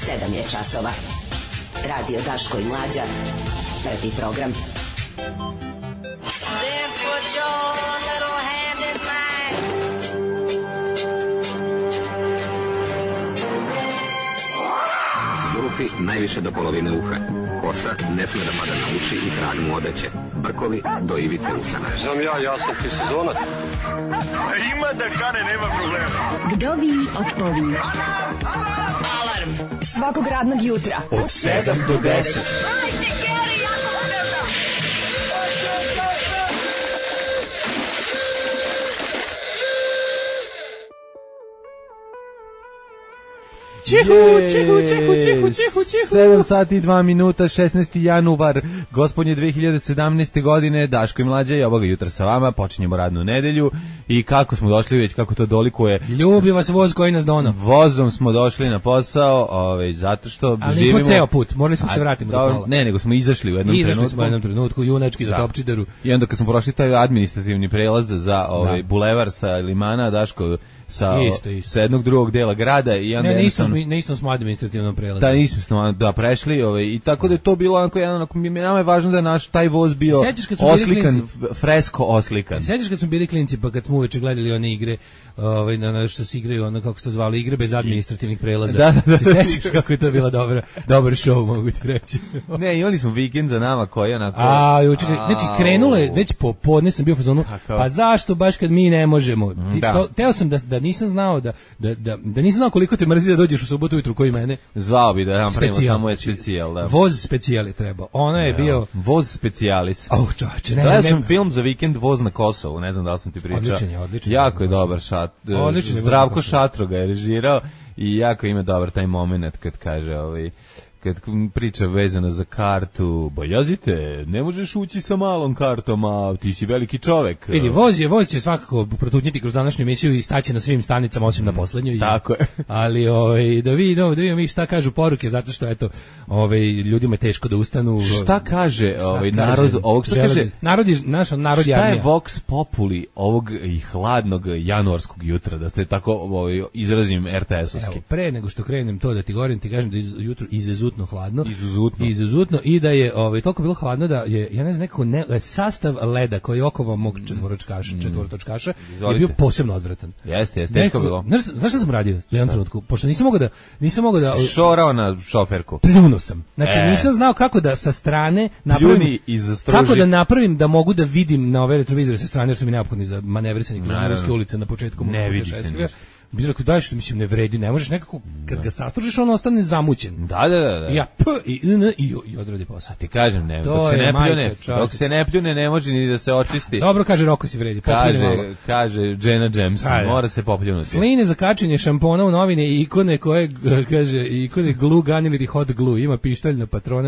7 je časova. Radio Daško i Mlađa. Prvi program. Zvuki najviše do polovine uha. Kosa ne sme da pada na uši i trag mu odeće. Brkovi do ivice usana. Znam ja sam ti sezonac. Ima da kane, nema problema. Vdovi od povijek. Alarm Svakog radnog jutra od 7 do 10. Čihu. 7 sati i 2 minuta, 16. januar, gospodnje 2017. godine, Daško i Mlađa i ovoga jutra sa vama, počinjemo radnu nedelju i kako smo došli već, kako to dolikuje. Ljubi vas voz koji nas dono. Vozom smo došli na posao, zato što ali živimo... nismo ceo put, morali smo se vratiti do pola. Ne, nego smo izašli u jednom trenutku. Izašli smo u jednom trenutku, junački do Topčideru. I onda kad smo prošli taj administrativni prelaz za bulevar sa Limana, Daško sa jednog drugog dela grada i onda ne isto smo administrativnom prelazu. Da, nismo smo prešli i tako da je to bilo onako jedan, nama je važno da je naš taj voz bio oslikan, fresko oslikan. Sećaš kad smo bili klinci, pa kad smo uveče gledali one igre, što se igraju, ono kako se to zvalo, igre bez administrativnih prelaza. Da. Sećaš kako je to bila dobar show, mogu ti reći. Ne, imali smo vikend za nama koji onako... Znači krenulo je, već popodne sam bio u fazonu, pa zašto baš kad mi ne možemo? Teo sam da nisam znao da nisam znao koliko te mrzi da dođeš u subotu ujutru koji mene. Zvao bi da napravimo samo je specijal, da. Voz specijal je trebao. Ono je bio voz specijalis. Čoveče, gledao sam film za vikend Voz na Kosovu, ne znam da li sam ti pričao. Odličan. Jako je dobar Zdravko Šatro ga je režirao i jako ima dobar taj moment kad kaže kad priča vezano za kartu, bojazite, ne možeš ući sa malom kartom, a ti si veliki čovek. Vidi, voz će svakako protutnjiti kroz današnju emisiju i staći na svim stanicama, osim na poslednjoj. Tako je. Ali da vidimo mi šta kažu poruke, zato što eto, ljudima je teško da ustanu. Šta kaže narod, ovog što kaže? Naš narod je armija. Šta je vox populi ovog i hladnog januarskog jutra, da ste tako izrazim RTS-ovski? Evo, pre nego što krenem to da ti govorim, ti kažem da je jutro izuzutno hladno. Izuzetno i da je toliko bilo hladno da je, ja ne znam, sastav leda koji je okova mog četvortočkaša je bio posebno odvratan. Jeste, teško bilo. Znaš šta sam radio u jednom trenutku? Pošto nisam mogao da šorao na šoferku. Pljunuo sam. Znači nisam znao kako da sa strane napravim, kako da napravim da mogu da vidim na ove retrovizore sa strane, jer su mi neophodni za manevrisanje kroz Ruske ulice na početku mog putešestvija. Bi rekao, daj što mislim ne vredi, ne možeš nekako, kad ga sastružiš, on ostane zamućen. Da. I ja i odradi posao. Ti kažem, ne, dok se ne pljune, ne može ni da se očisti. Dobro, kaže Roko si vredi. Kaže Jenna Jameson, mora se popljunuti. Sline za kačenje šampona u novine i ikone koje, kaže, ikone glue gun ili hot glue, ima pištolj na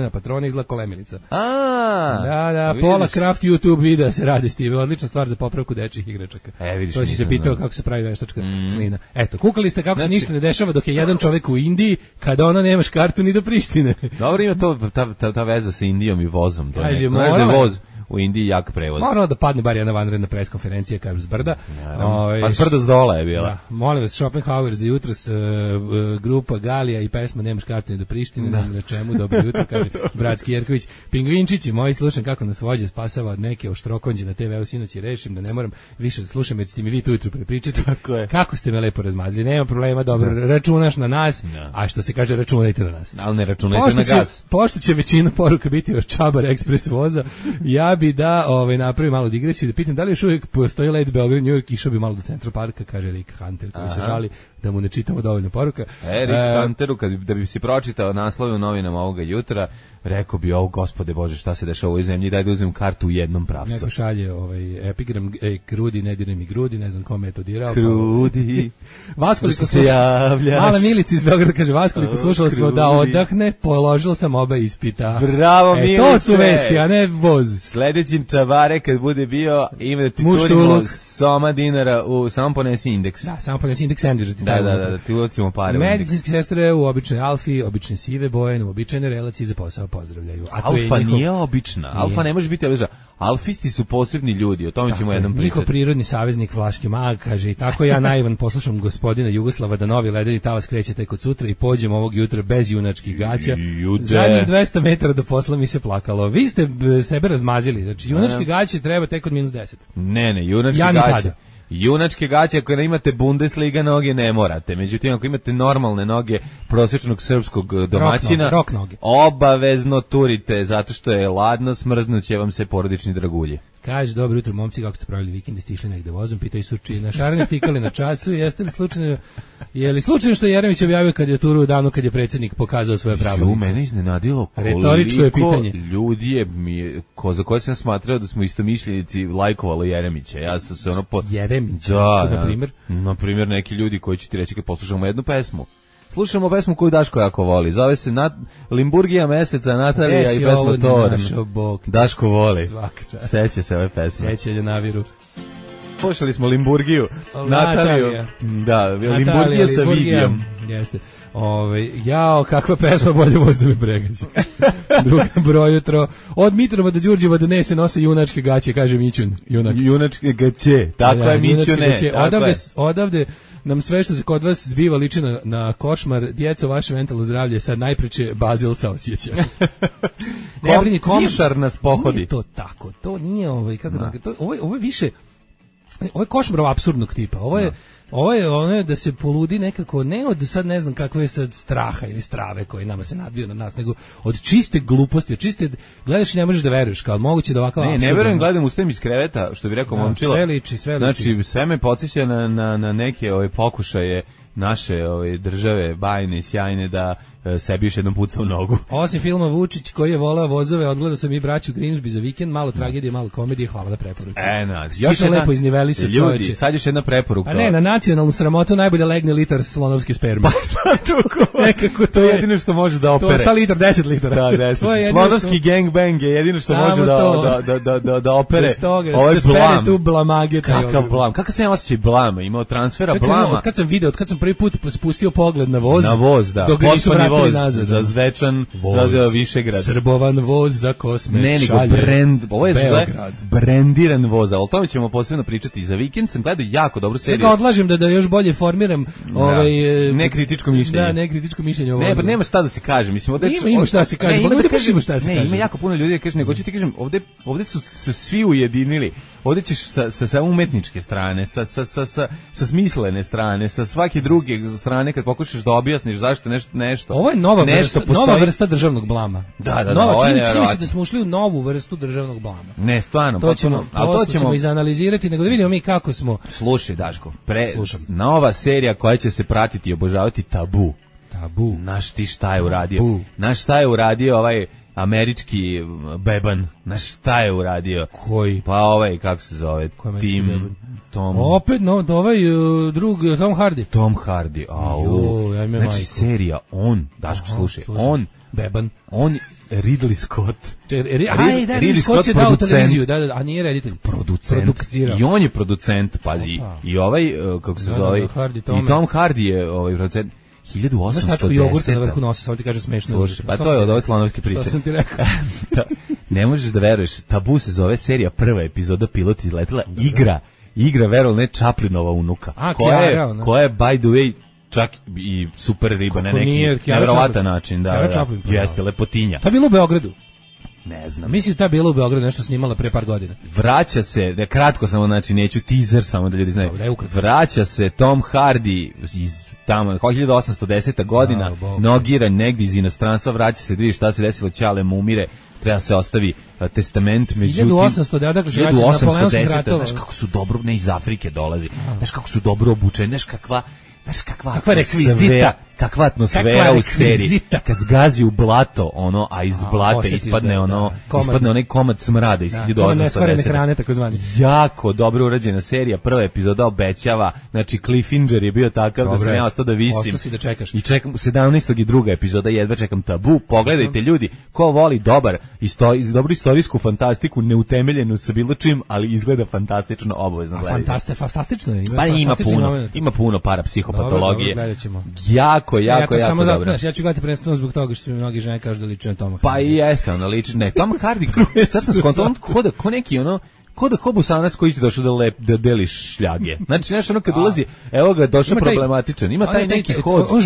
patrone izgleda kolemilica. Da, pola craft YouTube videa se radi s time, odlična stvar za popravku dečjih igračaka. To si se pitao kako se pravi veštačka slina. Eto, kukali ste kako se ništa ne dešava dok je jedan čovjek u Indiji, kada ona nemaš kartu ni do Prištine. Dobro, ima to ta veza sa Indijom i vozom. Kaže, voz u Indiji jak prevoz. Moralo da padne bar jedna vanredna preskonferencija, kažu s brda. Pa s brda s dola je bila. Da, molim vas, Schopenhauer za jutros, grupa Galija i pesma Nemaš kartu ni do Prištine, na čemu, dobro jutro, kaže Bratski Jerković. Pingvinčići, moji, slušam kako nas vođe spasava od neke oštrokonđe na TV-u sinoć i rešim da ne moram više da slušam, jer ćete mi vi tu jutro prepričati. Kako ste me lepo razmazili, nema problema, dobro, računaš na nas, a što se kaže, računajte na nas. Ali ne računajte na gas. Pošto će većina poruka biti od Čabar Ekspres voza, ja bi da napravi malo digresiju, da pitam da li još uvijek postoji let Beograd, New York, išao bi malo do Central Parka, kaže Rick Hunter, koji se žali da mu ne čitamo dovoljno poruka. Rick Hunteru, da bi si pročitao naslove u novinama ovoga jutra, rekao bi, gospode Bože, šta se dešava u ovoj zemlji, daj da uzmem kartu u jednom pravcu. Neko šalje epigram, Krudi, ne diraj mi grudi, ne znam kome je to dirao. Krudi, Vaskoliko se javljaš. Mala Milica iz Beograda kaže, Vaskoliko slušalstvo da odahne, položila sam oba ispita. Bravo, Milice. To su vesti, a ne voz. Sledeći Čavare kad bude bio, ima da ti turimo soma dinara, samo ponesi indeks. Da, samo ponesi indeks sandviča. Da, ti ucimo pare. Medicinske sestre u običnoj Alfi, obične sive boje, u običajne relacije za posao pozdravljaju. Alfa nije obična. Alfa ne može biti obična. Alfisti su posebni ljudi, o tome ćemo jednom pričati. Niko prirodni saveznik Flaški mag, kaže, i tako ja naivan poslušam gospodina Jugoslava da novi ledeni talas kreće tek od sutra i pođem ovog jutra bez junačkih gaća. Zadnjih 200 metara do posla mi se plakalo. Vi ste sebe razmazili, znači junačke gaće treba tek od -10. Ne, junačke gaće. Junačke gaće, ako ne imate Bundesliga noge, ne morate. Međutim, ako imate normalne noge prosječnog srpskog domaćina, rock noge. Obavezno turite, zato što je ladno, smrznuće vam se porodični dragulje. Kaže, dobro jutro, momci, kako ste pravili vikend, ste išli negde vozom, pitaju Surči, na šarene tikali na času, jeste li slučajno, je li slučajno što je Jeremić objavio kandidaturu u danu kad je predsjednik pokazao svoje pravo? Mene iznenadilo retoričko je pitanje. Ljudi je za koje sam smatrao da smo istomišljenici lajkovalo Jeremića. Ja sam se Jeremića, na primjer neki ljudi koji će ti reći kad poslušamo jednu pesmu. Slušamo pesmu koju Daško jako voli. Zove se Limburgija meseca, Natalija i pesma Tor. Daško voli. Seća se ove pesme. Seća Naviru. Slušali smo Limburgiju, Nataliju. Da, Limburgija sa Vigijom. Jeste. Jao, kakva pesma, bolje voz da me pregađa. Druga broj jutro. Od Mitrova do Đurđeva donese nose junačke gaće, kaže Mićun. Junačke gaće, tako je Mićune. Odavde nam sve što se kod vas zbiva liči na košmar. Djeco, vaše mentalno zdravlje sad najpreče Bazil saosjeća. Komšar nas pohodi. Nije to tako, to nije ovo je više, ovo je košmar apsurdnog tipa, ovo je ono da se poludi nekako, ne od sad ne znam kakve je sad straha ili strave koji nama se nadvio na nas, nego od čiste gluposti, od čiste, gledaš i ne možeš da veruješ, kao moguće da ovakav apsurd. Ne verujem, gledam, ustajem iz kreveta, što bi rekao Momčilo. Sve liči. Znači, sve me podsjeća na neke pokušaje naše države bajne i sjajne da sebi još jednom puca u nogu. Osim filma Vučić koji je voleo vozove, odgledao sam i braću Grimsby za vikend, malo tragedije, malo komedije, hvala na preporuci. Još jedna lepo izniveli se čoveče. Ljudi, sad još jedna preporuka. A ne, na nacionalnu sramotu najbolje legne litar slonovske sperme. Pa šta nekako to je jedino što može da opere. To šta litar, 10 litara. Da, 10. Slonovski gangbang je jedino što može da opere. Ovo je blam. Tu blamage. Kakav blam? Kakav sam ja osjećaj blama? Imao transfera blama. Od kad sam prvi put spustio pogled na voz. Na voz, da. Voz za Zvečan, za Višegrad. Srbovan voz za Kosmet, šalje. Brend, ovo je brendiran voz, ali o tome ćemo posebno pričati. Za vikend sam gledao jako dobru seriju. Sada odlažem da još bolje formiram nekritičko mišljenje. Da, nekritičko mišljenje o vozu. Ne, pa nema šta da se kaže. Mislim, ima šta da se kaže. Ne, ima jako puno ljudi da kaže, nego ću ti kažem, ovde su se svi ujedinili. Ovdje ćeš sa umetničke strane, sa smislene strane, sa svake druge strane kad pokušaš da objasniš zašto nešto. Ovo je nova vrsta državnog blama. Da, čini se da smo ušli u novu vrstu državnog blama. Ne, stvarno. To ćemo izanalizirati, nego da vidimo mi kako smo. Slušaj, Daško, nova serija koja će se pratiti i obožavati Tabu. Znaš ti šta je uradio? Znaš šta je uradio ovaj američki beban? Znaš šta je uradio? Koji? Pa kako se zove? Tom. Opet, drug, Tom Hardy. Tom Hardy, znači serija, Daško, slušaj, beban. On Ridley Scott. Ridley Scott je dao televiziju, a nije reditelj. Producent. I on je producent, pazi. I kako se zove, i Tom Hardy je producent. 1810. Jogurta na vrhu nosa, samo ti kaže smešno. Pa to je od ove slanovske priče. To sam ti rekao. Ne možeš da veruješ, Tabu se zove serija, prva epizoda, pilot izletela, igra verovatno ne Chaplinova unuka. Koja je, by the way, čak i super riba na neki nevjerovatan način. Jeste, lepotinja. To je bilo u Beogradu. Ne znam. Mislim da je bilo u Beogradu nešto snimala pre par godina. Vraća se, da kratko samo, znači neću teaser, samo da ljudi znaju. Vraća se Tom Hardy iz tamo 1810. godina, nogiran negdje iz inostranstva, vraća se, vidi šta se desilo, Ćale mu umire, treba se ostavi testament, međutim 1810. Znaš kako su dobro, ne iz Afrike dolazi, znaš kako su dobro obučeni, znaš kakva rekvizita, kakva atmosfera u seriji. Kad zgazi u blato, a iz blata ispadne onaj komad smrada iz 1810. Jako dobro urađena serija, prva epizoda obećava, znači Cliffhanger je bio takav da sam ja ostao da visim. I čekam 17. i druga epizoda, jedva čekam Tabu. Pogledajte ljudi, ko voli dobru istorijsku fantastiku, neutemeljenu sa bilo čim, ali izgleda fantastično, obavezno gledajte. Fantastično je. Pa ima puno parapsihopatologije. jako dobro. Znaš, ja ću gledati prvenstveno zbog toga što mi mnogi žene kažu da liči na Toma Hardy. Pa i jeste, ono liči. Ne, Tom Hardy, sad sam skontao, on ko neki ono, ko da Hobusanac koji će došao da deli šljage. Znači, nešto ono kad ulazi, evo ga, došao problematičan. Ima taj neki hod. On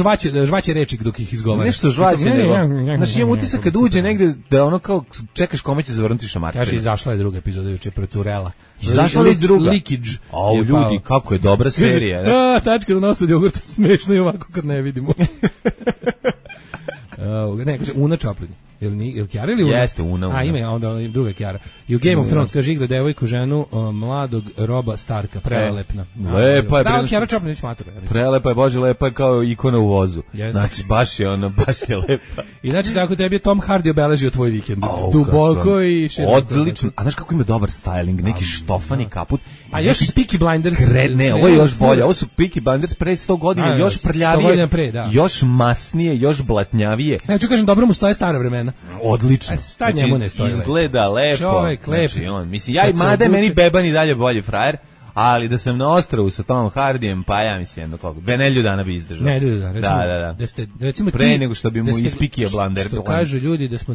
žvaće reči dok ih izgovara. Nešto žvaće, nego. Znači, imam utisak kad uđe negde da ono kao čekaš kome će zavrnuti šamarčinu. Kaže, izašla je druga epizoda juče, procurela. Izašla je druga. Leakage. Au, ljudi, kako je dobra serija. Tačka do nosa od jogurta, smešno i ovako kad ne vidimo. Ne, kaže, Una Chaplin. Jel Kjara ili Una? Jeste, Una. A, ima onda druga Kjara. I u Game of Thrones, kaže, igra devojku, ženu mladog Roba Starka, prelelepna. Lepa je. Da, Kjara Chaplin već matura. Prelepa je, Bože, lepa je kao ikona u vozu. Znači, baš je lepa. I znači, tako tebi je Tom Hardy obeležio tvoj vikend. Duboko i široko. Odlično. A znaš kako ima dobar styling, neki štofani kaput. A još Peaky Blinders. Ne, ovo je još bolje. Ovo su Peaky Blinders pre 100 godina, još prljavije, još masnije, još blatnjavije. Ne, ću kažem, dobro mu stoje stara vremena. Odlično. Šta njemu ne stoji? Izgleda lepo. Čovjek lep. Znači, mislim, mada meni Beban i dalje bolji frajer, ali da sam na ostrvu sa Tomom Hardijem, pa ja mislim jedno koliko. Nelju dana bi izdržao. Nelju dana, recimo. Da. Ste, recimo pre nego što bi mu ispikio Blander. Što kažu ljudi da smo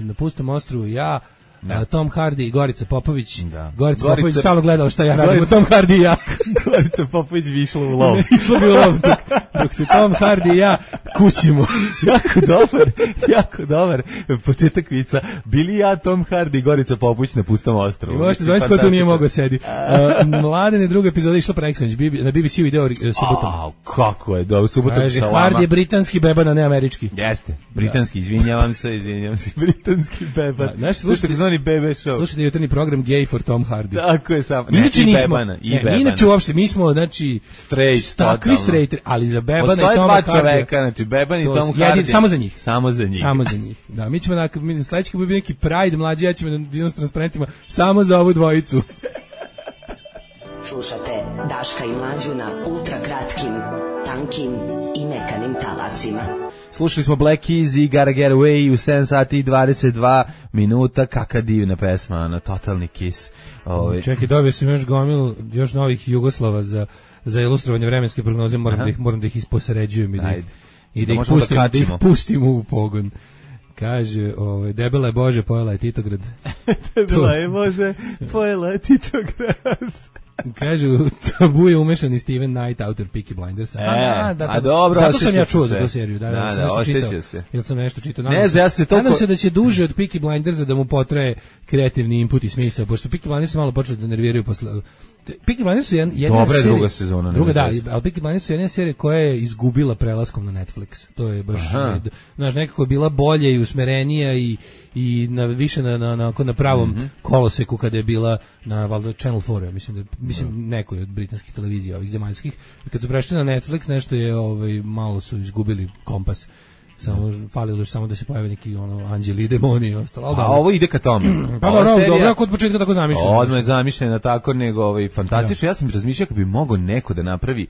na pustom ostrvu, ja, Tom Hardy i Gorica Popović. Gorica Popović stalno gledala šta ja radim, Tom Hardy i ja. Gorica Popović bi išla u lov. Išla bi u lov, dok se Tom Hardy i ja kućimo. Jako dobar početak vica. Bili ja, Tom Hardy i Gorica Popović na pustom ostrovu. I možete zvaniti ko tu nije mogao sedi. Mladene druga epizoda išla preksanoć, na BBC video subotom. Kako je dobro, subotom sa vama. Hardy je britanski beban, a ne američki. Jeste, britanski, izvinjavam se, britanski beban. Slušajte, BB show. Slušajte jutarnji program Gay for Tom Hardy. Tako je sam. Inače nismo. Inače uopšte, mi smo, znači, takvi straight, ali za Bebana i Toma Hardy. Postoje dva čoveka, znači Beban i Tom Hardy. Samo za njih. Samo za njih. Da, mi ćemo sledeći kad bi neki Pride mlađi, ja ćemo da idemo s transparentima samo za ovu dvojicu. Slušate Daška i Mlađu na ultra kratkim, tankim i mekanim talasima. Slušali smo Black Keys i Gotta Get Away u 7 sati i 22 minuta. Kakva divna pesma, ono, totalni Kiss. Čekaj, dobio sam još novih Jugoslava za ilustrovanje vremenske prognoze, moram da ih isposređujem i da ih pustim u pogon. Kaže, debela je Bože, pojela je Titograd. Debela je Bože, pojela je Titograd. Kaže, u Tabu je umešan i Steven Knight, autor Peaky Blinders. A dobro, zato sam ja čuo za tu seriju. Da, osjećao se. Jel sam nešto čitao? Nadam se da će duže od Peaky Blindersa da mu potraje kreativni input i smisao, pošto Peaky Blinders malo počeli da nerviraju posle. Peaky Blinders su jedna dobra serija, druga sezona. Ali Peaky Blinders su jedna serija koja je izgubila prelaskom na Netflix. To je baš, znaš, nekako je bila bolja i usmerenija i više na pravom koloseku kada je bila na valjda Channel 4, mislim nekoj od britanskih televizija, ovih zemaljskih. I kad su prešli na Netflix, nešto je malo su izgubili kompas. Falilo je samo da se pojave neki anđeli i demoni i ostalo. A ovo ide ka tome. Pa dobro, kod početka tako zamišljeno. Odmah je zamišljeno tako, nego fantastično. Ja sam razmišljao kako bi mogao neko da napravi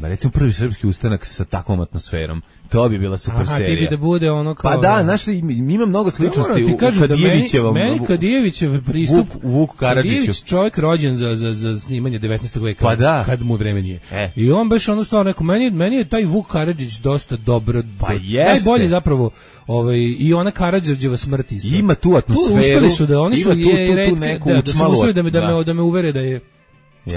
recimo prvi srpski ustanak sa takvom atmosferom. To bi bila super serija. Ti bi da bude ono kao... Pa da, znaš, ima mnogo sličnosti u Kadijevićevom... Meni Kadijevićev pristup... Vuk Karadžiću. Kadijević čovjek rođen za snimanje 19. veka. Pa da. Kad mu vreme nije. I on baš ono stao neko... Meni je taj Vuk Karadžić dosta dobro... Pa jeste. Najbolje zapravo... I ona Karadžorđeva smrt isto. Ima tu atmosferu. Uspeli su da oni su... Ima tu neku učmalu... Da me uvere da je...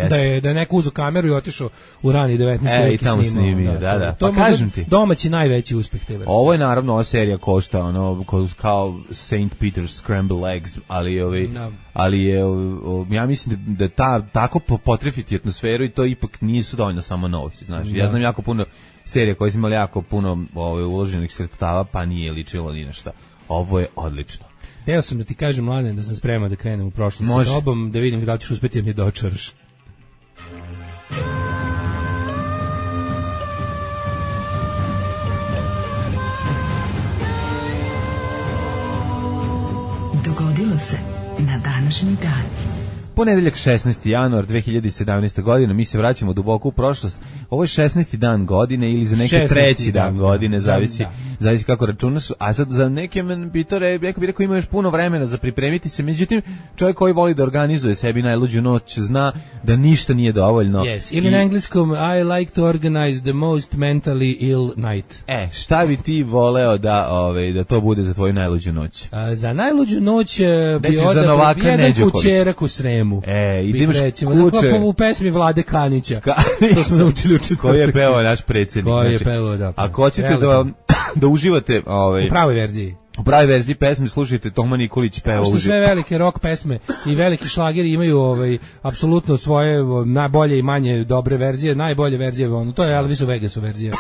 Da je neko uzeo kameru i otišao u rani 19. vek i tamo snimio. Da. To pa kažem ti. Domaći najveći uspeh te vrste. Ovo je naravno, ova serija košta kao St. Peter's Scrambled Eggs, ali je ja mislim da tako potrefiti atmosferu i to ipak nisu dovoljno samo novci, znaš. Ja znam jako puno serija koje su imali jako puno uloženih sredstava, pa nije ličilo ni na šta. Ovo je odlično. Teo sam da ti kažem, Mladen, da sam spreman da krenem u prošlost sa tobom, da vidim da li ćeš uspjeti da mi dočaraš. Dogodilo se na današnji dan. Ponedeljak 16. januar 2017. godine, mi se vraćamo duboko u prošlost. Ovo je 16. dan godine ili za neke treći dan godine, zavisi kako računaš. A sad za neke bitore, rekao ima još puno vremena za pripremiti se. Međutim, čovjek koji voli da organizuje sebi najluđu noć zna da ništa nije dovoljno. Yes, ili na engleskom I like to organize the most mentally ill night. Šta bi ti voleo da to bude za tvoju najluđu noć? Za najluđu noć bi odabro jedan kućerak u Sremu. I da imaš kuće. U pesmi Vlade Kanića. To smo naučili u četvrtak. Koji je pevao naš predsjednik. Koji je pevao, da. Ako hoćete da uživate... U pravoj verziji. U pravoj verziji pesme slušajte Toma Nikolić peva uživo. Sve velike rock pesme i veliki šlageri imaju apsolutno svoje najbolje i manje dobre verzije. Najbolje verzije, to je Elvis u Vegasu verzija.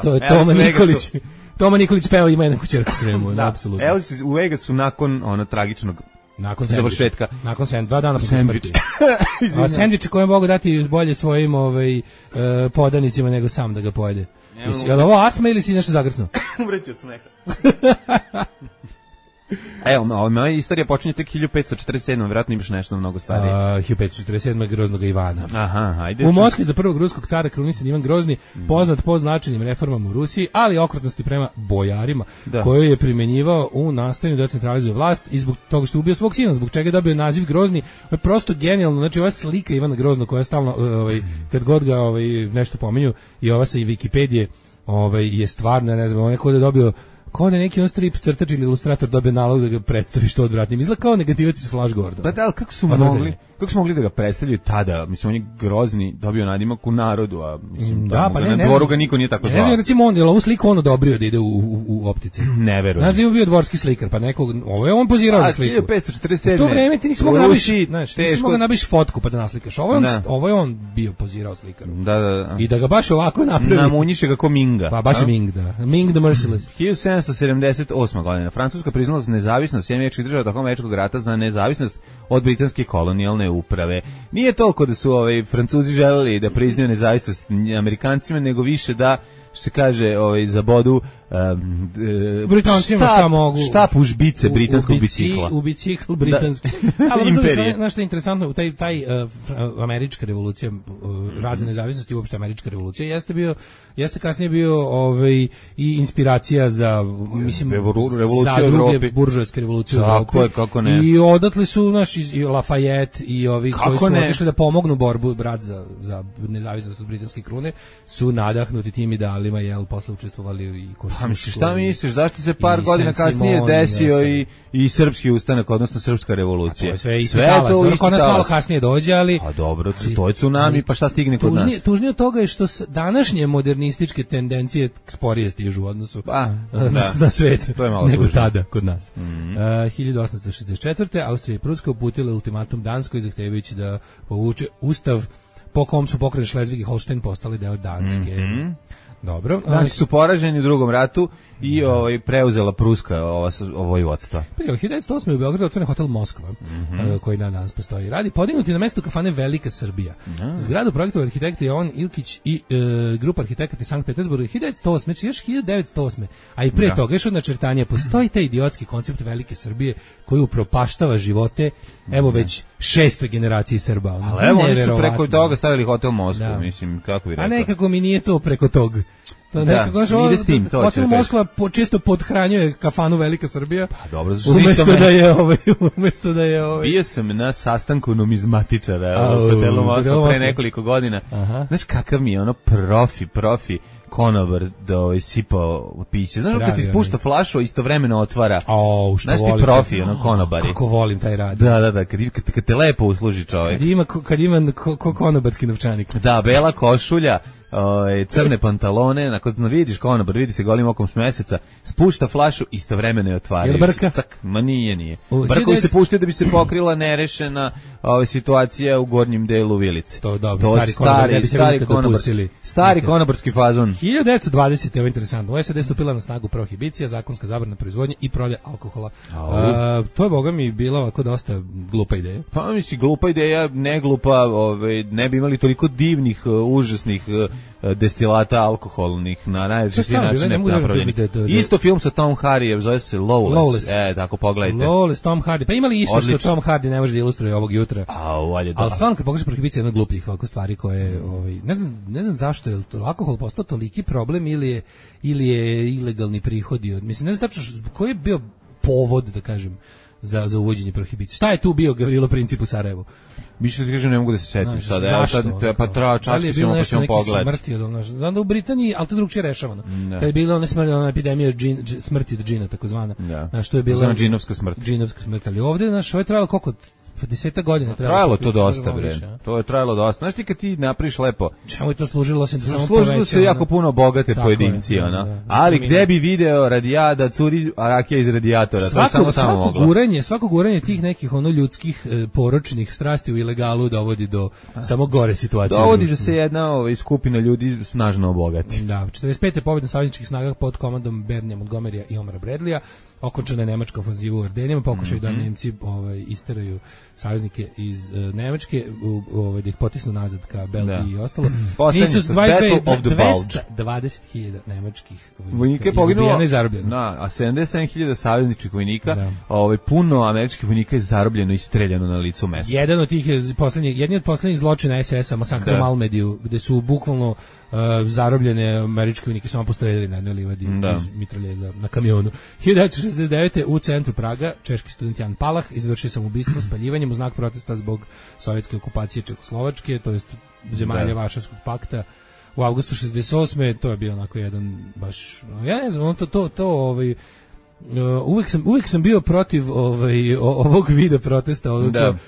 To je Toma Nikolić. Toma Nikolić peva ima jednu kućerku u Sremu, apsolutno. Elvis u Vegasu nakon tragičnog završetka. Nakon 2 dana posle smrti. A sendviče koje mogu dati bolje svojim podanicima nego sam da ga pojede. Je li ovo astma ili si nešto zagrcno? Umreću od smeha. Evo, moja istorija počinje tek 1547. Vjerojatno imaš nešto mnogo starije. 1547. Groznog Ivana. Aha, ajde. U Moskvi za prvog ruskog cara krunisan Ivan Grozni, poznat po značajnim reformama u Rusiji, ali okrutnosti prema bojarima, koju je primenjivao u nastojanju da centralizuje vlast i zbog toga što je ubio svog sina, zbog čega je dobio naziv Grozni. To je prosto genijalno. Znači, ova slika Ivana Groznog koja je stalno, kad god ga nešto pominju, i ova sa i Wikipedije je stvarno, ne znam, on je kod je dobio kao da neki strip crtač ili ilustrator dobio nalog da ga predstavi što odvratnim. Izgleda kao negativac iz Flash Gordona. Da, ali kako su mogli da ga predstavljaju tada? Mislim, on je Grozni, dobio nadimak u narodu, a mislim, na dvoru ga niko nije tako zvao. Ne znam, recimo on, je li ovu sliku on odobrio da ide u optici? Ne verujem. Znaš da je bio dvorski slikar, pa nekog, ovo je on pozirao za sliku. 1547. U to vreme ti nisi mogao nabiš fotku pa da naslikaš. Ovo je on bio pozirao slikaru. Da. I da ga baš ovako napravi. Namunjiše ga ko Minga. Pa baš je Ming, da. Ming the Merciless. 1778. godina. Francuska priznala nezavisnost Sjedinjenih Američkih Država tokom Američkog rata za nezavisnost od britanske kolonijalne uprave. Nije toliko da su Francuzi želeli da priznaju nezavisnost Amerikancima, nego više da, što se kaže, zabodu Britancima šta mogu. Štap u žbice britanskog bicikla. U bicikl britanski. Ali znaš što je interesantno, taj američka revolucija, rad za nezavisnost i uopšte američka revolucija jeste kasnije bio i inspiracija za, mislim, za druge buržoaske revolucije u Evropi. Kako ne. I odatle su i Lafayette i ovi koji su otišli da pomognu borbu brat za nezavisnost od britanske krune su nadahnuti tim idealima, posle učestvovali i Pa misliš, šta misliš, zašto se par godina kasnije desio i srpski ustanak, odnosno srpska revolucija? Sve je isti talas, kod nas malo kasnije dođe, ali... A dobro, to je tsunami, pa šta stigne kod nas? Tužnije od toga je što današnje modernističke tendencije sporije stižu u odnosu na svet nego tada kod nas. 1864. Austrija i Pruska uputile ultimatum Danskoj zahtevajući da povuče ustav po kom su pokrajine Šlezvig i Holštajn postali deo Danske. Dobro. Danci su poraženi u drugom ratu i preuzela Pruska vojvodstva. Pa 1908. u Beogradu otvoren hotel Moskva, koji danas postoji. Radi podignuti na mestu kafane Velika Srbija. Zgradu projektovao arhitekta Jovan Ilkić i grupa arhitekata iz Sankt Petersburga 1908. Znači još 1908. A i pre toga još od načrtanja postoji taj idiotski koncept Velike Srbije koji upropaštava živote već 6. generaciji Srba. Ali evo oni su preko toga stavili hotel Moskva, mislim, kako bi rekao. A nekako mi nije to preko toga. To nekako ide s tim, to hotel Moskva često podhranjuje kafanu Velika Srbija. Pa dobro, umesto da je Bio sam na sastanku numizmatičara u hotelu Moskva pre nekoliko godina. Znaš kakav mi je profi konobar da sipao piće. Znaš kad ti spušta flašu, istovremeno otvara. Znaš ti profi, konobari. Kako volim taj rad. Da, kad te lepo usluži čovjek. Kad ima konobarski novčanik. Da, bela košulja, crne pantalone, nakon vidiš konobar, vidi se golim okom s meseca, spušta flašu, istovremeno je otvara. Jel brka? Ma nije. Brkovi se puštaju da bi se pokrila nerešena situacija u gornjem delu vilice. To dobro, stari konobarski fazon. 1920. je ovo interesantno. U SAD stupila na snagu prohibicija, zakonska zabrana proizvodnje i prodaje alkohola. To je, boga mi, bila ovako dosta glupa ideja. Pa misli, glupa ideja, ne glupa, ne bi imali toliko divnih, užasnih destilata alkoholnih na najrazličitiji načine napravljeni. Isto film sa Tom Hardyjem, zove se Lawless. Tako pogledajte. Lawless, Tom Hardy. Pa imali isto što Tom Hardy ne može da ilustruje ovog jutra. Ali stvarno kad pogledaš Prohibicija, jedna glupljih ovako stvari koje, ne znam zašto je alkohol postao toliki problem ili je ilegalni prihodi. Mislim, ne znam tačno koji je bio povod, da kažem, za uvođenje prohibicije. Šta je tu bilo princip u Sarajevu? Mislim da ti kažem, ne mogu da se setim sada. Pa treba čačke ćemo pa ćemo pogledati. Znam da u Britaniji, ali to drugčije rešavano. Kad je bila ona epidemija smrti od džina, takozvana. Što je bila džinovska smrt. Džinovska smrt, ali ovde, ovo je trajalo koliko? 10 godina trajalo to dosta, bre. To je trajalo dosta. Znaš ti kad ti napriš lepo. Čemu je to služilo se da samo služilo se jako puno bogate pojedinci, ali gde bi video radijada curi rakija iz radijatora, to je samo moglo. Svako guranje tih nekih ljudskih poročnih strasti u ilegalu dovodi do samo gore situacije. Dovodi da se jedna skupina ljudi snažno obogati. Da, 45. pobjeda savezničkih snaga pod komandom Bernija Montgomerya i Omara Bradleya. Okončana je nemačka ofanziva u Ardenima, pokušaju da Nemci isteraju saveznike iz Nemačke, da ih potisnu nazad ka Belgiji i ostalo. Nisu 20.000 nemačkih vojnika je poginulo, a 77.000 savezničkih vojnika, puno američkih vojnika je zarobljeno i streljano na licu mesta. Jedan od tih jedni od poslednjih zločina SS-a, masakr u Malmediju, gde su bukvalno zarobljene američke vojnike samo postojedili na jednoj livadi iz mitraljeza na kamionu. 1969. u centru Praga češki student Jan Palah izvršio samoubistvo spaljivanjem u znak protesta zbog sovjetske okupacije Čekoslovačke, to jest zemalja Varšavskog pakta. U avgustu 68. to je bio onako jedan baš, ja ne znam, uvijek sam bio protiv ovog vida protesta.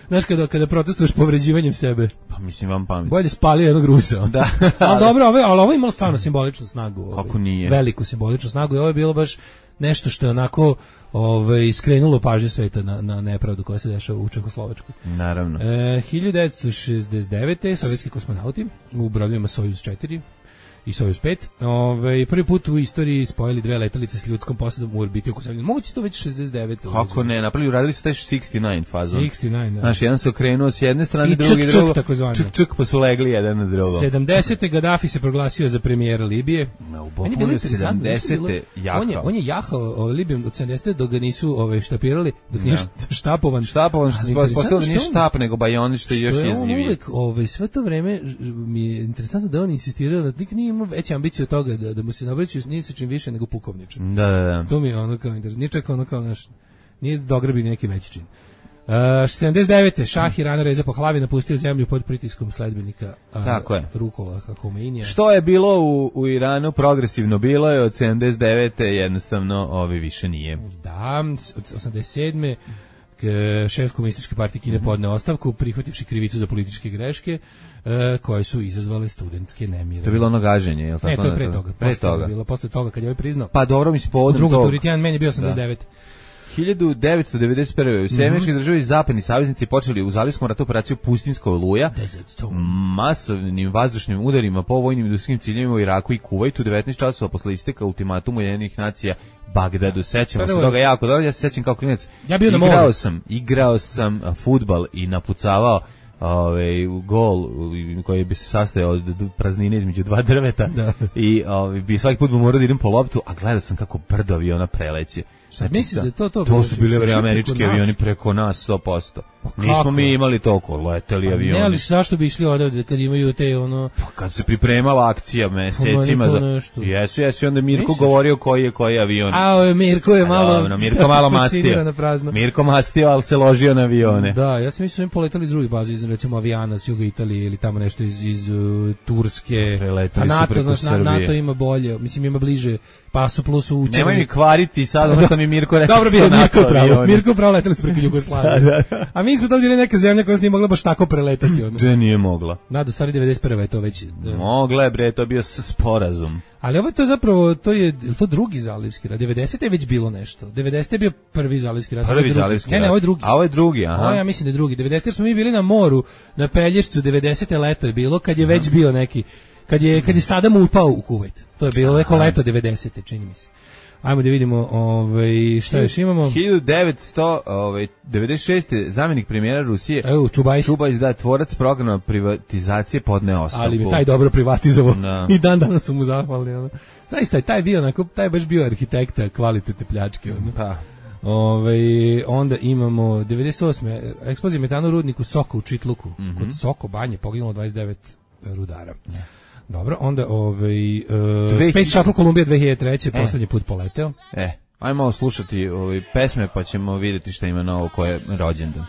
Znaš, kada protestuješ povređivanjem sebe. Pa mislim vam pamet. Bolje spalio jednog Rusa. Da. Ali dobro, ali ovo je imalo stvarno simboličnu snagu. Kako nije? Veliku simboličnu snagu i ovo je bilo baš nešto što je onako skrenulo pažnju sveta na nepravdu koja se dešava u Čekoslovačkoj. Naravno. 1969. sovjetski kosmonauti u brodovima Sojuz 4 i Sojuz 5. Prvi put u istoriji spojili dve letelice s ljudskom posadom u orbiti oko Zemlje. Moguće to već 69. Kako ne, radili su taj 69 fazon. 69, da. Znaš, jedan se okrenuo s jedne strane, drugi drugo. Čuk, pa su legli jedan na drugo. 70. Gaddafi se proglasio za premijera Libije. Meni je bilo interesantno. 70. On je jahao Libijom od 70. dok ga nisu štapirali, dok nije štapovan. Štapovan, što se postavilo da nije štap, nego bajon, što je još jezivije. Sve to vreme mi je interesantno da on insistirao da nikad nije imao veće ambicije od toga da mu se nabraćaju ni sa čim više nego pukovničan. Da. To mi je ono kao interes. Nije čak ono kao naš, nije dograbio neki veći čin. 79. Šah Irana Reza Pahlavi napustio zemlju pod pritiskom sledbenika Rukola Homeinija. Što je bilo u Iranu progresivno bilo je od 79. jednostavno više nije. Da, od 87. šef komunističke partije Kine podneo ostavku prihvativši krivicu za političke greške koje su izazvale studentske nemire. To je bilo ono gaženje, je li tako? Ne, to je pre toga. Posle toga kad je ovaj priznao. Pa dobro, mislim povodom toga. Drugi Turitijan meni je bio 89. 1991. U Sjemeničke države i zapadni saveznici počeli u Zalivskom ratu operaciju Pustinska oluja masovnim vazdušnim udarima po vojnim industrijskim ciljevima u Iraku i Kuvajtu 19 časova posle isteka ultimatuma Ujedinjenih nacija Bagdadu. Sećamo se toga jako dobro. Ja se sećam kao klinac. Ja bio igrao sam fudbal i napucavao gol koji bi se sastojao od praznine između dva drveta i bi svaki put morao da idem po loptu, a gledao sam kako brdo aviona preleće. To su bili američki avioni preko nas 100%. Nismo mi imali toliko leteli avioni. Ne, ali zašto bi išli odavde kad imaju te kad se pripremala akcija mesecima. Jesu, onda Mirko govorio koji je avion. Mirko je malo mastio. Mirko mastio, ali se ložio na avione. Da, ja sam mislio da im poletali iz drugih baza, iz recimo Avijana, s juga Italije ili tamo nešto iz Turske. Preletali su preko Srbije. NATO ima bolje, mislim ima bliže Pasu Plusu učeni. Nemoj mi kvariti sad ono što mi Mirko rekao. Dobro bio Mirko pravo letali su preko Jugoslavije. A mi smo to bili neka zemlja koja se nije mogla baš tako preletati. Gde nije mogla? Nado, stvari 91. je to već. Mogla je, bre, to je bio sporazum. Ali ovo je to zapravo, to je drugi zalivski rat. 90. je već bilo nešto. 90. je bio prvi zalivski rat. Prvi zalivski rat. Ne, ovo je drugi. A ovo je drugi, aha. Ovo ja mislim da je drugi. 90. smo mi bili na moru, na Pelješcu, 90. leto je bilo, kad je već bio neki, kad je Sadam upao u Kuvajt. To je bilo neko leto 90. čini mi se. Ajmo da vidimo šta još imamo. 1996. zamjenik premijera Rusije Čubajs, da, tvorac programa privatizacije podneo ostavku. Ali bi taj dobro privatizovao. No. I dan danas su mu zahvalni. Zaista je taj bio onako, taj baš bio arhitekta kvalitetne pljačke. Pa. Onda imamo 98. eksplozija metana u rudniku Soko u Čitluku. Kod Soko banje poginulo 29 rudara. Dobro, onda Space Shuttle Columbia 2003. poslednji put poleteo. Ajmo malo slušati pesme pa ćemo vidjeti šta ima novo koje je rođendan.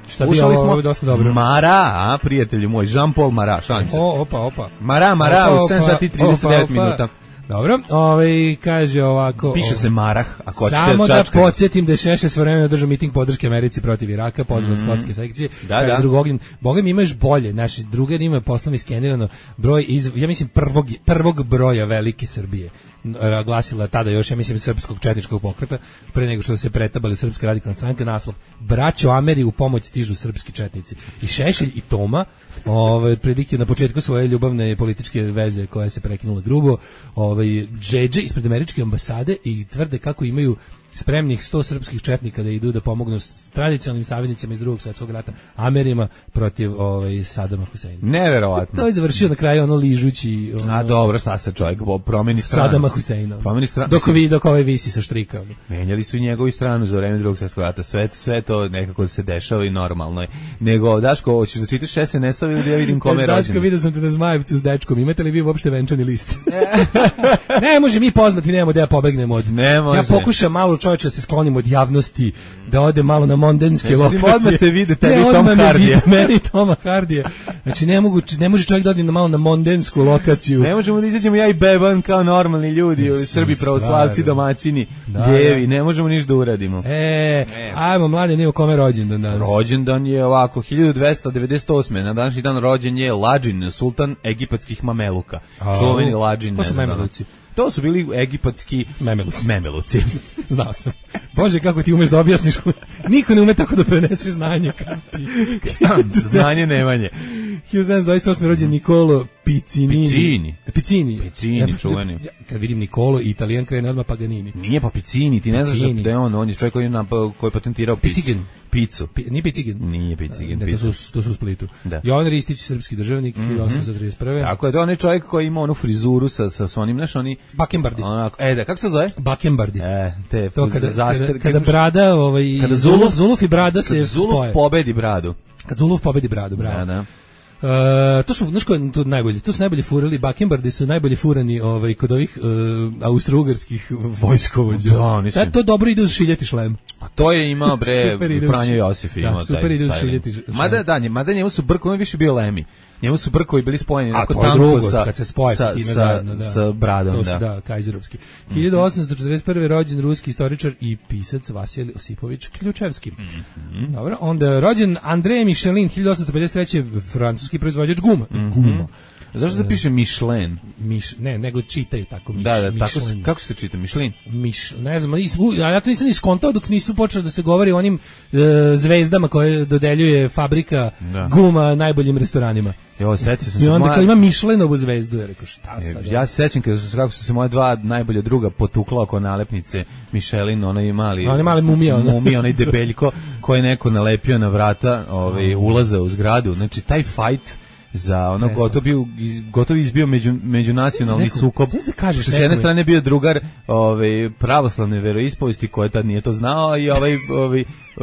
Šta bi ovo dosta dobro. Mara, prijatelji moj, Jean-Paul Mara, šalim se. Opa. Mara, u 7 sati 39 minuta. Dobro, kaže ovako... Piše se Marah, ako hoćete samo da podsjetim da je Šešelj svojevremeno držao miting podrške Americi protiv Iraka, pozdrav sportske sekcije. Kaže Drugogin, Boga mi imaš bolje, naši drugari imaju poslom iskenirano broj ja mislim prvog broja velike Srbije. Glasila tada još, ja mislim, srpskog četničkog pokreta, pre nego što se pretabali Srpska radikalna stranka, naslov Braćo Ameri u pomoć stižu srpski četnici. I Šešelj i Toma, prilike na početku svoje ljubavne političke veze koja se prekinula grubo, džedže ispred američke ambasade i tvrde kako imaju spremnih 100 srpskih četnika da idu da pomognu s tradicionalnim saveznicima iz Drugog svjetskog rata, Amerima protiv Sadama Huseina. Neverovatno. To je završio na kraju ližući. Dobro, šta se čovjek promeni stranu. Sadama Huseina. Dok visi sa štrika. Menjali su i njegovu stranu za vreme Drugog svjetskog rata. Sve to nekako se dešava i normalno je. Nego, Daško, hoćeš da čitaš SNS-ov ili da ja vidim kome je rođen? Daško, vidio sam te na Zmajevcu s dečkom. Imate li vi uopšte venčani list? Ne može mi poznati, nemamo da ja pobegnemo od... Ja pokušam malo čovječe da se sklonim od javnosti, da ode malo na mondenske lokacije. Odmah te vide tebi Tom Hardija. Meni Toma Hardija. Znači ne može čovjek da ode malo na mondensku lokaciju. Ne možemo da izađemo ja i Beban kao normalni ljudi, Srbi pravoslavci, domaćini, ljevi, ne možemo ništa da uradimo. Ajmo mlade, nije u kome rođendan danas. Rođendan je ovako, 1298. Na današnji dan rođen je Lađin, sultan egipatskih Mameluka. Čuveni Lađin. To su Mameluci. To su bili egipatski Memeluci. Znao sam. Bože, kako ti umeš da objasniš. Niko ne ume tako da prenese znanje. Znanje nemanje. 1728. rođen Nikolo Piccinini. Piccini, čuveni. Kad vidim Nikolo i Italijan krene odmah Paganini. Nije pa Piccini, ti ne znaš da je on je čovjek koji je patentirao picu. Nije Picigin. Nije Picigin. To su u Splitu. Jovan Ristić, srpski državnik, 1831. Tako je, to on je čovjek koji ima onu frizuru sa onim, znaš, oni... Bakembardi. Kako se zove? Bakembardi. To kada brada, kada Zuluf i brada se spoje. Zuluf pobedi bradu. Kad Zuluf pobedi bradu, bravo. Da. To su, znaš ko je to najbolji? To su najbolji furali, Bakembardi su najbolji furani kod ovih austrougarskih vojskovođa. To dobro ide uz šiljeti šlem. A to je imao Franjo Josif imao taj. Super ide uz šiljeti šlem. Mada njemu su brkovi više bio Lemi. Njemu su brkovi bili spojeni onako tanko kad se spoje sa bradom. Da, kajzerovski. 1841. rođen ruski istoričar i pisac Vasilij Osipović Ključevski. Dobro, onda rođen André Michelin, 1853. francuski proizvođač guma. Zašto da piše Michelin? Ne, nego čitaju tako Da, tako kako se čita Michelin? Ne znam, ja to nisam ni skontao dok nisu počeli da se govori o onim zvezdama koje dodeljuje fabrika guma najboljim restoranima. Evo, setio sam se. I onda kao ima Michelinovu zvezdu, ja rekao šta sad? Ja se sećam kako su se moje dva najbolja druga potukla oko nalepnice Michelin, onaj mali mumija, onaj debeljko koji je neko nalepio na vrata ulaza u zgradu. Znači, taj fight za ono gotovo izbio međunacionalni sukob. Što s jedne strane bio drugar pravoslavne veroispovesti koji tad nije to znao i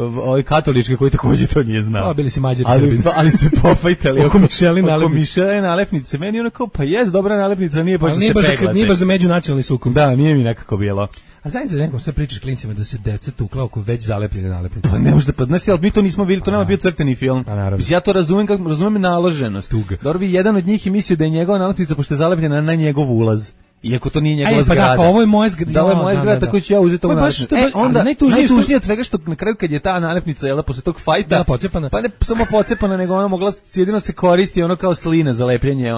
ovaj katolički koji takođe to nije znao. Bili si Mađari Srbin. Ali se pofajtali oko Michelin nalepnice. Meni ono kao, pa jest dobra nalepnica, nije baš da se peglate. Nije baš za međunacionalni sukob. Da, nije mi nekako bilo. A zajedno da nekom sve pričaš klincima da se deca tukla oko već zalepljene nalepnice. Pa ne možda, znaš, ali mi to nismo bili, to nama bio crteni film. Ja to razumem naloženost. Dobro bi jedan od njih i mislio da je njegova nalepnica pošto je zalepljena na njegov ulaz. Iako to nije njegova zgrada. Pa ovo je moja zgrada. Da, ovo je moja zgrada, tako ću ja uzeti ovu nalepnicu. Onda najtužnije od svega što na kraju kad je ta nalepnica posle tog fajta, pa ne samo pocepana, nego ona mogla jedino se koristi ono kao slina za lepljenje,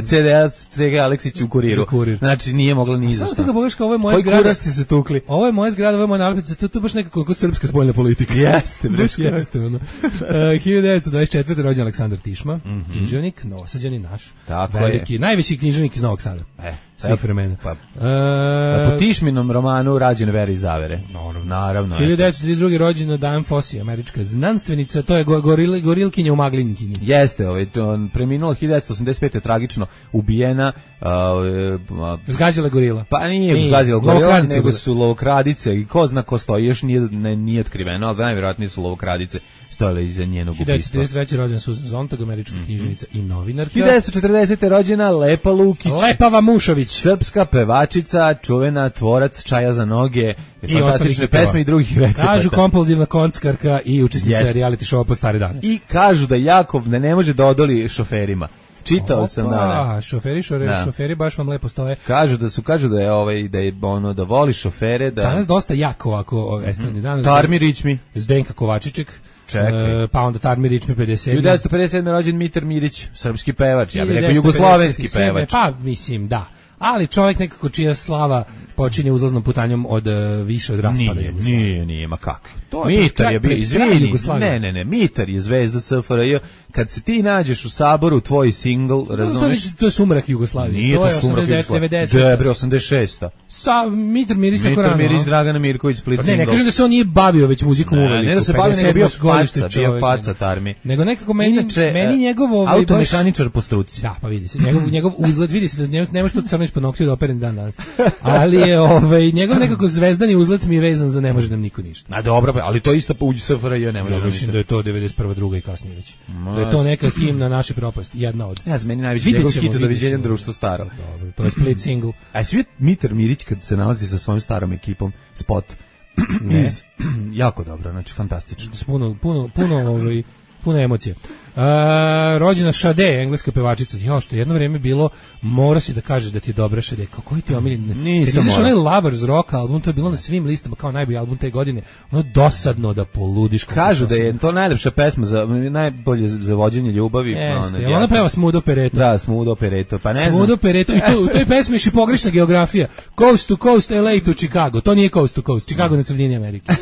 CDA Cega Aleksić u Kuriru. Znači nije mogla ni za šta. Ovo je moja zgrada. Koji kurasti se tukli? Ovo je moja zgrada, ovo je moja nalepnica, to baš nekako kao srpska spoljna politika. Jeste. 1924. rođen Aleksandar Tišma, književnik, Novosađanin naš. Veliki, najveći književnik iz Novog Sada. svih vremena. Po Tišminom romanu rađen Vera i zavere. Naravno. 1932. rođena Diane Fossey, američka znanstvenica, to je gorilkinja u Maglinkinji. Jeste, preminula 1985. tragično ubijena. Zgađala gorila. Pa nije zgađala gorila, nego su lovokradice i ko zna ko stoji, još nije otkriveno, ali najvjerojatnije su lovokradice stojale iza njenog ubistva. 1933. rođena Susan Sontag, američka književnica i novinarka. 1940. rođena Lepa Lukić. Lepava Mušović. Srpska pevačica, čuvena, tvorac Čaja za noge, i fantastične pesme i drugih recepata. Kažu kompulzivna kockarka i učesnica reality showa Pod stare dane. I kažu da Jakov ne može da odoli šoferima. Čitao sam šoferi baš vam lepo stoje. Kažu da voli šofere, da danas dosta jako ovako estradni danas. Tarmi Ričmi, Zdenka Kovačiček. Pa onda Tarmi Ričmi 57. 1957. rođen Mitar Mirić, srpski pevač, ja bih rekao jugoslovenski pevač. Pa mislim da. Ali čovjek nekako čija slava počinje uzlaznom putanjom od više od raspada Jugoslavije. Nije, ma kakvi. Mitar je bio, izvini, ne, Mitar je zvezda SFRJ. Kad se ti nađeš u Saboru, tvoj singl, razumeš? To je sumrak Jugoslavije. Nije to sumrak Jugoslavije. Debre, 86. Mitar Miris tako rano. Mitar Miris, Dragana Mirković, Split single. Ne kažem da se on nije bavio već muzikom uveliko. Ne da se bavio, nego bio faca Tarmi. Nego nekako meni njegov... Automehaničar po struci. Da, pa vidi se. Njegov uzlet, vidi se da nemaš tu crno ispod noktiju da opereni dan danas. Ali je njegov nekako zvezdani uzlet mi je vezan za ne može nam niko ništa. A dobro, ali to isto uđi SFRJ ne može nam ništa. Mislim da je to 91. druga i kasnije već. Da je to neka himna naše propasti, jedna od. Ja, meni najveći njegov hit Doviđenja društvo staro. Dobro, to je Split single. A svi Mitar Mirić kad se nalazi sa svojom starom ekipom, spot. Jako dobro, znači fantastično. Puno emocije. Rođena Sade, engleska pevačica. Što jedno vrijeme bilo, mora si da kažeš da ti je dobra Sade. Koji ti je omiljeni? Nisam mora. Onaj Lovers Rock album, to je bilo na svim listama kao najbolji album te godine. Ono dosadno da poludiš. Kažu da je to najlepša pesma, najbolje za vođenje ljubavi. Jeste, ona peva Smooth Operator. Da, Smooth Operator. Pa ne znam. Smooth Operator. I u toj pesmi je pogrešna geografija. Coast to coast, LA to Chicago. To nije coast to coast. Chicago na sredini Amerike.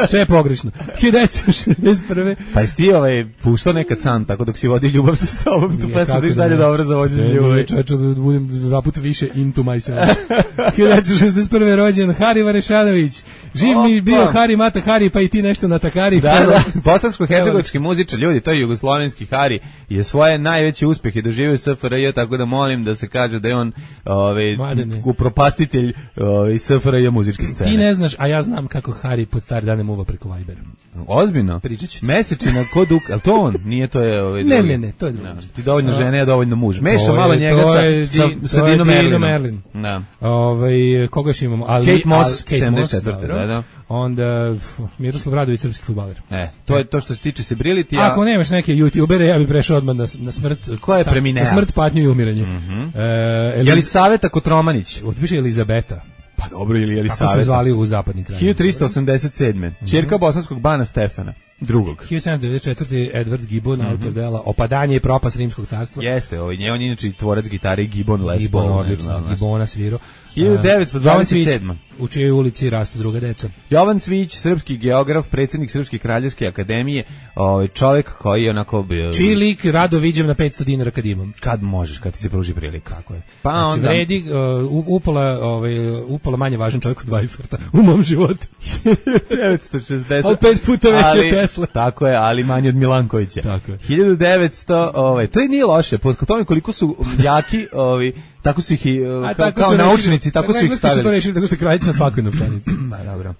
Sve je pogrešno. 1961. Pa jesi ti puštao nekad sam, tako dok si vodi ljubav sa sobom, tu pesmu da iš dalje dobro za vođenje ljubavi. Čovječe, budem dva puta više into myself. 1961. rođen Hari Varešanović. Živ mi bio Hari Mata Hari, pa i ti nešto na takari. Da, bosansko-hercegovički muzičar, ljudi, to je jugoslovenski Hari, je svoje najveće uspjehe doživio SFRJ, tako da molim da se kaže da je on upropastitelj SFRJ muzičke scene. Ti ne znaš, a ja znam kako Hari pod stare dane muva preko Vibera. Ozbiljno? Pričat ću ti. Mesečina kod ali to on, nije to je Ne, to je drugo. Ti dovoljno žene, ja dovoljno muž. Meša malo njega sa Dino Merlinom. Da. Koga još imamo? Kate Moss, 74. Da. Onda Miroslav Radović, srpski fudbaler. To je to što se tiče Sebrility. Ako nemaš neke youtubere, ja bih prešao odmah na smrt. Ko je premineo? Na smrt, patnju i umiranje. Jelisaveta Kotromanić. Piše Elizabeta. Pa dobro, ili Jelisaveta. Kako su zvali u zapadnim krajima. 1387. Ćerka bosanskog bana Stefana. Drugog. 1794. Edward Gibbon, autor dela Opadanje i propast Rimskog carstva. Jeste, on je inače tvorac gitare Gibbon Les Paul. Gibbon, odlično, Gibbona svirao. 1927. U čijoj ulici rastu druga deca. Jovan Cvić, srpski geograf, predsjednik Srpske kraljevske akademije, čovjek koji je onako... Čiji lik rado viđem na 500 dinara kad imam. Kad možeš, kad ti se pruži prilika. Kako je. Pa znači, onda... vredi upola manje važan čovjek od Weifferta u mom životu. 1960. Ali 5 puta veće od Tesla. Tako je, ali manje od Milankovića. Tako je. 1900, to nije loše, po tome koliko su jaki, tako su ih kao naučnici, tako su ih stavili. Tako su to rešili, tako što je kraljica na svakoj novčanici. Dobro.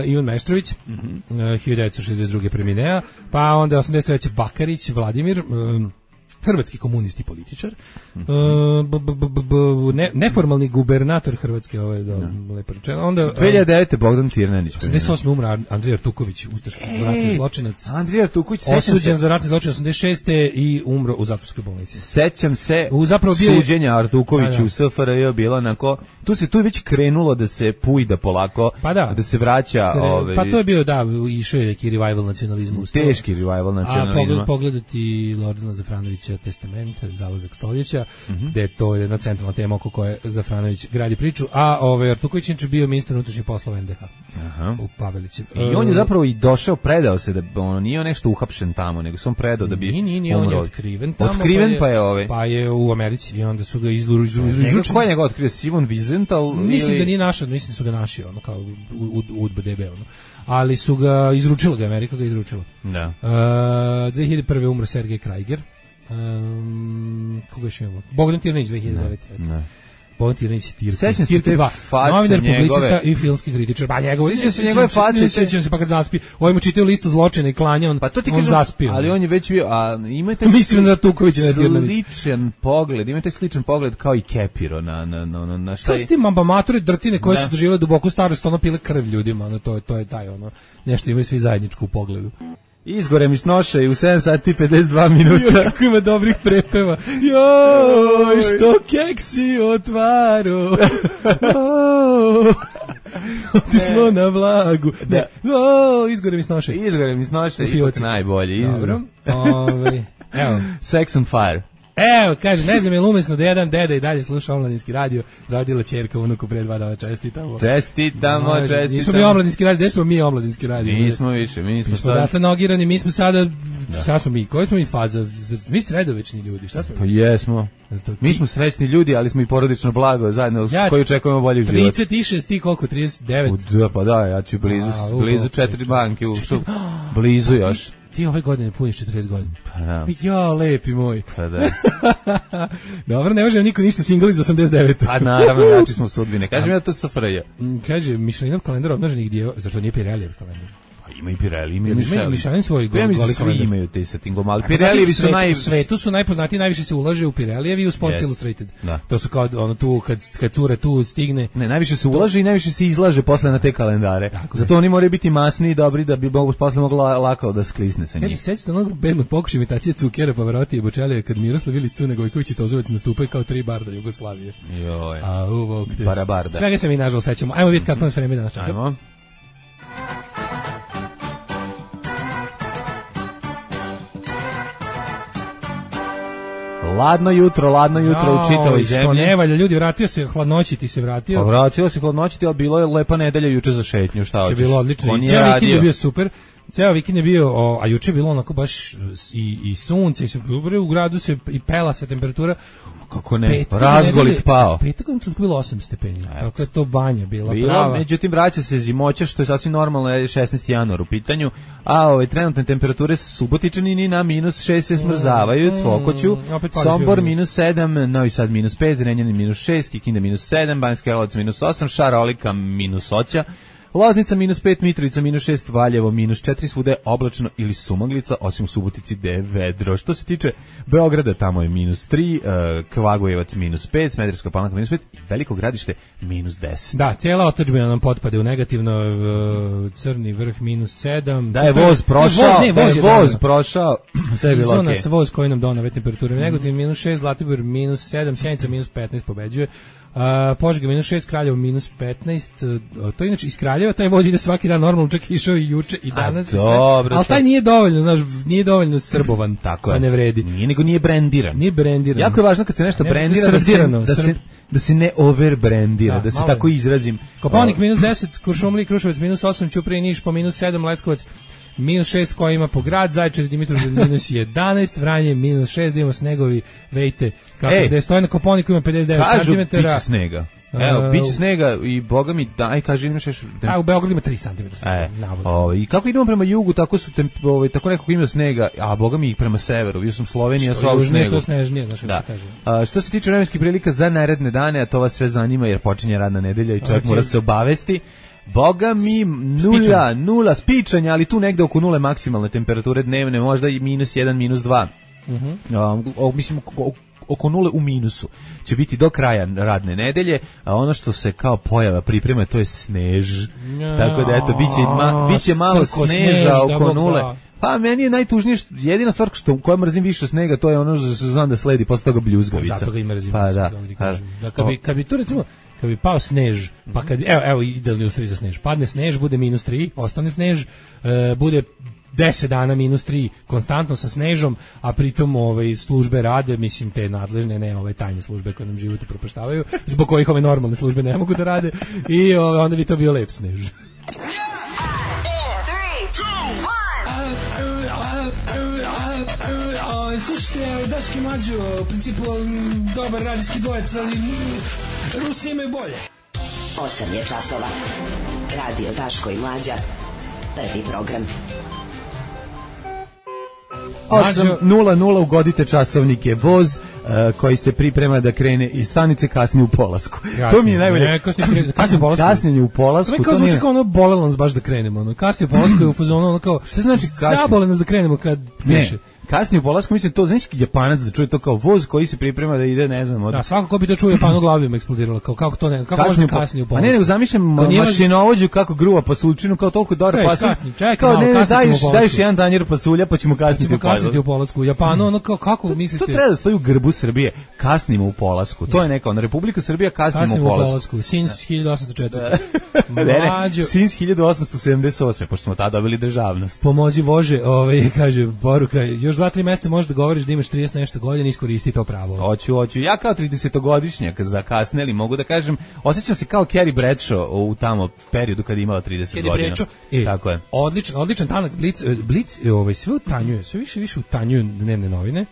Ivan Meštrović, 1962. preminea, pa onda 83. Bakarić, Vladimir, hrvatski komunist i političar, neformalni gubernator Hrvatske, lepo rečeno. Onda 2009. Bogdan Tirnanić. 88. umra Andrija Artuković, ustaški ratni zločinac. Andrija Artuković, osuđen za ratni zločin 86. i umro u zatvorskoj bolnici. Sećam se suđenja Artukoviću u SFRJ bilo onako, tu je već krenulo da se pujda polako, da se vraća. Pa to je bio, išao je neki revival nacionalizma. Teški revival nacionalizma. A pogledati Lordana Zafranovića The Testament, Zalazak stoljeća, gde to je jedna centralna tema oko koje Zafranović gradi priču, a Artuković je bio ministar unutrašnjih poslova NDH u Pavelićev. I on je zapravo i došao, predao se, da on nije nešto uhapšen tamo, nego se on predao da bi Nije, on je otkriven tamo. Otkriven pa je u Americi i onda su ga izručili. Ko je njega otkrio? Simon Wiesenthal? Mislim da nije naša, mislim da su ga naši, ono kao UDBA, ono. Ali su ga izručila, Amerika ga izručila. Da. 2001. umro Sergej Krajger. Koga još imamo? Bogdan Tirnić 2009. Bogdan Tirnić Sećam se te face novinar, njegove. publicista i filmski kritičar. Pa Sećam se njegove face. Sećam se pa kad zaspi. Ovaj mu čitao listu zločina i klanja, on zaspio. Ali on je već bio, a imate mislim da Artuković je Tirnić. Sličan pogled kao i Kepiro na šta je. Šta ti mature drtine koje su doživjele duboku starost, ono pile krv ljudima, ono to je taj ono. Nešto imaju svi zajedničko u pogledu. Izgore mi snoša i u 7 sati 52 minuta. Kako ima dobrih prepeva. Joj, što keksi otvaro. Otišlo na vlagu. Ne, izgore mi snoša. Izgore mi snoša, ipak najbolje. Dobro. Evo. Sex on Fire. Evo, kaže, ne znam je li umesno da jedan deda i dalje sluša omladinski radio, rodila ćerka unuku pre 2 dana, čestitamo. Čestitamo. Nismo mi omladinski radio, gde smo mi omladinski radio? Nismo više, mi smo sad. Dakle, nogirani, mi smo sada, šta smo mi, koji smo mi faza? Mi sredovečni ljudi, šta smo? Pa jesmo. Mi smo srećni ljudi, ali smo i porodično blago zajedno, koji očekujemo boljih života. 36, ti koliko, 39? Da, pa da, ja ću blizu 4 banke, blizu još. Ti ove godine puniš 40 godina. Pa da. Ja, lepi moj. Pa da. Dobro, ne može niko ništa single iz 89. Pa naravno, jači smo sudbine. Kažem ja to SFRJ. Kaže, Mišelinov kalendar obnaženih dijeva, zašto nije Pirellijev kalendar? Pa ima i Pirelli, ima i Mišelin. Mišelin svoj goli kalendar. Svi imaju te sa tim ali Pirellijevi su u svetu su najpoznatiji, najviše se ulaže u Pirellijevi i u Sports Illustrated. To su kao ono tu, kad cure tu stigne. Ne, najviše se ulaže i najviše se izlaže posle na te kalendare. Zato oni moraju biti masni i dobri da bi posle mogla lako da sklisne sa njih. Kaže, sećate onog bednog pokušaja imitacije Cukera, Pavarotti i Bočelija kad Miroslav Ilić, Cune Gojković i Tozovac nastupaju kao 3 barda Jugoslavije. Joj. Barabarda. Svega se mi nažalost sećamo. Ajmo vidjeti kako nas vreme danas čeka. Ajmo. Ladno jutro u čitavoj zemlji. Što ne valja, ljudi, vratio se hladnoći, ti se vratio. Pa vratio se hladnoći, ali bilo je lepa nedelja juče za šetnju, šta hoćeš? Bilo odlično. Cijeli vikend je bio super. Ceo vikend je bio, a juče je bilo onako baš i sunce, i u gradu se i pela se temperatura. Kako ne, razgolit pao. Petak je bilo 8 stepeni, tako je to banja bila prava. Međutim, vraća se zimoća, što je sasvim normalno, je 16. januar u pitanju, a trenutne temperature Subotičani na -6 se smrzavaju, Cvokoću, Sombor -7, Novi Sad -5, Zrenjanin -6, Kikinda -7, Banjska Karlovac -8, Šarolika -8, Loznica -5, Mitrovica -6, Valjevo -4, svuda oblačno ili sumaglica, osim u Subotici gde je vedro. Što se tiče Beograda, tamo je -3, Kragujevac -5, Smederevska Palanka -5 i Veliko Gradište -10. Da, cijela otadžbina nam potpade u negativno, Crni Vrh -7. Da je voz prošao, sve je bilo okej. Zona sa voz koji nam donave temperature negativno, -6, Zlatibor -7, Sjenica -15 pobeđuje. Požega -6, Kraljevo -15, to inače iz Kraljeva taj voz ide svaki dan normalno, čak išao i juče i danas, ali taj nije dovoljno, znaš, nije dovoljno srbovan, pa ne vredi. Nije brendiran. Jako je važno kad se nešto brendira da se ne overbrandira, da se tako izrazim. Kopaonik -10, Kuršumlija, Kruševac -8, Ćuprija, Niš po -7, Leskovac -6 koji ima po grad, Zaječar i Dimitrovgrad -11, Vranje -6, da imamo snegovi, vejte kako da je stoje na Koponiku, ima 59 cm. Kažu, biće snega. Evo, biće snega i boga mi, kaže, imaš još... u Beogradu ima 3 cm. I kako idemo prema jugu, tako su tako nekako ima snega, a boga mi prema severu, vidio sam Slovenija sva u snegu. To snežnije, znaš kako se kaže. Što se tiče vremenskih prilika za naredne dane, a to vas sve zanima jer počinje radna nedelja i čovjek mora se obavesti. Boga mi, nula spičanja, ali tu negde oko nule maksimalne temperature dnevne, možda i -1, -2. Mislim, oko nule u minusu će biti do kraja radne nedelje, a ono što se kao pojava priprema, to je snež. Tako da, eto, biće malo sneža oko nule. Pa meni je najtužnije, jedina stvar koja mrzim više snega, to je ono što znam da sledi posle toga bljuzgavica. Zato ga i mrzim. Pa da. Kad bi to recimo, kad bi pao snež, pa kad evo idealni uslovi za snež. Padne snež, bude -3, ostane snež, bude 10 dana -3 konstantno sa snežom, a pritom službe rade, mislim te nadležne, ne ove tajne službe koje nam život upropaštavaju, zbog kojih ove normalne službe ne mogu da rade, i onda bi to bio lep snež. Slušajte, Daški Mlađo, u principu dobar radijski dvojec, ali Rusi imaju bolje. 8 je časova. Radio Daško i Mlađa. Prvi program. 8:00 ugodite časovnike. Voz koji se priprema da krene iz stanice kasni u polasku. To mi je najbolje. Kasni u polasku. Kasnije u polasku. To zvuči kao ono bolelo nas baš da krenemo. Kasni u polasku je u fazonu ono kao, što znači kasni? Zabole nas da krenemo kad piše. Kasnije u polasku, mislim, to, znači Japanac da čuje to kao voz koji se priprema da ide, ne znam. Da, svako ko bi to čuo Japanu glavi im eksplodiralo, kako to ne, kako može kasnije u polasku. A ne, nego zamišljam mašinovođu kako gruva pasuljčinu, kao toliko dobro pasulj. Kao ne, daješ jedan tanjir pasulja, pa ćemo kasniti u polasku. U Japanu, ono kako mislite? To treba da stoji u grbu Srbije, kasnimo u polasku. To je neka, Republika Srbija kasnimo u polasku. Since 1804. Ne, since 1878, pošto smo tada dobili državnost. Pomozi Bože, kaže poruka, još 2-3 meseca možeš da govoriš da imaš 30 nešto godina, iskoristi to pravo. Hoću. Ja kao 30-godišnjak zakasneli, mogu da kažem, osjećam se kao Carrie Bradshaw u tamo periodu kad je imala 30 godina. Tako je. Odličan tanak Blic sve utanjuje, sve više utanjuju dnevne novine.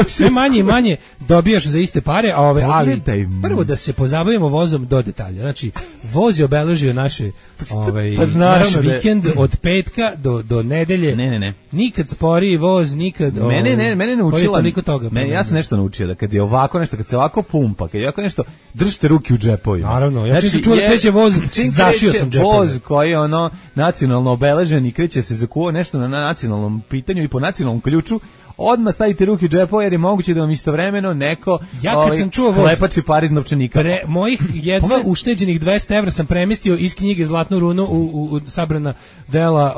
Sve manje i manje dobijaš za iste pare, ali prvo da se pozabavimo vozom do detalja. Znači, voz je obeležio naš vikend od petka do nedelje. Ne. Nikad sporiji voz, nikad Mene naučila. Ja sam nešto naučio da kad je ovako nešto, kad se ovako pumpa, kad je ovako nešto, držite ruke u džepovima. Naravno, ja čim čuo da kreće voz, zašio sam džepove. Voz koji je nacionalno obeležen i kreće se zakuva nešto na nacionalnom pitanju i po nacionalnom ključu, odmah stavite ruke u džepove jer je moguće da vam istovremeno neko klepači par iz novčanika. Mojih jedva ušteđenih 200 evra sam premestio iz knjige Zlatnu runu u sabrana dela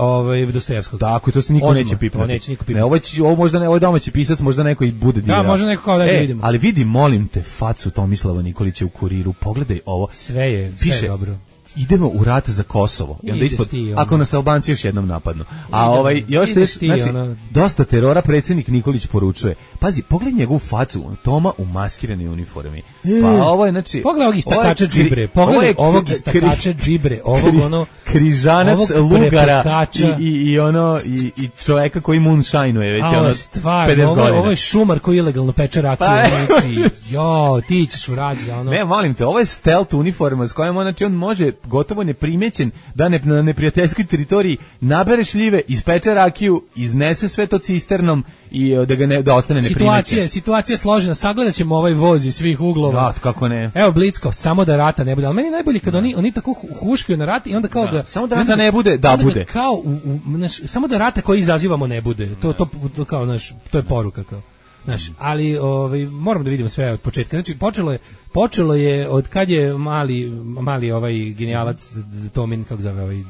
Dostojevskog. Tako, to se niko neće pipnuti. Ovo je domaći pisac, možda neko i bude dirao. Da, možda neko kao da vidimo. Ali vidi, molim te, facu Tomislava Nikolića u Kuriru, pogledaj ovo. Sve je dobro. Idemo u rat za Kosovo. I onda ispod, ako nas Albanci još jednom napadnu. A dosta terora predsjednik Nikolić poručuje. Pazi, pogledaj njegovu facu, Toma u maskiranoj uniformi. Pa ovo je, znači... Pogledaj ovog istakača džibre, križanac, lugara i čoveka koji moonshineuje već 50 godina. Ovo je šumar koji ilegalno peče rakiju. Ti ćeš u rat za ono... Ne, molim te, ovo je stealth uniforma s kojom on može gotovo neprimećen da na neprijateljskoj teritoriji nabere šljive, ispeče rakiju, iznese sve to cisternom i da ostane neprimećen. Situacija je složena, sagledat ćemo ovaj voz iz svih uglova. Da, kako ne. Evo Blitzko, samo da rata ne bude, ali meni je najbolje kad oni tako huškaju na rat i onda kao da... Samo da rata ne bude, da bude. Samo da rata koji izazivamo ne bude, to kao, to je poruka kao. Ali moramo da vidimo sve od početka. Znači počelo je od kad je mali genijalac Tomin, kako zove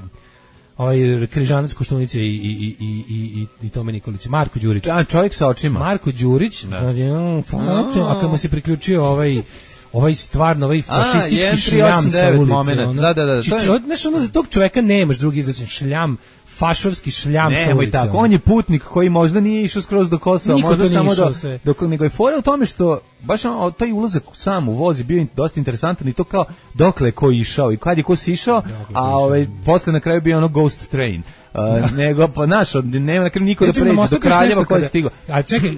križanac Koštunice i Tome Nikolić, Marko Đurić. Čovjek sa očima. Marko Đurić, a kad mu se priključio stvarno fašistički šljam sa ulice. Da. Za tog čoveka nemaš drugi izračen, šljam, fašovski šljam sa ulice. Tako, on je putnik koji možda nije išao skroz do Kosova, možda samo nego je fora u tome što baš taj ulazak sam u voz je bio dosta interesantan i to kao dokle ko išao i kad je ko sišao, a posle na kraju bio ono ghost train. Nego pa nema na kraju niko da pređe do Kraljeva ko je stigao.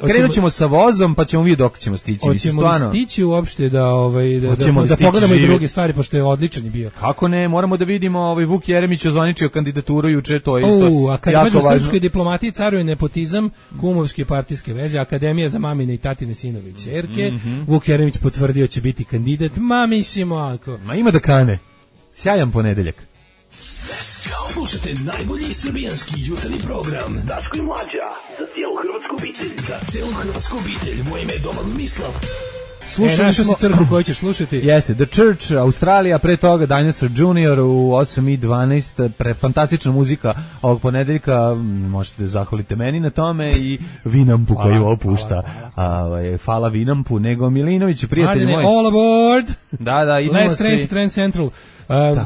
Krenut ćemo sa vozom pa ćemo vidjeti dok ćemo stići. Hoćemo li stići uopšte da pogledamo i druge stvari, pošto je odličan bio. Kako ne, moramo da vidimo, Vuk Jeremić ozvaničio kandidaturu juče, to je isto. A kad kaže u srpskoj diplomatiji caruje nepotizam, kumovske partijske veze, Akademija za mamine i tatine sinove i ćerke, Vuk Jeremić potvrdio će biti kandidat, mislimo ako. Ma ima da kane. Sjajan ponedeljak. Slušajte najbolji srbijanski jutarnji program Daško i Mlađa, za cijelu hrvatsku obitelj. Moje ime je Domagoj Mislav. Slušali smo crkvu koju ćeš slušati. Jeste, The Church, Australija, pre toga Dinosaur Junior u 8:12, fantastična muzika ovog ponedeljka, možete da zahvalite meni na tome i Vinampu koju opušta. Hvala Vinampu, nego Milinović, prijatelji moji. All aboard! Da, idemo Last train to Trend Central.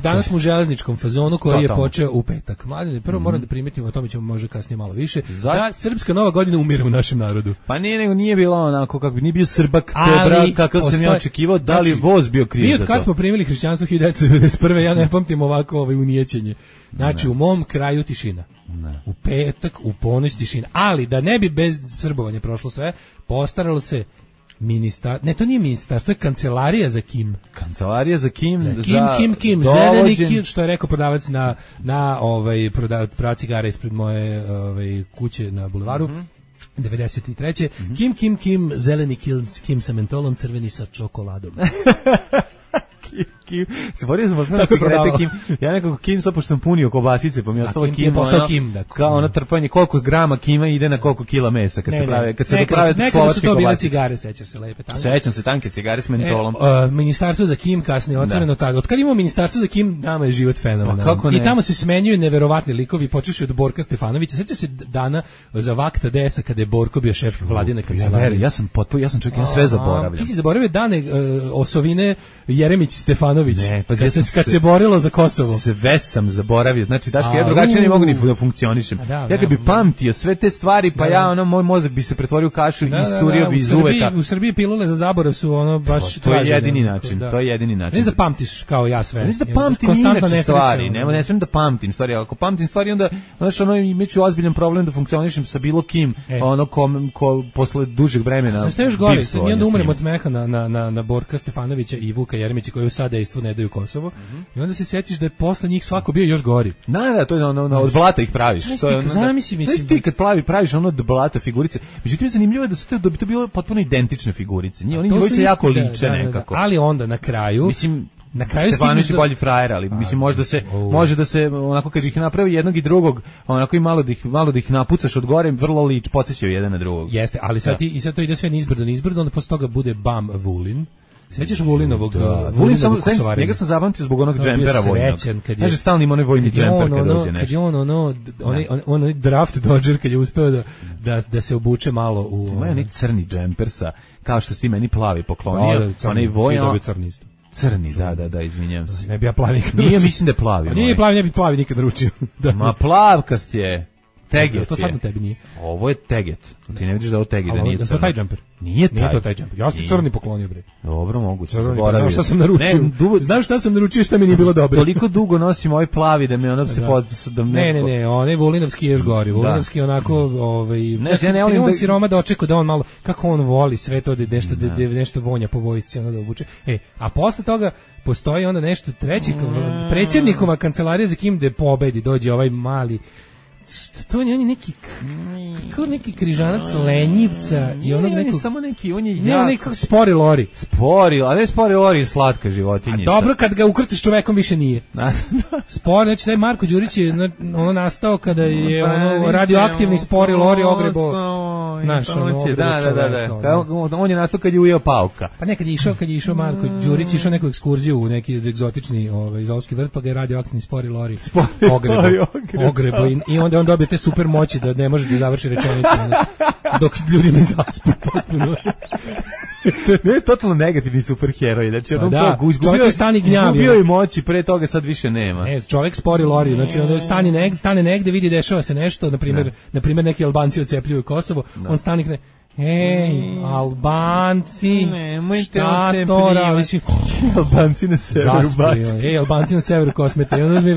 Danas smo u železničkom fazonu koji je počeo u petak. Mladine, prvo moram da primetimo, o tome ćemo možda kasnije malo više, da srpska nova godina umire u našem narodu. Pa nije bilo onako kako bi nije bio Srbak tebra kakav sam ja očekivao, da li voz bio kriv za to. Mi od kad smo primili hrišćanstvo 1991. ja ne pamtim ovako unijećenje. Znači u mom kraju tišina. Ne. U petak, u ponoć tišina. Ali da ne bi bez srbovanja prošlo sve, postaralo se to nije ministarstvo, to je kancelarija za Kim. Kancelarija za Kim, Kim, zeleni Kim, što je rekao prodavac na prodavac cigara ispred moje kuće na bulevaru. 93. Kim, zeleni Kim sa mentolom, crveni sa čokoladom. Kim. Zaborio sam osnovno cigarete Kim. Ja nekako Kim sad pošto sam punio kobasice, pa mi je ostalo Kim. Kao ono trpanje, koliko grama Kima ide na koliko kila mesa kad se prave slovačke kobasice. To bile cigare, sećaš se lepe tanke. Sećam se tanke cigare s mentolom. Ministarstvo za Kim kasnije otvoreno tako. Od kad imamo ministarstvo za Kim, nama je život fenomenalan. I tamo se smenjuju neverovatni likovi, počevši od Borka Stefanovića. Sećaš se dana za vakta DS-a kada je Borko bio šef vladine kancelarije. Ja sam sve zaboravljam. Ti si zaboravio dane osovine Jeremić Stefanović. Kad se borilo za Kosovo. Sve sam zaboravio. Znači, Daško, ja drugačije ne mogu ni da funkcionišem. Ja kad bi pamtio sve te stvari, pa moj mozak bi se pretvorio u kašu i iscurio bi iz uveta. U Srbiji pilule za zaborav su ono baš to je jedini način. To je jedini način. Ne da pamtiš kao ja sve. Ne da pamtim inače stvari. Ne smem da pamtim stvari. Ako pamtim stvari, onda imaću ozbiljan problem da funkcionišem sa bilo kim, ko posle dužeg vremena. Znaš, još gore, nije da umrem od smeha na Borka Stefanovića i Vuka Jeremića koji u sadejstvu ne daju Kosovo. I onda se sjetiš da je posle njih svako bio još gori. Da, to je od blata ih praviš. Zamisli, ti kad praviš ono od blata figurice. Međutim, zanimljivo je da bi to bilo potpuno identične figurice. Oni dvojice jako liče nekako. Ali onda na kraju na kraju Stefanović je bolji frajer, ali mislim može da se onako kad ih napravi jednog i drugog, onako i malo da ih napucaš od gore, vrlo podsjećaju jedan na drugog. Jeste, ali sad to ide sve nizbrdo, onda posle toga bude Bam Vulin. Sećaš Vulinovog? Vulin njega sam zapamtio zbog onog džempera vojnog. Kaže stalno ima onaj vojni džemper kad dođe nešto. Kad je on draft dodger kad je uspeo da se obuče malo u... Ima onaj crni džemper sa, kao što si ti meni plavi poklonio, onaj vojno... Crni, da, izvinjam se. Ne bi ja plavi nikad naručio. Nije, mislim da je plavi. Nije plavi, ne bi plavi nikad naručio. Ma plavkast je. Teget to sad na tebi nije. Ovo je teget. Ti ne vidiš da je ovo teget, da nije crno. To je taj džemper. Nije to taj džemper. Ja sam crni poklonio, bre. Dobro, moguće. Znaš šta sam naručio? Znaš šta sam naručio šta mi nije bilo dobro? Toliko dugo nosim ovaj plavi da me ono se Ne, onaj Vulinovski je još gori. Vulinovski onako, ja ne volim da siroma dočekao da on malo, kako on voli sve to da nešto vonja po vojsci, ono da obuče. A posle toga postoji onda nešto treći, predsjednikova kancelarija za Kim da pobedi, dođe ovaj mali. To je neki kao neki križanac lenjivca i onog nekog samo neki on je nekako spori lori, a ne spori lori, slatka životinjica. Dobro kad ga ukrtiš čovekom više nije. Spori, znači taj Marko Đurić je ono nastao kada je ono radioaktivni spori lori ogrebo. On je nastao kad je ujeo pauka. Pa nekad je išao Marko Đurić išao neku ekskurziju u neki egzotični zoološki vrt, pa ga je radioaktivni spori lori ogrebo i onda on dobije te super moći da ne može da završi rečenicu dok ljudi ne zaspu potpuno. Ne, totalno negativni superheroj. Znači, čovjek je stani gnjavio. Izgubio je moći, pre toga sad više nema. Ne, čovjek spori lori. Znači, on stane negde, vidi dešava se nešto, na primjer neki Albanci ocepljuju Kosovo, on stane kne, Albanci, šta to radi? Albanci na severu bačke. Albanci na severu kosmete. I onda mi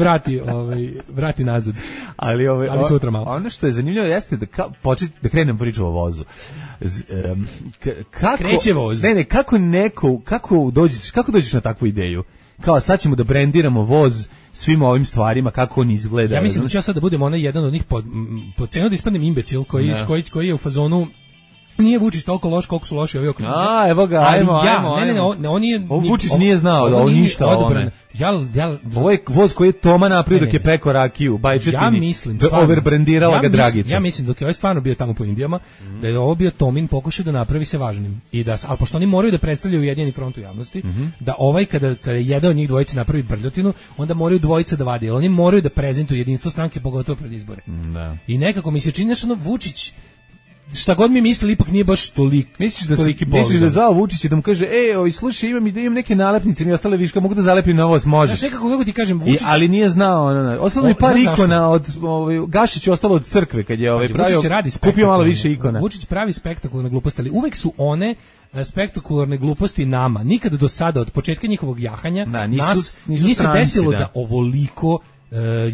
vrati nazad. Ali sutra malo. Ono što je zanimljivo jeste da krenem priču o vozu. Kreće voz. Ne, kako dođeš na takvu ideju? Kao sad ćemo da brendiramo voz svim ovim stvarima, kako on izgleda. Ja mislim da ću ja sad da budem onaj jedan od njih po cenu da ispadnem imbecil koji je u fazonu nije Vučić toliko loš koliko su loši ovi oko njega. Evo ga, ajmo. On je... Vučić nije znao da on ništa o ovome. Ovo je voz koji je Toma napravio dok je peko rakiju, bajčetini. Ja mislim, overbrendirala ga Dragica. Ja mislim dok je ovaj stvarno bio tamo po Indijama, da je ovo bio Tomin pokušao da napravi se važnim. Ali pošto oni moraju da predstavljaju Ujedinjeni front u javnosti, da ovaj kada je jedan od njih dvojice napravi brljotinu, onda moraju dvojice da vade. Oni moraju da prezentuju jedinstvo stranke, pogotovo pred izbore. I nekako mi se čini da Vučić šta god mi mislili, ipak nije baš toliko. Misliš da zvao Vučić da mu kaže, slušaj, imam neke nalepnice, mi ostale viška, mogu da zalepim na ovo, možeš. Znaš, nekako ti kažem, Vučić... ali nije znao, ostalo mi par ikona od, Gašić ostalo od crkve, kad je pravio, kupio malo više ikona. Vučić pravi spektakularne gluposti, ali uvek su one spektakularne gluposti nama. Nikada do sada, od početka njihovog jahanja, nije se desilo da ovoliko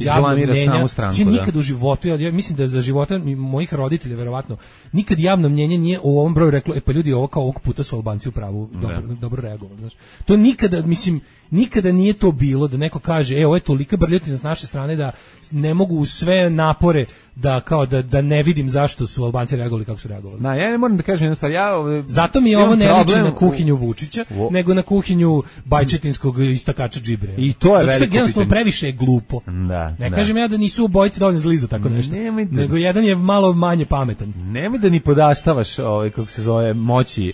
javno mnjenja, nikad u životu, ja mislim da za života mojih roditelja verovatno, nikad javno mnjenje nije u ovom broju reklo, pa ljudi, ovo kao ovog puta su Albanci u pravu, dobro reagovali, znaš. To nikada, mislim, nikada nije to bilo da neko kaže, ovo je tolika brljotina s naše strane da ne mogu sve napore da ne vidim zašto su Albanci reagovali kako su reagovali. Ja ne moram da kažem jednu stvar, zato mi je ovo ne liči na kuhinju Vučića, nego na kuhinju bajčetinskog istakača džibre. I to je veliko pitanje. Jednostavno previše je glupo. Ne kažem ja da nisu obojice dovoljno zli za tako nešto, nego jedan je malo manje pametan. Nemoj da ni podaštavaš kako se zove moći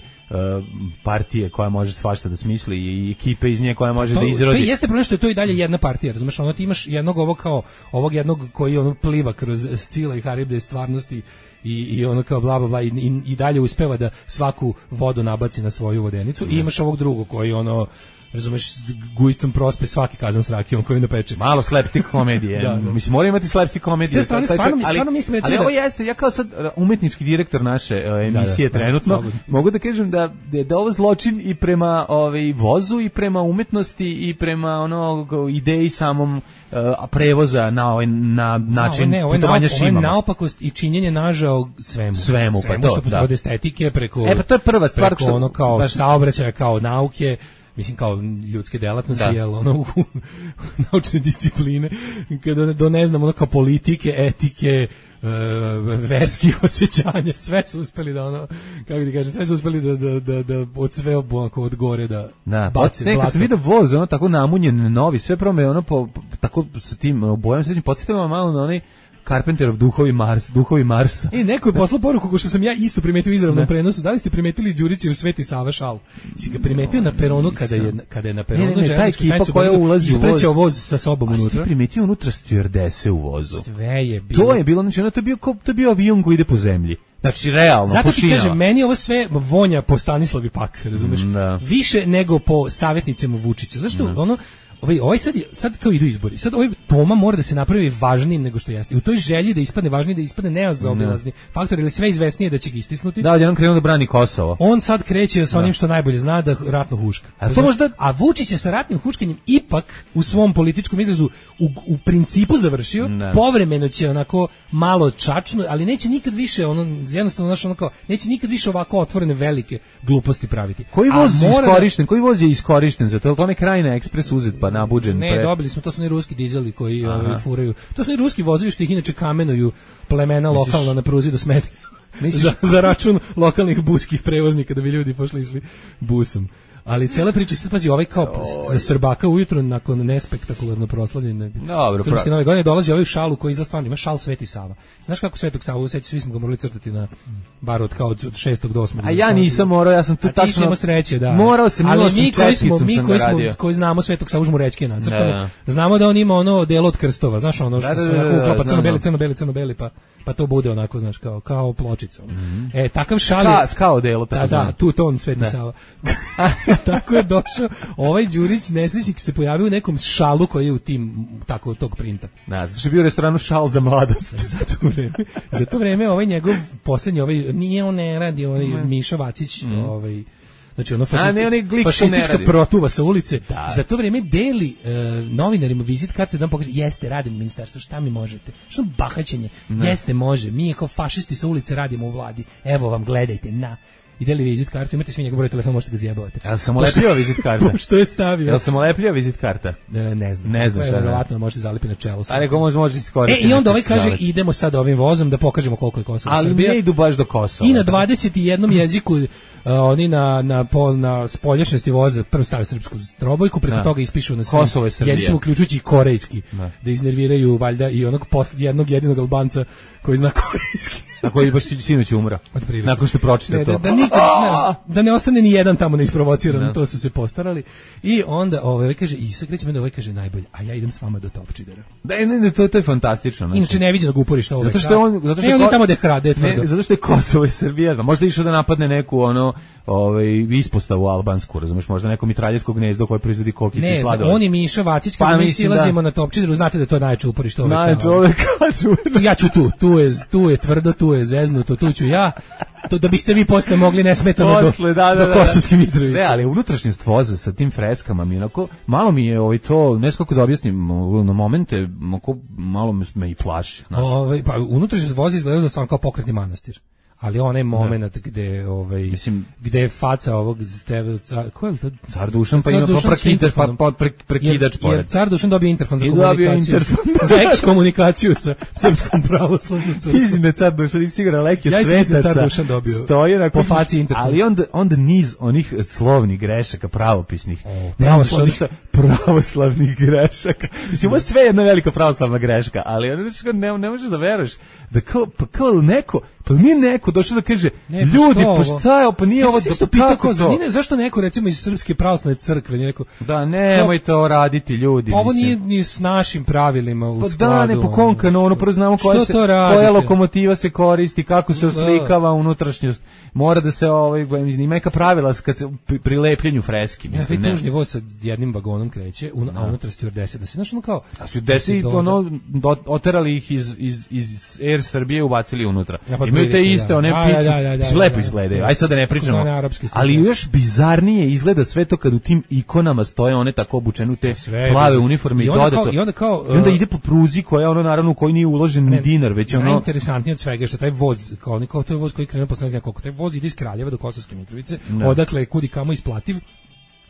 partije koja može svašta da smisli i ekipe iz nje koja može da izrodi. To jeste problem što je to i dalje jedna partija, razumeš, ti imaš jednog ovog jednog koji pliva kroz Scila i Haribde stvarnosti i ono kao bla bla bla i dalje uspeva da svaku vodu nabaci na svoju vodenicu i imaš ovog drugog koji razumeš, gujicom prospe svaki kazan s rakijom koju napeče. Malo slapstick komedije. Mislim, mora imati slapstick komedije. Stvarno mislim ali ovo jeste, ja kao sad umetnički direktor naše emisije trenutno, mogu da kažem da je ovo zločin i prema vozu i prema umetnosti i prema ideji samom prevoza na način putovanja šimama. Ovo je naopakost i činjenje nažao svemu. Pa to, od estetike preko to je prva stvar preko kao saobraćaja, kao nauke, mislim kao ljudske delatnosti, naučne discipline, kada ne znam, kao politike, etike, verskih osjećanja, sve su uspeli da kako ti kažem, sve su uspeli da od sve od gore da bace. Nekad sam vidio voz, tako namunjen, novi, sve prome, tako sa tim bojom se podsjetilo malo na onaj Carpenterov duhovi Marsa. Neko je poslao poruku ko što sam ja isto primetio u izravnom prenosu. Da li ste primetili Đurićev Sveti Sava šal? Si ga primetio na peronu kada je na peronu ta ekipa koja ulazi u isprećao voz sa sobom unutra. A si primetio unutra stewardese u vozu? Sve je bilo. To je bilo, znači to je bio avion koji ide po zemlji. Znači, realno, zato ti kažem, meni ovo sve vonja po Stanislavi Pak, razumeš? Više nego po savjetnicima Vučića. Zašto ovaj sad kao idu izbori. Sad ovaj Toma mora da se napravi važnijim nego što jeste. I u toj želji da ispadne važniji, da ispadne nezaobilazni faktor, ili sve izvesnije da će ga istisnuti. Da, on krenuo da brani Kosovo. On sad kreće sa onim što najbolje zna, da ratno huška. A Vučić je sa ratnim huškanjem ipak u svom političkom izrazu u principu završio. Povremeno će onako malo čačno, ali neće nikad više jednostavno neće nikad više ovako otvorene velike gluposti praviti. Koji voz je iskorišten za to? To ne Krajina Ekspres uzet pa nabuđen. Dobili smo, to su oni ruski dizeli koji furaju. To su oni ruski vozovi što ih inače kamenuju plemena lokalno na pruzi do Smedre. za račun lokalnih buskih prevoznika da bi ljudi pošli išli busom. Ali cela priča se pazi, ovaj kao za Srbaka ujutro nakon nespektakularno proslavljene Srpske nove godine dolazi ovaj šalu koji izgleda stvarno ima šal Sveti Sava. Znaš kako Svetog Savu useći, svi smo ga morali crtati na bar od 6. do 8. A ja nisam morao, ja sam tu tačno. A ti si imao sreće, da. Morao sam, koji znamo Svetog Savu žmu rečke nacrtane. Znamo da on ima ono delo od krstova, znaš ono što se uklapa crno-beli, pa to bude onako, znaš, kao pločica. Takav šal je skao delo, tako da, tu ton Sveti Sava. Tako je došao ovaj Đurić nesrećnik, se pojavio u nekom šalu koji je u tim tako tog printa. Znači je bio u restoranu Šal za mladost. Za to vreme ovaj njegov poslednji nije on ne radi, Miša Vacić, znači fašistička protuva sa ulice, za to vreme deli novinarima vizit karte da vam pokaže, jeste, radim u ministarstvu, šta mi možete? Što bahaćenje? Jeste, može, mi kao fašisti sa ulice radimo u vladi, evo vam, gledajte, i deli vizit kartu, imate svi njegov broj telefona, možete ga zjebavati. Jel sam ulepljio vizit karta? Što je stavio? Jel sam ulepljio vizit karta? Ne znam. Ne znam šta. Verovatno može zalipi na čelo. A neko može iskoristiti. I onda ovaj kaže, idemo sad ovim vozom da pokažemo koliko je Kosovo Srbija. Ali ne idu baš do Kosova. I na 21 jeziku oni na spoljašnjosti voza prvo stave srpsku trobojku, preko toga ispišu na Kosovo je Srbija. Jezicima uključujući i korejski. Da iznerviraju valjda i onog jednog jedinog Albanca koji zna korejski. Na koji baš sinoć umro. Nakon što pročita to. Da ne ostane ni jedan tamo neisprovociran, to su se postarali. I onda kaže, i sad krećemo da kaže najbolje, a ja idem s vama do Topčidera. Da, to je fantastično. Znači. Inače ne vidim da ga uporiš ovo. Zato što on je tamo da krade tvrdo. Zato što je Kosovo i Srbija. Možda išao da napadne neku ispostavu albansku, razumeš, možda neko mitraljevsko gnezdo koje proizvodi kokice i sladoled. Ne, on je Miša Vacić, kad mi silazimo na Topčideru, znate da je to najče uporište ove kanale. Najče ove kažu. Ja ću tu je tvrdo, tu je zeznuto, tu ću ja. To da biste vi posle mogli nesmetano do Kosovske Mitrovice. Ne, ali unutrašnjost voza sa tim freskama mi onako, malo mi je to, ne znam kako da objasnim, na momente malo me i plaši. Pa unutrašnjost voza izgleda da sam kao pokretni manastir. Ali onaj moment gde gde je faca ovog ko je to? Car Dušan pa ima prekidač pored. Jer Car Dušan dobio interfon za komunikaciju. Za ekskomunikaciju sa srpskom pravoslavnom crkvom. Mislim da Car Dušan nisi sigurno leki od svetaca. Car Dušan dobio. Stoji na po faci interfon. Ali onda niz onih slovnih grešaka pravopisnih. Pravoslavnih grešaka. Mislim, ovo je sve jedna velika pravoslavna greška, ali ne možeš da veruješ da kao neko, pa nije neko došao da kaže, ljudi, pa šta je, pa nije ovo, kako to? Zašto neko, recimo, iz Srpske pravoslavne crkve, nije neko... Da, nemojte ovo raditi, ljudi. Ovo nije ni s našim pravilima u skladu. Pa da, ne, po konkanu, prvo znamo koja lokomotiva se koristi, kako se oslikava unutrašnjost. Mora da se, ima neka pravila kad se pri lepljenju freski. Taj tužni voz sa jednim vagonom kreće, a unutra stewardese, da se znaš ono kao... A stewardese, oterali ih iz Air Srbije, ubacili unutra. Imaju te iste, one pice, lepo izgledaju, aj sad da ne pričamo, ali još bizarnije izgleda sve to kad u tim ikonama stoje one tako obučene u te plave uniforme i dodato. I onda ide po pruzi koja naravno u kojoj nije uložen ni dinar, već najinteresantnije od svega je što taj voz, kao to je voz koji krenuo posle ne znam koliko, taj voz ide iz Kraljeva do Kosovske Mitrovice, odakle je kud i kamo isplativ.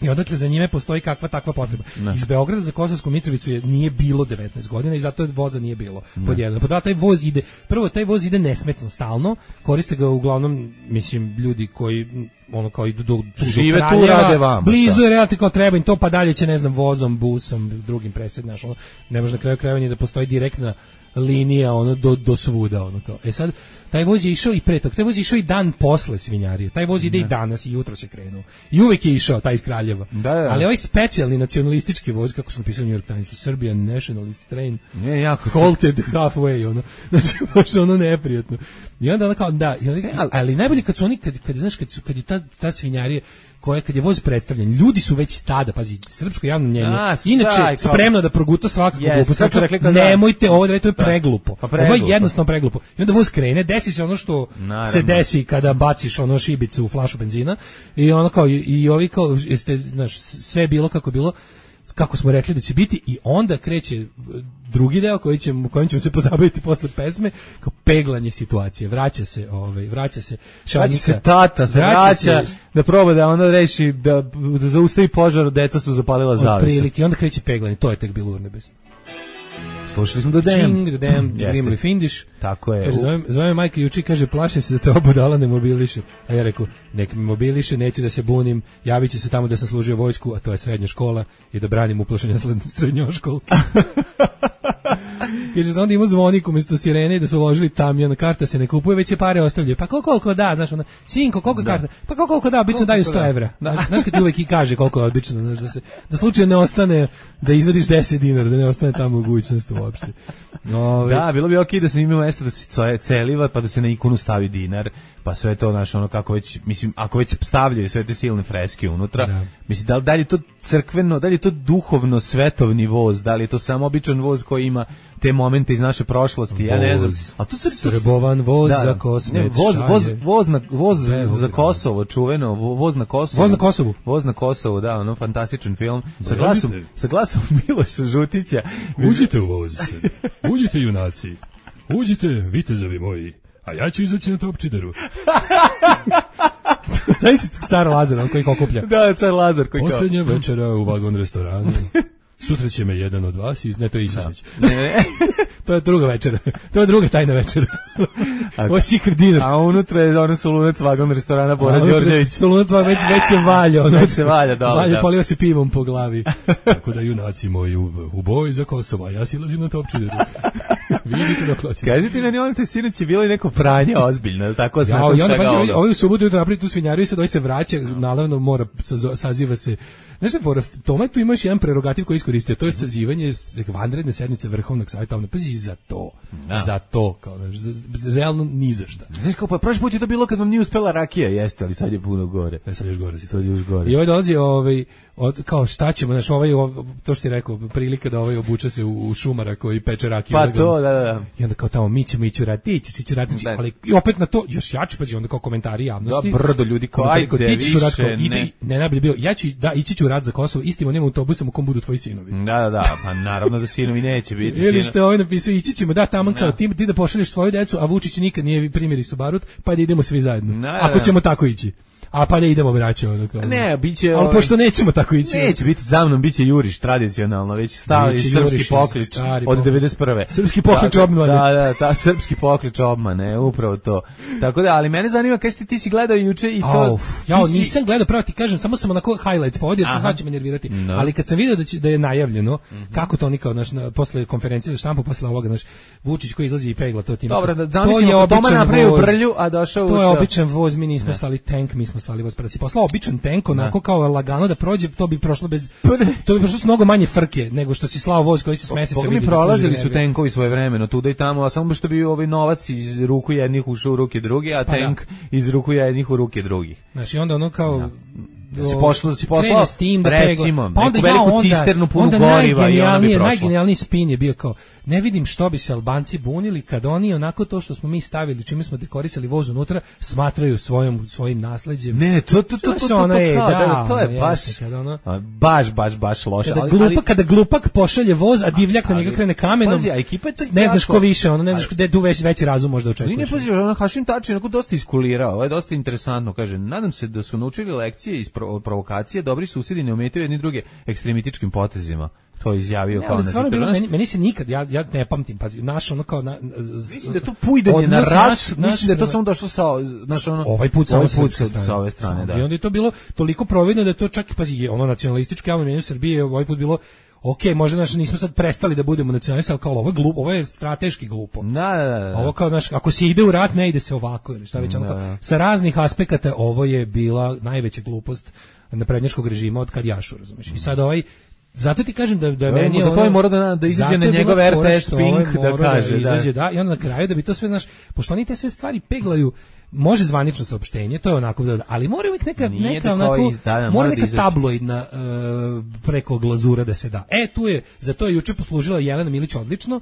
I odakle za njime postoji kakva takva potreba. Iz Beograda za Kosovsku Mitrovicu nije bilo 19 godina i zato voza nije bilo. Pod jedan. Pod dva, taj voz ide nesmetno stalno, koriste ga uglavnom, mislim, ljudi koji kao idu do žive tu, rade vama. Blizu je relativno kao treba im to, pa dalje će, ne znam, vozom, busom, drugim presednaš, ne može na kraju krajeva da postoji direktna linija do svuda kao. Sad taj voz je išao i pre toga, taj voz je išao i dan posle svinjarije. Taj voz ide i danas i jutro se krenuo. I uvek je išao taj iz Kraljeva. Ali ovaj specijalni nacionalistički voz, kako smo pisali u New York Timesu, Serbian Nationalist Train, halted halfway, znači baš neprijatno. I onda kao ali najbolje kad su oni kad je ta svinjarija kad je voz predstavljen, ljudi su već tada, pazi, srpsko javno mnjenje, inače spremno da proguta svakako glupost. Nemojte ovo da radite, to je preglupo. Ovo je jednostavno preglupo. I onda voz krene, desi se ono što se desi kada baciš šibicu u flašu benzina i sve je bilo kako je bilo, kako smo rekli da će biti, i onda kreće drugi deo kojim ćemo se pozabaviti posle pesme, kao peglanje situacije. Vraća se šaljnika. Tata se vraća da proba da onda reši da zaustavi požar, deca su zapalila zavesu. Otprilike, i onda kreće peglanje, to je tek bilo urnebesno. Slušali smo do Damn, Grimly Findish. Tako je. Zove majka juče, kaže, plašim se da te obudala ne mobiliše. A ja rekao, nek me mobiliše, neću da se bunim, javit ću se tamo da sam služio vojsku, a to je srednja škola, i da branim uplašenja srednjoškolke. Kaže, onda ima zvonik umjesto sirene, da su uložili tamjan, karta se ne kupuje, već se pare ostavljaju. Pa koliko da, znaš, sinko, koliko karta? Pa koliko da, obično daju 100 evra. Znaš kad ti uvek i kaže koliko je obično, znaš, da slučajno ne ostane, da izvadiš 10 dinara, da ne ostane tamo mogućnost uopšte. Da, bilo bi okej da se ima mesto da se celiva, pa da se na ikonu stavi dinar, pa sve to, znaš, kako već, mislim, ako već stavljaju sve te silne freske unutra, mislim, da li je to crkveno, da li je to duhovno svetovni voz, da li je to samo običan voz koji ima te momente iz naše prošlosti, ja ne znam. A to Srbovan voz za Kosmet, voz za Kosovo, čuveno, voz na Kosovu. Voz na Kosovu, da, fantastičan film. Sa glasom Miloša Žutića. Uđite u voz, uđite junaci, uđite vitezovi moji, a ja ću izaći na Topčideru. Znaš si car Lazar, on koji kokuplja. Da, car Lazar koji kokuplja. Posljednja večera u vagon restoranu. Sutra će me jedan od vas ne, to je Isušić. To je druga večera. To je druga tajna večera. Ovo je secret dinner. A unutra je solunac vagon restorana Bora Đorđević. Solunac već se valja. Već se valja, dobro. Valja, polio se pivom po glavi. Tako da, junaci moji, u boj za Kosovo, a ja silazim na Topčideru. Vidite dok hoćete. Kažite meni, on te sinoć je bilo i neko pranje ozbiljno, ali tako ja, i onda pazi, ovaj u subotu jutro napravi tu svinjariju i sad ovaj se vraća, naravno mora, saziva se. Znaš šta, Toma, tu imaš jedan prerogativ koji iskoristio, to je sazivanje vanredne sednice Vrhovnog savjeta, pazi za to, kao, realno ni za šta. Znaš kao, pa prošli put je to bilo kad vam nije uspela rakija, jeste, ali sad je puno gore. Sad još gore si. Sad još gore. I ovaj dolazi, kao šta ćemo, znaš, to što si rekao, prilika da obuče se u šumara koji peče rakiju. Pa to, da. I onda kao tamo, mi ćemo ići u rat, ti ćeš u rat, ali i opet na to, još jače, pa onda kao komentari javnosti. Da, brdo ljudi, kao, ajde, više, ne najbolje bio, ići ću u rat za Kosovo, istim onim autobusom u kom budu tvoji sinovi. Da, pa naravno da sinovi neće biti. Ili što je ovaj napisao, ići ćemo, da, tamo kao ti da pošalješ svoju decu, a Vučić nikad nije primjeri su barut, pa da idemo svi zajedno. Ako ćemo tako ići. A pa ne idemo braćo, ono kao. Ne, biće. Ali pošto nećemo tako ići. Neće biti za mnom, biće juriš tradicionalno, već stali srpski poklič od 91. Srpski poklič obmane. Da, srpski poklič obmane, upravo to. Tako da, ali mene zanima kažete ti si gledao juče i to. Ja nisam gledao, pravo ti kažem, samo sam onako highlights povodio, sad će me nervirati. Ali kad sam video da je najavljeno, kako to oni kao posle konferencije za štampu, posle ovoga, znaš, Vučić koji izlazi i pegla to tim. Dobro, da zamislimo Toma napravio brlju, a došao. To je običan voz, mi nismo slali tank, mi smo slali voz, pa si poslao običan tank, onako kao lagano da prođe, to bi prošlo s mnogo manje frke nego što si slao voz koji se s meseca vidi. Mi prolazili su tenkovi svojevremeno tuda i tamo, a samo što bi ovaj novac iz ruku jednih ušao u ruke drugih, a tank iz ruku jednih u ruke drugih. Znači onda ono kao da si poslao recimo neku veliku cisternu punu goriva i ona bi prošla. Najgenijalniji spin je bio kao, ne vidim što bi se Albanci bunili kad oni onako to što smo mi stavili, čime smo dekorisali voz unutra, smatraju svojim nasleđem. Ne, to je baš loše. Kada glupak pošalje voz, a divljak na njega krene kamenom, ne znaš ko više, ono, ne znaš gde tu veći razum možda očekuješ. Ne pazi, ono Hašim Tači onako dosta iskulirao, ovo je dosta interesantno, kaže, nadam se da su naučili lekcije iz provokacije, dobri susjedi ne umetaju jedni druge ekstremističkim potezima. To je izjavio kao meni se nikad, ja ne pamtim, pazi, naš ono kao mislim da je to pujdanje na rat, mislim da je to samo došlo sa ovaj put sa ove strane, da. I onda je to bilo toliko providno da je to čak, pazi, ono nacionalističko javno mnjenje Srbije ovaj put bilo okej, možda nismo sad prestali da budemo nacionalisti, ali kao ovo je glupo, ovo je strateški glupo. Da. Ovo kao, ako se ide u rat, ne ide se ovako, ili šta već, ono kao, sa raznih aspekata ovo je bila najveća glupost naprednjačkog režima od kad Jašu, razumiješ. I sad zato ti kažem da meni je to mora da izađe na njegov RTS Pink da kaže, da. I onda na kraju da bi to sve, znaš, pošto oni te sve stvari peglaju, može zvanično saopštenje, to je onako, ali mora uvijek neka onako, mora neka tabloidna preko glazura da se da. Za to je juče poslužila Jelena Milić odlično,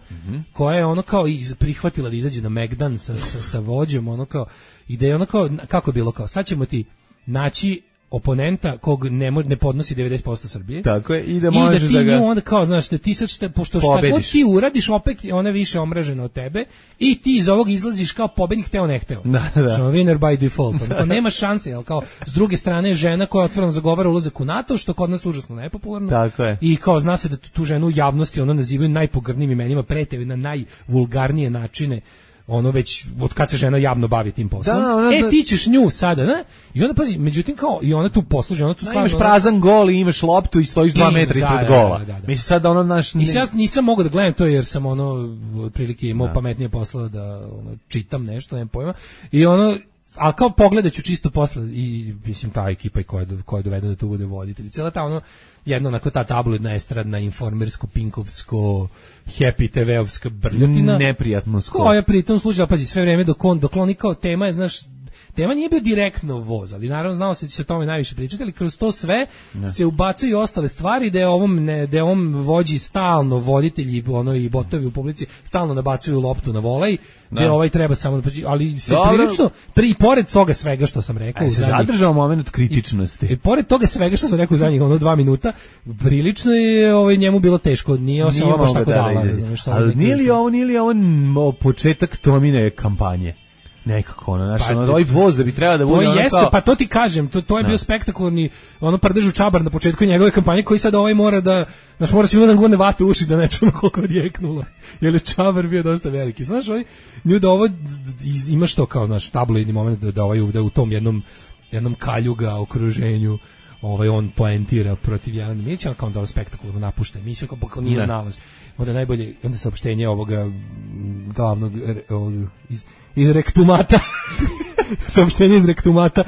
koja je ono kao i prihvatila da izađe na Megdan sa vođom, ono kao, i da je ono kao, kako je bilo kao, sad ćemo ti naći oponenta kog ne podnosi 90% Srbije. Tako je, i da možeš da ga onda kao, znaš, da ti sad pošto šta god ti uradiš, opet ona više omražena od tebe i ti iz ovog izlaziš kao pobednik, teo ne hteo. Da. Winner by default. To nema šanse, jel kao s druge strane žena koja otvoreno zagovara ulazak u NATO, što kod nas užasno nepopularno. Tako je. I kao zna se da tu ženu u javnosti ono nazivaju najpogrdnijim imenima, pretaju na najvulgarnije načine. Ono već od kad se žena javno bavi tim poslom. Ti ćeš nju sada, ne? I onda pazi, međutim kao i ona tu posluži, ona tu stvarno imaš prazan gol i imaš loptu i stojiš 2 metra ispred gola. Mislim sad da ono naš nisam mogao da gledam to jer sam ono otprilike imao pametnije posla da čitam nešto, nemam pojma. I ali kao pogledaću čisto posle i mislim ta ekipa i koja je dovedena da tu bude voditelj. Cijela ta jedno onako ta tabloidna, estradna, informersko, pinkovsko, happy TV-ovska brljotina. Neprijatno skoro. Koja pritom služi, pazi, sve vreme dok oni kao tema je, znaš, tema nije bio direktno voz, ali naravno znao se da će se o tome najviše pričati, ali kroz to sve se ubacuju i ostale stvari da je ovom vođi stalno voditelji i botovi u publici stalno nabacuju loptu na volej, da ovaj treba samo, ali se prilično, pored toga svega što sam rekao, se zadržao moment kritičnosti. I pored toga svega što sam rekao u zadnjih 2 minuta, prilično je njemu bilo teško, nije ovo baš tako dala. Ali nije li ovo početak Tomine kampanje? Nekako ovaj voz da bi trebao da bude pa to ti kažem, to je bio spektakularni prdežu Čabar na početku njegove kampanje koji sad mora da, znaš, mora svima da gurne vate u uši da ne čujemo koliko je odjeknulo, jer je Čabar bio dosta veliki, znaš, nju da ovo ima što kao, znaš, tabloidni moment da u tom jednom kaljuga okruženju on poentira protiv Jelena Milića, kao da spektakularno napušta emisiju, kao nije znalaš. Onda najbolje, onda saopštenje ovoga glavnog iz rektumata. Saopštenje iz rektumata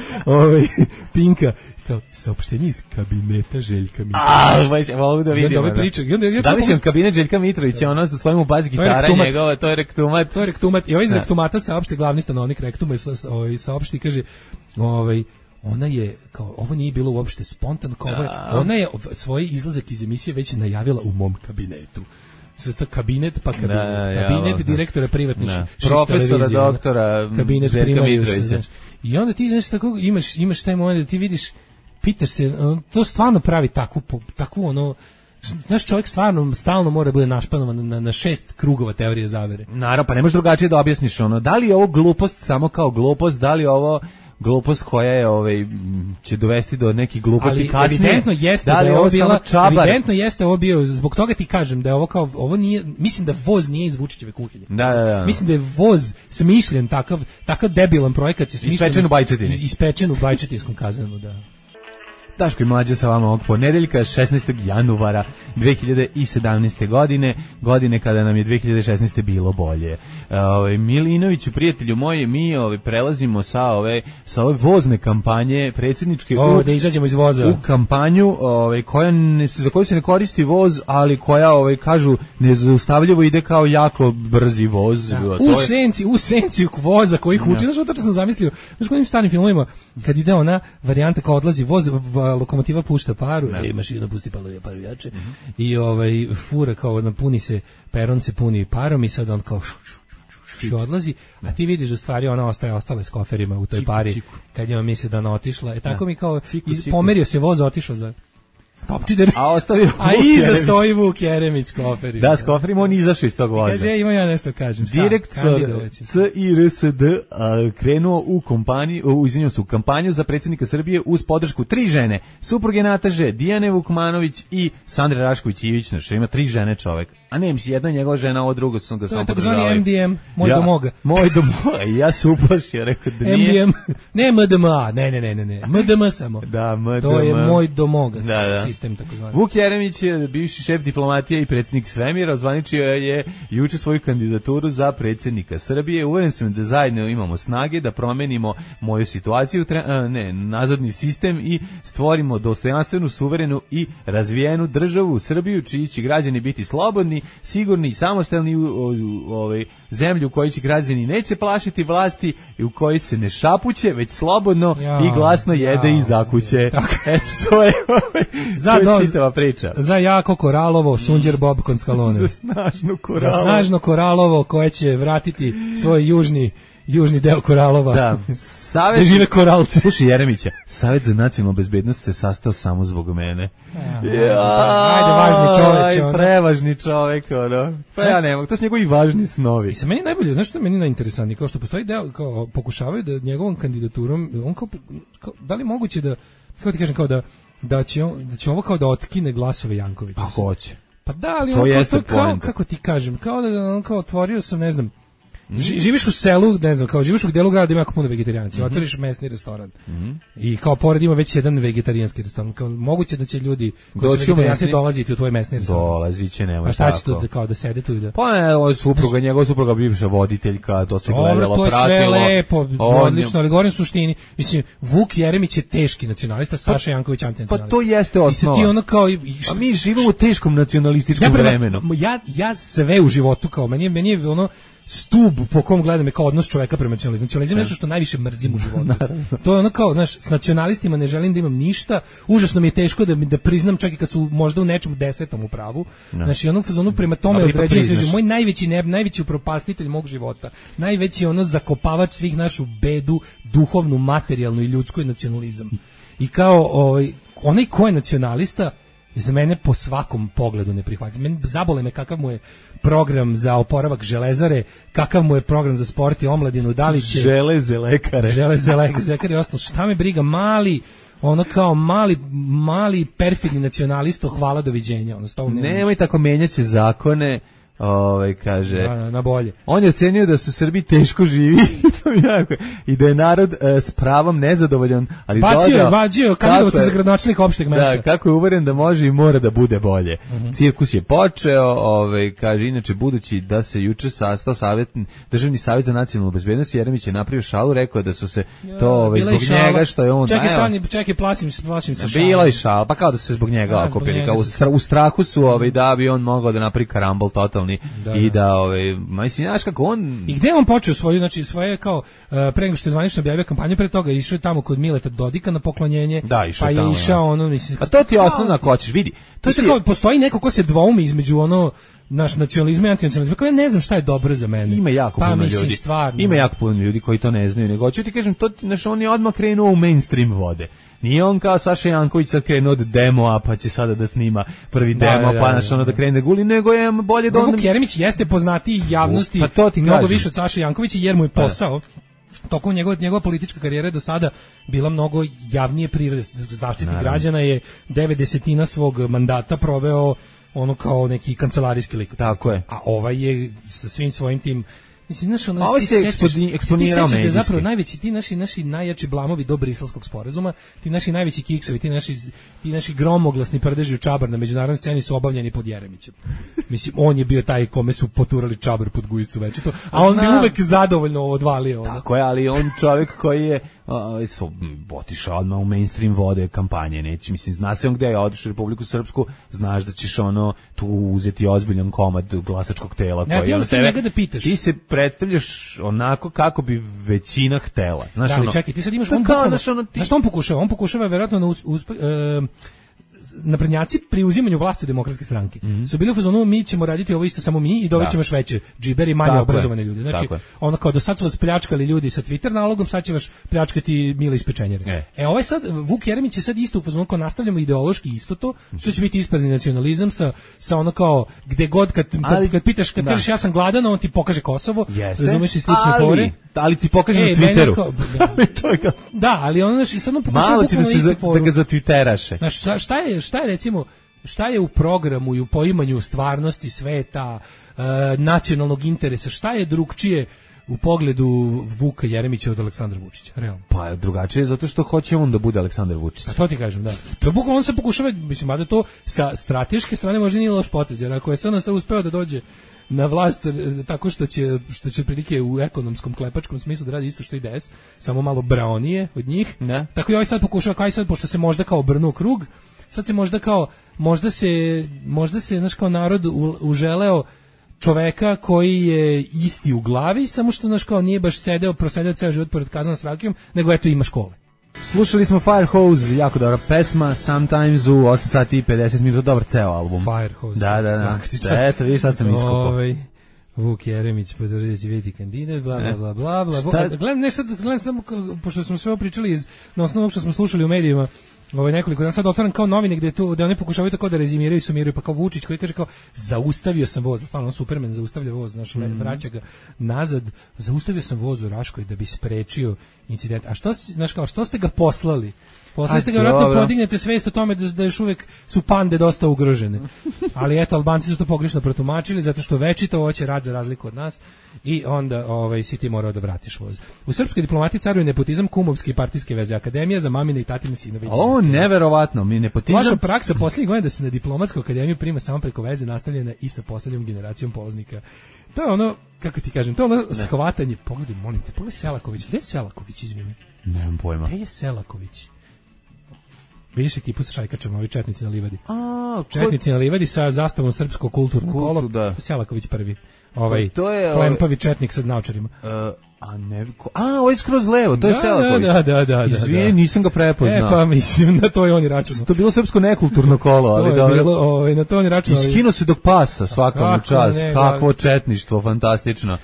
Pinka. Kao, saopštenje iz kabineta Željka Mitrovića. Mogu da vidim. Zamišljam kabinet Željka Mitrovića, ono sa svojim u bazi gitara njegova, to je rektumat. To je rektumat. I ovaj iz rektumata saopšti glavni stanovnik rektuma i saopšti, kaže, ona je, kao, ovo nije bilo uopšte spontano, kao ona je svoj izlazak iz emisije već najavila u mom kabinetu. Što kabinet, pa kabinet direktora privatnih profesora, doktora kabinet Željka Mitrovića. I onda ti znaš tako, imaš taj moment da ti vidiš, pitaš se, to stvarno pravi takvu ono, naš čovjek stvarno stalno mora bude našpanovan na 6 krugova teorije zavere. Naravno, pa ne možeš drugačije da objasniš ono, da li je ovo glupost samo kao glupost, da li je ovo glupost koja je će dovesti do nekih gluposti kasnije. Evidentno jeste da je ovo bila, evidentno jeste ovo bio, zbog toga ti kažem da je ovo kao, ovo nije, mislim da voz nije iz Vučićeve kuhinje. Da. Mislim da je voz smišljen, takav debilan projekat je smišljen. Ispečen u Bajčetinskom kazanu, da. Daško i Mlađa sa vama ovog ponedeljka, 16. januara 2017. godine kada nam je 2016. bilo bolje. Milinoviću, prijatelju moji, mi prelazimo sa ove vozne kampanje predsjedničke da izađemo iz voza. U kampanju za koju se ne koristi voz, ali koja kažu nezaustavljivo ide kao jako brzi voz. Da. U senci voza koji huči. Znaš, to sam zamislio. Znaš, kojim starim filmovima kad ide ona varijanta kao odlazi voz, lokomotiva pušta paru, mašina pusti paru jače, i fura kao napuni se, peron se puni parom i sad on kao odlazi, a ti vidiš u stvari ona ostale s koferima u toj pari kad njima misli da ona otišla. Tako mi kao pomerio se voz, otišao za Topčider, a iza stoji Vuk Jeremić s koferima. Da, s koferima on izašao iz tog voza. Kaže, ima ja nešto kažem. Direktor CIRSD krenuo u kampanju za predsjednika Srbije uz podršku 3 žene, supruge Nataže, Dijane Vukmanović i Sandre Rašković-Ivić, znači ima 3 žene čovek. A ne, misli, jedna njegova žena, ovo drugo sam ga samo podržavaju. To je takozvani MDM, moj domoga. Moj domoga, ja se uplašio, rekao da nije. MDM, ne MDMA, ne, MDM samo. Da, MDM. To je moj domoga, sistem takozvani. Vuk Jeremić je bivši šef diplomatije i predsjednik svemira, ozvaničio je juče svoju kandidaturu za predsjednika Srbije. Uveren sam da zajedno imamo snage da promenimo moju situaciju, nazadni sistem i stvorimo dostojanstvenu, suverenu i razvijenu državu Srbiju, čiji će građani biti slobodni, sigurni i samostalni u zemlju u kojoj će građani neće plašiti vlasti i u kojoj se ne šapuće, već slobodno i glasno jede i zakuće. Eto, to je čitava priča. Za jako Koralovo, Sunđer Bob Konckalone. Za snažno Koralovo koje će vratiti svoj južni deo Koralova. Da. Gde žive koralci. Slušaj Jeremića, Savet za nacionalnu bezbednost se sastao samo zbog mene. Ajde, važni čovek. Prevažni čovek, ono. Pa ja ne mogu, to su njegovi važni snovi. I sa meni najbolje, znaš što je meni najinteresantnije, kao što postoji deo, kao pokušavaju da njegovom kandidaturom, on kao da li moguće da, kako ti kažem, kao da će ovo kao da otkine glasove Jankovića. Pa hoće. Pa da, ali on kako ti kažem, kao da on kao otvorio sam, ne znam, živiš u selu, ne znam, kao živiš u delu grada ima jako puno vegetarijanaca, otvoriš mesni restoran i kao pored ima već jedan vegetarijanski restoran, kao moguće da će ljudi koji su vegetarijanci dolaziti u tvoj mesni restoran. Dolazit će, nema tako. A šta će to kao da sede tu i da... Pa ne, njegova supruga bivša voditeljka, to se gledalo, to je pratilo. Sve lepo, odlično, ali govorim suštini, mislim, Vuk Jeremić je teški nacionalista, Saša Janković antinacionalista. Pa to jeste osnova. A mi živimo u teškom nacionalističkom vremenu. Ja sve u životu, kao meni je ono stub po kom gledam je kao odnos čoveka prema nacionalizmu. Nacionalizam je nešto što najviše mrzim u životu. To je ono kao, znaš, s nacionalistima ne želim da imam ništa, užasno mi je teško da priznam čak i kad su možda u nečemu 10. u pravu. Znači, ono prema tome određujem se, moj najveći upropastitelj mog života, najveći ono zakopavač svih našu bedu, duhovnu, materijalnu i ljudsku je nacionalizam. I kao onaj ko je nacionalista, za mene po svakom pogledu ne prihvatim. Meni zabole me kakav mu je program za oporavak Železare, kakav mu je program za sport i omladinu, da li će... Železe lekare i ostalo. Šta me briga, mali perfidni nacionalisto, hvala, doviđenja. Nemoj tako menjaće zakone, kaže na bolje. On je ocenio da su Srbi teško živi i da je narod s pravom nezadovoljan, ali bacio kandidovao se za gradonačelnika opšteg mesta. Da, kako je uveren da može i mora da bude bolje. Cirkus je počeo, kaže inače budući da se juče sastao Državni savjet za nacionalnu bezbednost, Jeremić je napravio šalu, rekao da su se to zbog njega što je on. Čekaj, plašim se šala. Bila je šala, pa kao da su se zbog njega okupili, kao u strahu su da bi on mogao da napravi karambol totalni i da mislim znaš kako on. I gde on počeo svoje kao pre nego što je zvanično objavio kampanju, pre toga išao tamo kod Mileta Dodika na poklonjenje, pa je išao mislim. A to ti je osnovno ako hoćeš, vidi. To se kao postoji neko ko se dvoumi između naš nacionalizam i antinacionalizam. Kao ja ne znam šta je dobro za mene. Ima jako puno ljudi. Ima jako puno ljudi koji to ne znaju, nego hoću ti kažem to on je odmah krenuo u mainstream vode. Nije on kao Saša Janković sad krenuo od demoa, pa će sada da snima prvi demo, pa da krene da guli, nego je bolje da on... Vuk Jeremić jeste poznatiji javnosti mnogo više od Saše Jankovića, jer mu je posao tokom njegova politička karijera do sada bila mnogo javnije prirode. Zaštitnik građana je 9/10 svog mandata proveo kao neki kancelarijski lik. Tako je. A ovaj je sa svim svojim tim. Mislim, ovo se eksponirao medijski. Zapravo najveći, ti naši najjači blamovi do Briselskog sporazuma, ti naši najveći kiksovi, ti naši gromoglasni prdeži u čabar na međunarodnoj sceni su obavljeni pod Jeremićem. Mislim, on je bio taj kome su poturali čabar pod gujicu večito, a on bi uvek zadovoljno odvalio. Tako je, ali on čovjek koji je otišao odmah u mainstream vode kampanje, neći, mislim, zna se on gde je otišao u Republiku Srpsku, znaš da ćeš tu uzeti ozbiljan komad glasačkog tela. Ti se predstavljaš onako kako bi većina htela. Znaš, da, ali čekaj, ti sad imaš on pokušava verovatno naprednjaci pri uzimanju vlasti u Demokratske stranke su bili u fazonu mi ćemo raditi ovo isto samo mi i dovešćemo još veće džiberi i manje obrazovane ljude. Znači, kao do sad su vas pljačkali ljudi sa Twitter nalogom, sad će vas pljačkati Mile iz pečenjere. Ovaj sad, Vuk Jeremić je sad isto u fazonu kao nastavljamo ideološki isto to, što će biti isprazni nacionalizam sa kao gde god kad pitaš, kad kažeš ja sam gladan, on ti pokaže Kosovo, razumeš i slične fore. Ali ti pokaže na Twitteru. Da, ali ono i sad on pokušava da ga zatwitteraše. Šta je recimo, šta je u programu i u poimanju stvarnosti sveta, nacionalnog interesa, šta je drugčije u pogledu Vuka Jeremića od Aleksandra Vučića, realno? Pa drugačije zato što hoće on da bude Aleksandar Vučić. A to ti kažem, da. Bukvalno on se pokušava, mislim, da to sa strateške strane možda nije loš potez, jer ako je se on uspeo da dođe na vlast tako što će prilike u ekonomskom klepačkom smislu da radi isto što i DS, samo malo braonije od njih. Ne. Tako i ovaj sad pokušava, kao i sad, pošto se možda kao obrnuo krug, sad se možda se znaš kao narod uželeo čoveka koji je isti u glavi, samo što znaš kao nije baš prosedio ceo život pored kazana s rakijom, nego eto ima škole. Slušali smo Firehose, jako dobra pesma, Sometimes u 8 sati i 50 minuta, dobar ceo album. Firehose. Da. Eto, vidiš sad sam iskupao. Vuk Jeremić potvrdio da će biti kandidat, bla. Gledam samo, pošto smo sve pričali na osnovu što smo slušali u medijima, nekoliko dana sad otvaram kao novine gde oni pokušavaju tako da rezimiraju i sumiraju, pa kao Vučić koji kaže kao zaustavio sam voz, stvarno Superman zaustavlja voz, vraća ga nazad, zaustavio sam voz u Raškoj da bi sprečio incident. A što ste ga poslali? Poslali ste ga, vjerojatno podignete svest o tome da još uvek su pande dosta ugrožene. Ali eto, Albanci su to pogrešno protumačili, zato što večito hoće rad za razliku od nas i onda si ti morao da vratiš voz. U srpskoj diplomatiji caruje nepotizam, kumovske i partijske veze, akademija za mamine i tatine sinove. Neverovatno, mi nepotizam. Vaša praksa posljednjih godina da se na diplomatsku akademiju prima samo preko veze nastavljena i sa posljednjom generacijom polaznika. To je ono, kako ti kažem, to je ono shvatanje. Pogledaj, molim te, pogledaj Selaković. Gde je Selaković, izvini? Nemam pojma. Gde je Selaković? Vidiš ekipu sa šajkačama, ovi četnici na livadi. Četnici na livadi sa zastavom srpsko kulturno kolo. Selaković prvi. Klempavi četnik sa naočarima. Ovo je skroz levo, to je Selaković. Da. Izvijeni, nisam ga prepoznao. Pa mislim, na to je on i računao. To je bilo srpsko nekulturno kolo, ali dobro. Na to on i računao. Iskino se dok pasa svakom čas. Kakvo četništvo, fantastično.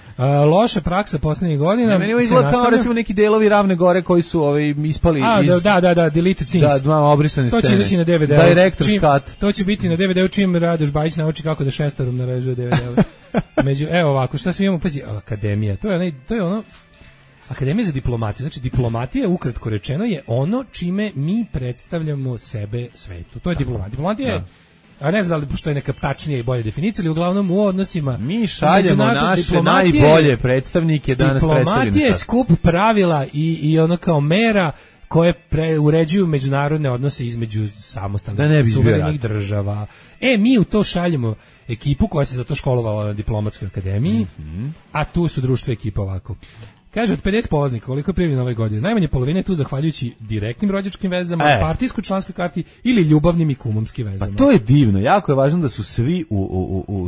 Loša praksa poslednjih godina. Meni ovo izgleda kao recimo neki delovi Ravne Gore koji su ispali iz... Da, deleted scenes. Da, obrisane scene. To će izaći na DVD. Director's cut. To će biti na DVD-u čim Radoš Bajić nauči kako da šestarom narežuje DVD-u. Evo ovako, šta svi imamo, pazi, akademija, to je ono, akademija za diplomatiju, znači diplomatija, ukratko rečeno, je ono čime mi predstavljamo sebe svetu, to je diplomatija. Diplomatija je a ne znam da li postoji neka tačnija i bolja definicija, ali uglavnom u odnosima mi šaljemo naše najbolje predstavnike danas predstavljeni. Diplomatija je skup pravila i ono kao mera koje uređuju međunarodne odnose između samostalnih suverenih država. Mi u to šaljemo ekipu koja se za to školovala na diplomatskoj akademiji, a tu su društvo ekipa ovako. Kaže, od 50 polaznika, koliko je primljeno ove godine, najmanje polovine je tu zahvaljujući direktnim rođačkim vezama, partijskoj članskoj karti ili ljubavnim i kumomskim vezama. Pa to je divno, jako je važno da su svi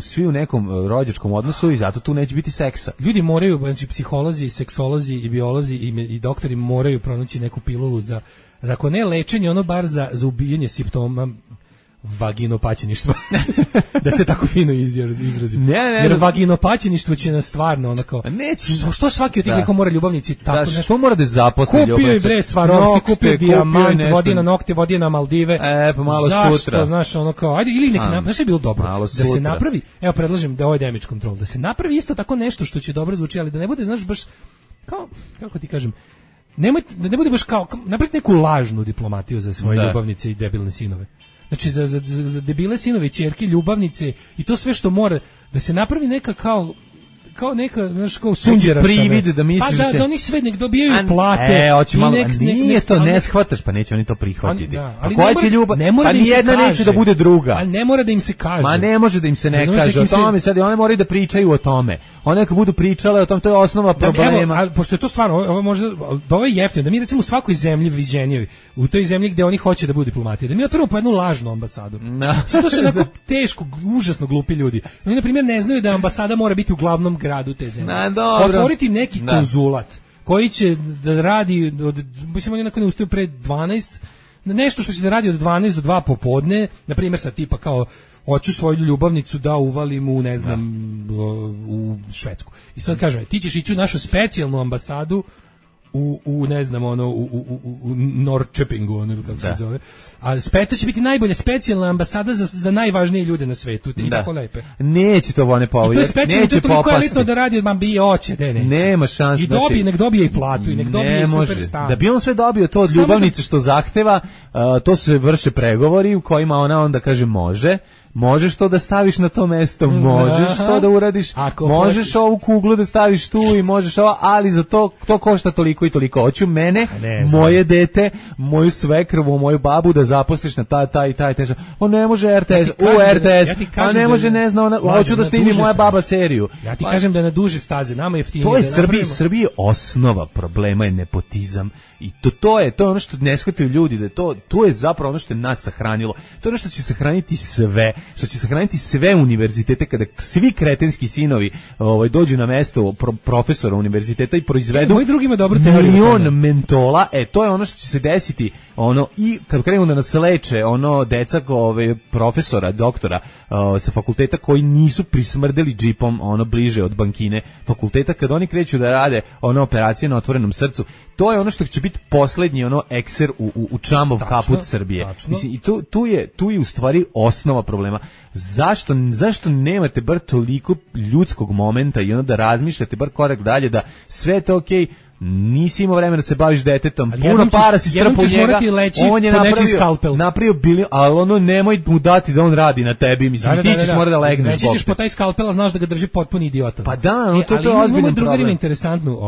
svi u nekom rođačkom odnosu i zato tu neće biti seksa. Ljudi moraju, znači psiholozi, seksolozi i biolozi i doktori moraju pronaći neku pilulu za ako ne lečenje, ono bar za ubijanje simptoma vaginopaćeništva. Da se tako fino izrazim. Jer vaginopaćeništvo će nas stvarno onako. Što svaki od tih liko mora ljubavnici tako nešto. Što mora da zaposli ljubavnicu? Kupio je bre Swarovski, kupio dijamant, vodi na nokte, vodi na Maldive. Pa malo zašto, sutra. Znaš, ono kao, ajde, ili neki znaš je bilo dobro. Da se napravi, evo predlažem da ovo je damage control, da se napravi isto tako nešto što će dobro zvuči, ali da ne bude, znaš, baš kao, kako ti kažem, da ne bude baš kao, napraviti neku lažnu diplomatiju za svoje ljubavnice i debilne sinove. Znači za debile sinove, ćerke, ljubavnice i to sve što mora da se napravi neka kao neka, znaš, kao sunđerasta. Privide da misliš da oni sve nek dobijaju plate. Hoće malo, nije to, ne shvataš, pa neće oni to prihvatiti. A koja će ljubav? Pa nijedna neće da bude druga. A ne mora da im se kaže. Ma ne može da im se ne kaže o tome, sad one moraju da pričaju o tome. One neka budu pričale o tome, to je osnova problema. Ali pošto je to stvarno, ovo može, ovo je jeftino, da mi recimo u svakoj zemlji viđenjevi, u toj zemlji gde oni hoće da budu diplomatije, da mi otvorimo po jednu lažnu ambasadu. To su onako teško, užasno glupi ljudi. Oni, na primjer, ne znaju da ambasada mora biti u glavnom gradu te zemlje. Otvoriti neki konzulat koji će da radi mislim oni ne ustaju pre 12, nešto što će da radi od 12 do 2 popodne, na primjer sa tipa kao hoću svoju ljubavnicu da uvalim u ne znam u Švedsku. I sad kažem, ti ćeš ići u našu specijalnu ambasadu u ne znam ono u Norrköpingu, ono kako se zove. A speta će biti najbolja specijalna ambasada za najvažnije ljude na svetu. I tako lepe. Neće to one povijeti. To je specijalno, to je toliko elitno da radi, man bi oće, neće. Nema šanse. I nek dobije i platu, i nek dobije i super stan. Da bi on sve dobio to od ljubavnice što zahteva, to se vrše pregovori u kojima ona onda kaže može. Možeš to da staviš na to mesto, možeš to da uradiš, možeš ovu kuglu da staviš tu i možeš ovo, ali za to košta toliko i toliko. Hoću mene, moje dete, moju svekrvu, moju babu da zaposliš na taj. On ne može RTS, a ne može, ne zna, hoću da snimi moja baba seriju. Ja ti kažem da na duže staze, nama je jeftinije. To je Srbiji osnova problema je nepotizam. I to je ono što ne shvataju ljudi, da to je zapravo ono što je nas sahranilo. To je ono što će sahraniti sve univerzitete kada svi kretenski sinovi dođu na mesto profesora univerziteta i proizvedu milion mentola. To je ono što će se desiti, i kad krenu da nas leče deca profesora, doktora sa fakulteta koji nisu prismrdeli džipom bliže od bankine fakulteta, kad oni kreću da rade operacije na otvorenom srcu, to je ono što će biti poslednji ekser u čamov kaput Srbije. Mislim, i tu je u stvari osnova problema. Zašto nemate bar toliko ljudskog momenta i da razmišljate bar korak dalje, da sve je to okej, nisi imao vremena da se baviš detetom, puno para si strpao njega, on je napravio bilion, ali nemoj mu dati da on radi na tebi, mislim, ti ćeš mora da legneš. Neći ćeš po taj skalpel, a znaš da ga drži potpuni idiota. Pa da, to je ozbiljan problem. Ali drugar ima interesantnu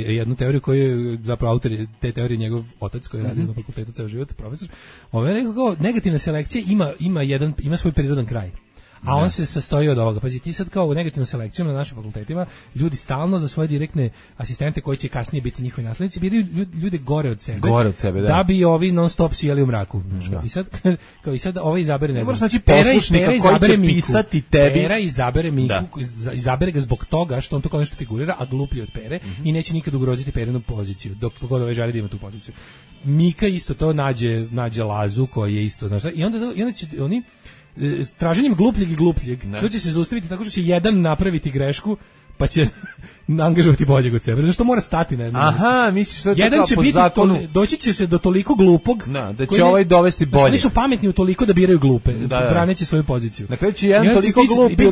jednu teoriju koju je zapravo autor te teorije njegov otac koji radi na fakultetu ceo život, profesor. Je rekao kao negativna selekcija ima svoj prirodan kraj. A on se sastoji od ovoga. Pazi, ti sad kao u negativnom selekcijom na našim fakultetima, ljudi stalno za svoje direktne asistente koji će kasnije biti njihovi naslednici, biraju ljude gore od sebe, da bi ovi non stop sijali u mraku. I sad ovaj izabere, ne znam, poslušnika koji će pisati tebi. Pera izabere Miku, izabere ga zbog toga što on to kao nešto figurira, a gluplji od Pere, i neće nikad ugroziti Perinu poziciju, dok god ovaj želi da ima tu poziciju. Mika isto to nađe Lazu koji je isto, znaš, i onda će oni traženjem glupljeg i glupljeg, to će se zaustaviti tako što će jedan napraviti grešku, pa će angažovati boljeg od sebe, zato što mora stati na jednom. Aha, misliš da je jedan će biti doći će se do toliko glupog da će ovaj dovesti bolje. Oni su pametni u toliko da biraju glupe, braneći svoju poziciju. Na kraju će jedan toliko glup i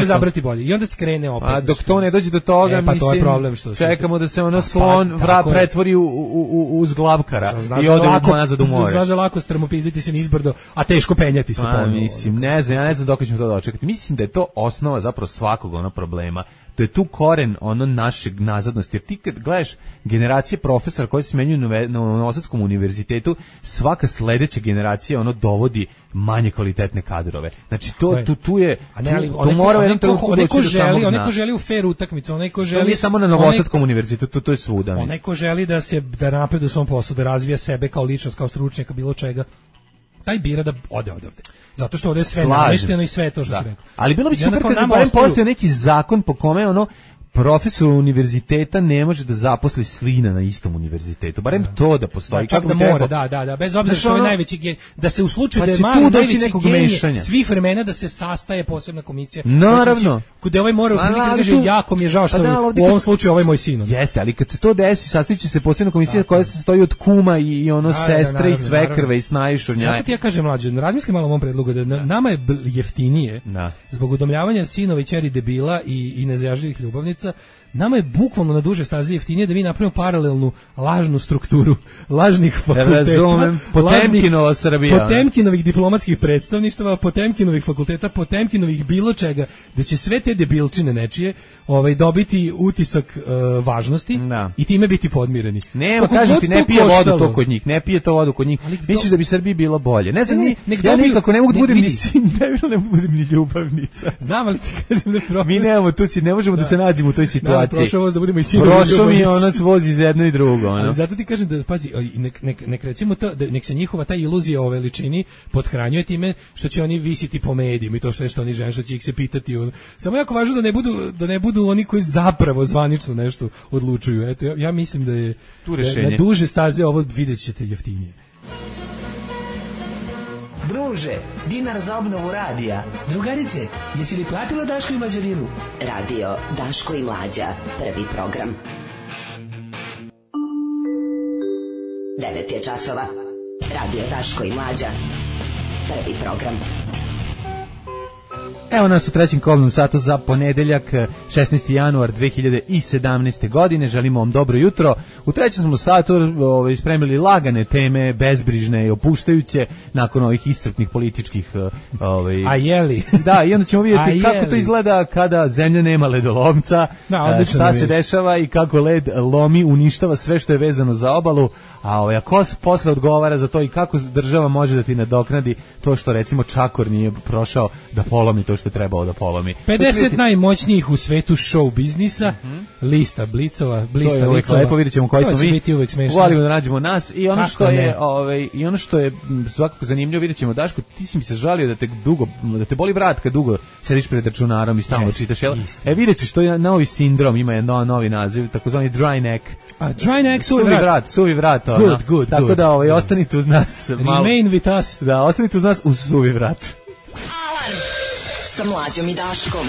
odabrati bolje. I onda skrene opet. A dok to ne dođe do toga, pa to je problem što čekamo da se ono slon pretvori u zglavkara i ode nazad u more. Znaš da lako strmopizditi se nizbrdo, a teško penjati se ponovo. Mislim, ne znam dok ćemo to dočekati. Mislim da je to osnova zapravo svakog ono problema. To je tu koren ono našeg nazadnosti, jer ti kad gledaš generacije profesora koji se smenjuju na Novosadskom univerzitetu, svaka sledeća generacija ono dovodi manje kvalitetne kadrove. Znači tu je to mora jedan trenutku doći do samog dna. Onaj ko želi u fair utakmicu, onaj ko želi... To nije samo na Novosadskom univerzitetu, to je svuda. Onaj ko želi da napreduje u svom poslu, da razvija sebe kao ličnost, kao stručnjaka, bilo čega, taj bira da ode odavde. Zato što ovdje je sve namešteno i sve to što se rekao. Ali bilo bi super kada barem postoji neki zakon po kome ono profesor univerziteta ne može da zaposli slina na istom univerzitetu. Barem to da postoji. Čak da mora, da. Bez obzira što je najveći da se u slučaju da je mali najveći genije svih vremena da se sastaje posebna komisija. Naravno. Kude ovaj mora kaže jako mi je žao što u ovom slučaju ovaj moj sin. Jeste, ali kad se to desi, sastiće se posebna komisija koja se sastoji od kuma i ono sestre i svekrve i snajšurnjaje. Zato ti ja kažem mlađe, razmisli malo o mom predlogu da nama je jeftinije zbog udomljavanja sinova i ćeri debila i nezajažljivih ljubavnica. Nama je bukvalno na duže staze jeftinije da mi napravimo paralelnu lažnu strukturu lažnih fakulteta. Razumem, Potemkinova Srbija. Potemkinovih diplomatskih predstavništava, Potemkinovih fakulteta, Potemkinovih bilo čega, da će sve te debilčine nečije dobiti utisak važnosti i time biti podmireni. Nema, kažem ti, ne pije vodu to kod njih, ne pije to vodu kod njih. Misliš da bi Srbiji bilo bolje? Ne znam, ja nikako ne mogu da budem ni sin, ne mogu da budem ni ljubavnica. Znam, ali ti kažem da problem. Mi nemamo tu si, ne možemo da se nađemo u toj situaciji. Prošao voz da budemo i sinovi. Prošao mi je ono vozi iz jedno i drugo. Ali zato ti kažem da, pazi, nek recimo to, nek se njihova ta iluzija o veličini pothranjuje time što će oni visiti po medijima i to sve što oni žele, što će ih se pitati. Samo jako važno da ne budu oni koji zapravo zvanično nešto odlučuju. Eto, ja mislim da je na duže staze ovo vidjet ćete jeftinije. Druže, dinar za obnovu radija. Drugarice, jesi li platila Daško i Mlađarinu? Radio Daško i Mlađa, prvi program. 9 je časova. Radio Daško i Mlađa, prvi program. Evo nas u trećem kolnom satu za ponedeljak, 16. januar 2017. godine. Želimo vam dobro jutro. U trećem smo satu spremili lagane teme, bezbrižne i opuštajuće, nakon ovih iscrpnih političkih... A jeli? Da, i onda ćemo vidjeti kako to izgleda kada zemlja nema ledolomca, šta se dešava i kako led lomi, uništava sve što je vezano za obalu, a ko posle odgovara za to i kako država može da ti nadoknadi to što recimo Čakor nije prošao da polomi to što je trebao da polomi. 50 najmoćnijih u svetu show biznisa, lista Blicova, to je uvijek lepo, vidjet ćemo koji smo mi, volimo da nađemo nas i ono što je svakako zanimljivo, vidjet ćemo, Daško, ti si mi se žalio da te boli vrat kad dugo sediš pred računarom i stalno čitaš, vidjet ćeš, to je novi sindrom, ima jedan novi naziv, takozvani dry neck. Dry neck, suvi vrat. Good. Tako da ostanite uz nas. Remain with us. Da, ostanite uz nas uz suvi vrat. Alarm sa Mlađom i Daškom.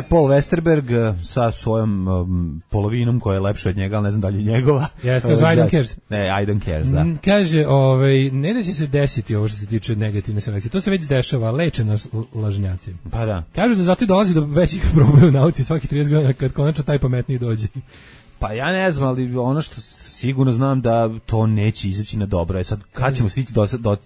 Paul Westerberg sa svojom polovinom koja je lepša od njega, ali ne znam da li je njegova. Yes, because I don't cares. Ne, I don't cares, da. Kaže, ne da će se desiti ovo što se tiče negativne selekcije. To se već dešava, lečeno lažnjaci. Pa da. Kažu da zato i dolazi do većih problema u nauci svakih 30 godina kad konačno taj pametniji dođe. Pa ja ne znam, ali ono što sigurno znam da to neće izaći na dobro. Sad, kad ćemo stići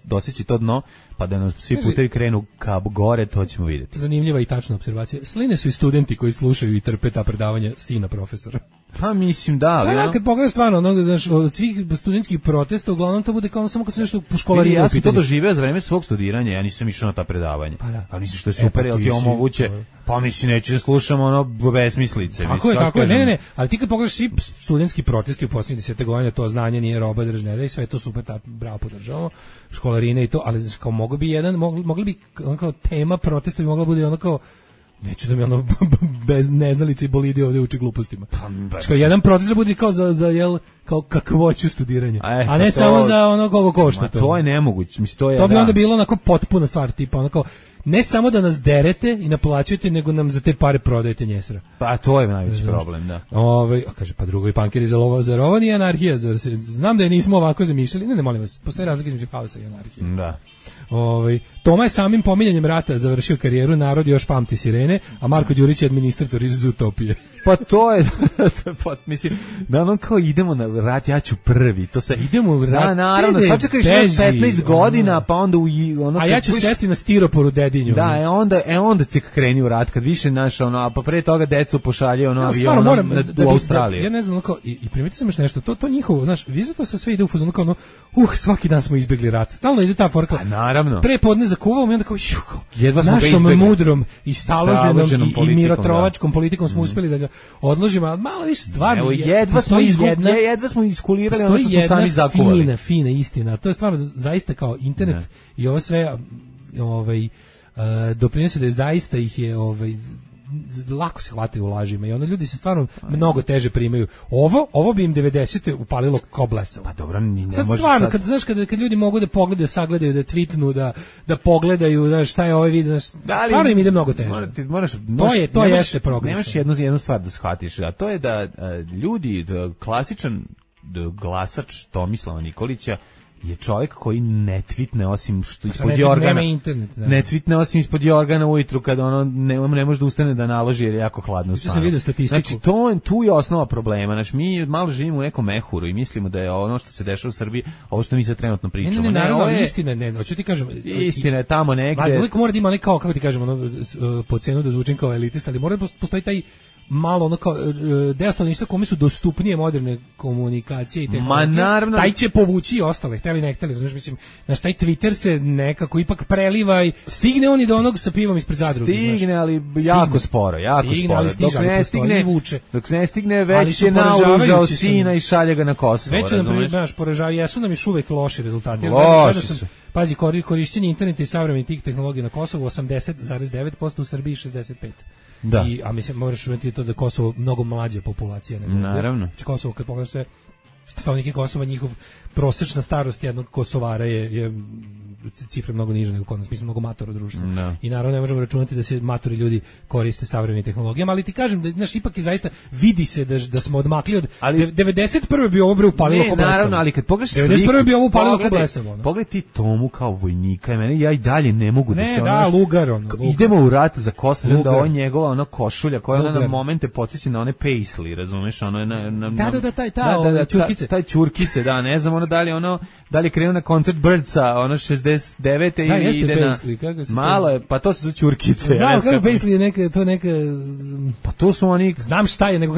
doseći to dno, pa da nam svi putevi krenu ka gore, to ćemo vidjeti. Zanimljiva i tačna observacija. Sline su i studenti koji slušaju i trpe ta predavanja sina profesora. Pa mislim da, ali... kad pogledaš stvarno, od svih studentskih protesta, uglavnom to bude kao samo kad su nešto po školarinu. Ja sam to doživeo za vreme svog studiranja, ja nisam išao na ta predavanja. Ali mislim što je super, jel ti omoguće, pa mislim neću da slušam ono besmislice. Tako je, ne, ali ti kad pogledaš svi studentski protesti u posljednjih 10 godina, to znanje nije roba držnera i sve je to super, bravo podržavamo, školarine i to, ali kao mogli bi kao tema protesta bi mogla bude ono kao neću da mi ono bez neznalice i bolidi ovdje uči glupostima. Što jedan proces bude kao za jel, kao kakvoću studiranja, a ne samo za ono koliko košta to. To je nemoguće, mislim to je. To bi onda bilo onako potpuna stvar, tipa onako ne samo da nas derete i naplaćujete, nego nam za te pare prodajete njesra. Pa to je najveći problem, da. Kaže, pa drugo i pankeri za ovo nije anarhija, znam da je nismo ovako zamišljali, ne molim vas, postoji razlika između haosa i anarhije. Da. Toma je samim pominjanjem rata završio karijeru, narod još pamti sirene, a Marko Đurić je administrator iz Utopije. Pa to je, mislim, da ono kao idemo na rat, ja ću prvi, to se... Idemo u rat, da, naravno, sad čekaš 15 godina, pa onda a ja ću sesti na stiroporu dedinju. Da, onda ti kreni u rat, kad više naš, a pa pre toga decu pošalje avionom u Australiju. Ja ne znam, i primetio sam još nešto, to njihovo, znaš, vi zato se sve ide u fazonu kao svaki dan smo izbjegli rat, stalno ide ta forka. Naravno. Pre podne zakuvamo i onda kao našom mudrom i staloženom i mirotrovačkom politikom smo uspjeli da ga odložimo, ali malo više stvarno. Jedva smo iskulirali ono što smo sami zakuvali. Fina istina. To je stvarno zaista kao internet i ovo sve doprinosi da je zaista ih je lako se hvataju u lažima i onda ljudi se stvarno mnogo teže primaju. Ovo bi im 90. upalilo kao blesavo. Pa dobro, ne sad stvarno, kad ljudi mogu da pogledaju, sagledaju, da tweetnu, da pogledaju, znaš, šta je ovaj video, stvarno im ide mnogo teže. To jeste progres. Nemaš jednu stvar da shvatiš, a to je da ljudi, klasičan glasač Tomislava Nikolića je čovjek koji ne tvitne osim što ispod jorgana. Ne tvitne osim ispod jorgana ujutru kada ono ne može da ustane da naloži jer je jako hladno stvarno. Sam vidio statistiku. Znači tu je osnova problema. Znači mi malo živimo u nekom mehuru i mislimo da je ono što se dešava u Srbiji ovo što mi sad trenutno pričamo. Ne, naravno, istina, hoću ti kažem. Istina je tamo negde. Uvijek mora da ima kao, kako ti kažem, po cenu da zvučim kao elitist, ali mora da postoji taj malo ono kao deo stanovništva kome su dostupnije moderne komunikacije i tehnologije. Naravno. Taj će povući i ostale, hteli ne hteli, znaš, mislim, znaš, taj Twitter se nekako ipak preliva i stigne on i do onog sa pivom ispred zadruge. Stigne, ali jako sporo. Dok ne stigne, već je naoružao sina i šalje ga na Kosovo. Već nam poražavaju, jesu nam još uvek loši rezultati. Loši su. Pazi, korišćenje interneta i savremenih tih tehnologija na Kosovu 80,9%, u Srbiji 65%. Da. A mislim, moraš uvijek to da Kosovo mnogo mlađa populacija. Naravno. Kosovo, kad pogledaš sve stanovnike Kosova, njihov prosječna starost jednog Kosovara je cifre mnogo niže nego kod nas, mi smo mnogo matora društva. No. I naravno ne možemo računati da se matori ljudi koriste savremenim tehnologijama, ali ti kažem da znaš, ipak je zaista vidi se da smo odmakli od 91. bi ovo upalilo ko blesavo. Naravno, ali kad pogledaš 91. bi ovo upalilo ko blesavo. Pogledaj ti Tomu kao vojnika, ja i dalje ne mogu da se lugar. Idemo u rat za Kosovo, da ovo njegova ona košulja koja ona na momente podsjeća na one paisley, razumeš, ono je taj ćurkice, da, ne znam ono da li krenuo na koncert Birdsa, ono 69. i ide na... Malo je, pa to su ćurkice. Znam kako Paisley je neka... Pa to su oni... Znam šta je, nego...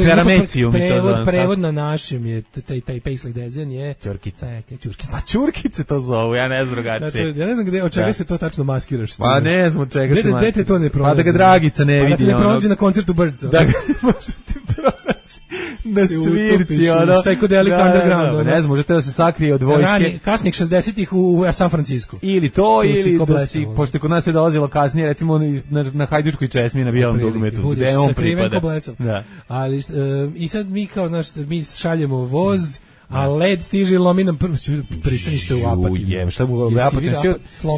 Prevod na našem je, taj Paisley dezen je... Ćurkice. A ćurkice to zovu, ja ne znam drugačije. Ja ne znam od čega se to tačno maskiraš. Pa ne znam od čega se maskiraš. Gde te to ne pronađe? Pa da ga Dragica ne vidi. Pa da te ne pronađe na koncertu Birdsa. Da ga možda ti pronađe na svirci, ono... Psychedelic Underground. Ne znam, možete da se sakrije od vojske. Kasnih 60-ih u San Francisco. Ili to, ili da si, pošto kod nas je dolazilo kasnije, recimo na Hajdučkoj česmi na Bijelom dugmetu, gde on pripada. Da. Ali, i sad mi kao, znaš, mi šaljemo voz, a led stiže i lomi nam pristanište u Apatinu. Šta u Apatinu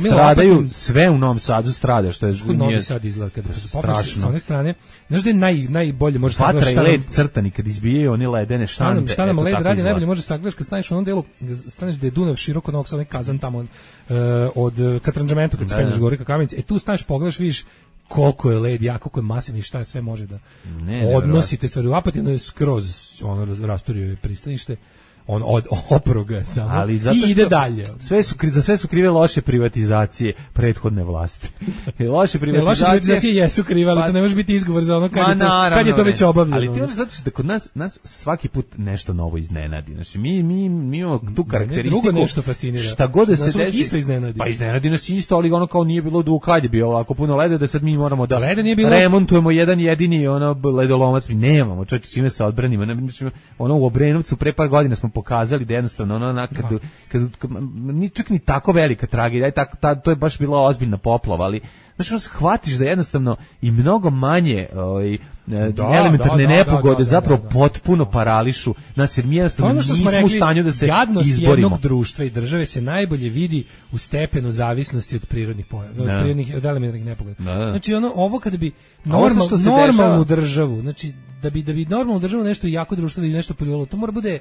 stradaju, sve u Novom Sadu strada, što je... Novi Sad izgleda, kada se popneš s one strane, znaš da je najbolje može sagledaš... Vatra i led crtani, kad izbijaju one ledene štande. Šta nam led radi, najbolje može sagledaš kad staneš u onom delu, staneš da je Dunav široko Novog Sada, kazan tamo od Katranđamentu, kad se penješ gore ka Kamenici, tu staneš, pogledaš, vidiš koliko je led, koliko je masivni, šta sve može da odnosite stvari. U Apatinu je skroz rasturio je pristanište, on oproga samo i ide dalje. Za sve su krive loše privatizacije prethodne vlasti. Loše privatizacije jesu krive, ali to ne može biti izgovor za ono kad je to već obavljeno. Ali ti zato što da kod nas svaki put nešto novo iznenadi. Znači mi imamo tu karakteristiku. Drugo nešto fascinira. Šta god da se desi isto iznenadi. Pa iznenadi nas isto, ali ono kao nije bilo dugo kad je bio ovako puno leda da sad mi moramo da remontujemo jedan jedini ledolomac. Mi nemamo čime se odbranimo. Ono u Obrenovcu pre par godina smo pokazali da jednostavno ono kad ni čak ni tako velika tragedija, to je baš bila ozbiljna poplava, ali znači ono shvatiš da jednostavno i mnogo manje elementarne nepogode zapravo potpuno parališu nas, jer mi jednostavno nismo u stanju da se jadnost izborimo. Jednog društva i države se najbolje vidi u stepenu zavisnosti od prirodnih pojava, od elementarnih nepogoda. Znači ovo kada bi normalnu državu, znači da bi normalnu državu nešto jako društvo ili nešto poljubilo, to mora bude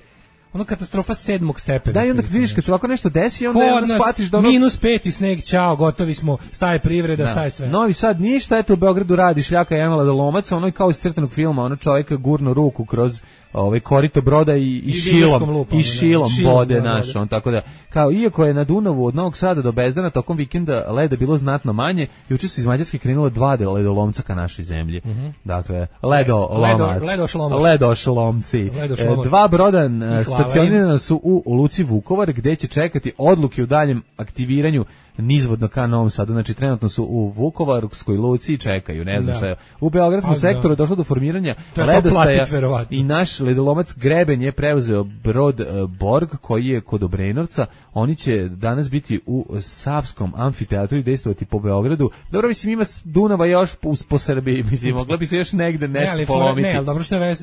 ono katastrofa 7. stepena. Da, i onda vidiš kad se ovako nešto desi, onda shvatiš da ono... -5 i sneg, čao, gotovi smo, staje privreda, staje sve. Novi Sad ništa, eto u Beogradu radi šljaka Emila Dolomaca, ono je kao iz crtanog filma, ono čovjeka gurno ruku kroz korito broda i šilom bode naš, on tako da, kao iako je na Dunavu od Novog Sada do Bezdana tokom vikenda leda bilo znatno manje, juče su iz Mađarske krenula 2 ledolomca ka našoj zemlji. Dakle, ledošlomci. 2 broda stacionirana su u luci Vukovar, gde će čekati odluke u daljem aktiviranju nizvodno ka Novom Sadu. Znači trenutno su u Vukovarskoj luci i čekaju, ne znam šta je. U beogradskom sektoru došlo do formiranja ledostaja i naš ledolomac Greben je preuzeo brod Borg koji je kod Obrenovca. Oni će danas biti u Savskom amfiteatru i dejstvovati po Beogradu. Dobro, mislim ima Dunava još po Srbiji, mislim mogla bi se još negde nešto polomiti. Ne, ali dobro što je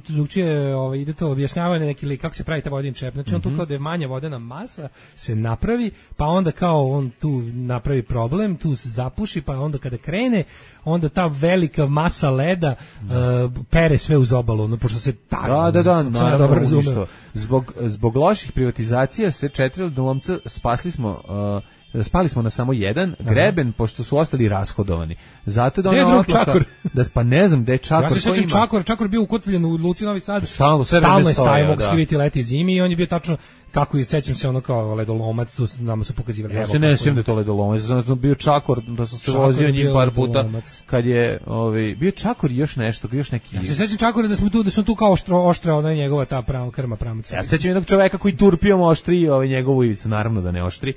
drugčije ide to objašnjavanje neki lik kako se pravi ta vodin čep. Znači on tu kao da je manja vodena masa se napravi, pa onda kao on tu napravi problem, tu se zapuši, pa onda kada krene, onda ta velika masa leda pere sve uz obalu, no, pošto se tako... Da, naravno, zbog loših privatizacija se 4 ledolomca spali smo na samo jedan, Greben, pošto su ostali rashodovani. Zato da ono Čakor. Pa ne znam gde je Čakor. Ja se sjećam Čakor bio ukotvljen u luci Novi Sad. Stalno je stajao, mogu skriviti leti zimi i on je bio tačno kako i sećam se ono kao ledolomac, tu nama su pokazivali. Ja se ne sjećam da je to ledolomac, znam bio Čakor, da sam se vozio njim par puta, kad je bio Čakor i još nešto, još neki... Ja se sjećam Čakora da smo tu kao oštra, ona je njegova ta krma pramaca. Ja se sjećam jednog čoveka koji turpijom oštri njegovu ivicu, naravno da ne oštri,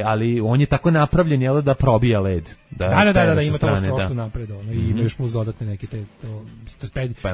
ali on je tako napravljen, jel, da probija led. Da, ima to oštro napred, i ima još plus dodatne neke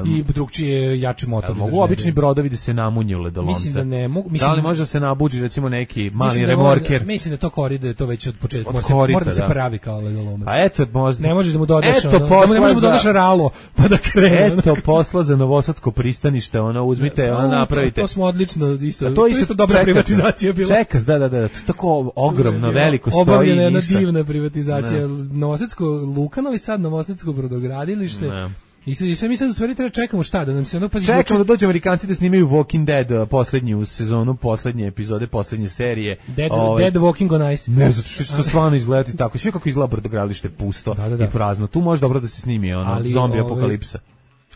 i drugčije jači motor. Mogu obični brodovi da se namunju ledolomce? Mislim da ne mogu. Da li može da se nabuđi recimo neki mali remorker? Mislim da to koride, to već od početka mora da se pravi kao ledolomac. A eto, možda... Ne možeš da mu dodaš, ne možeš da mu dodaš ralo, pa da krene. Eto posla za Novosadsko pristanište, uzmite, napravite. To smo odlično, to isto dobra privatizacija bila. Čekas, da, to je tako ogromno, veliko stoji. Obavljena jedna divna privatizacija. Novosadsko Luka, Novi Sad, Novosadsko brodogradilište. I sve mi sad u stvari treba čekamo šta, da nam se čekamo da dođu Amerikanci da snimaju Walking Dead poslednju sezonu, poslednje epizode, poslednje serije. Dead Walking on Ice. Ne, zato što će to stvarno izgledati tako. Sve kako izgleda brodogradilište pusto i prazno. Tu može dobro da se snimi zombi apokalipsa.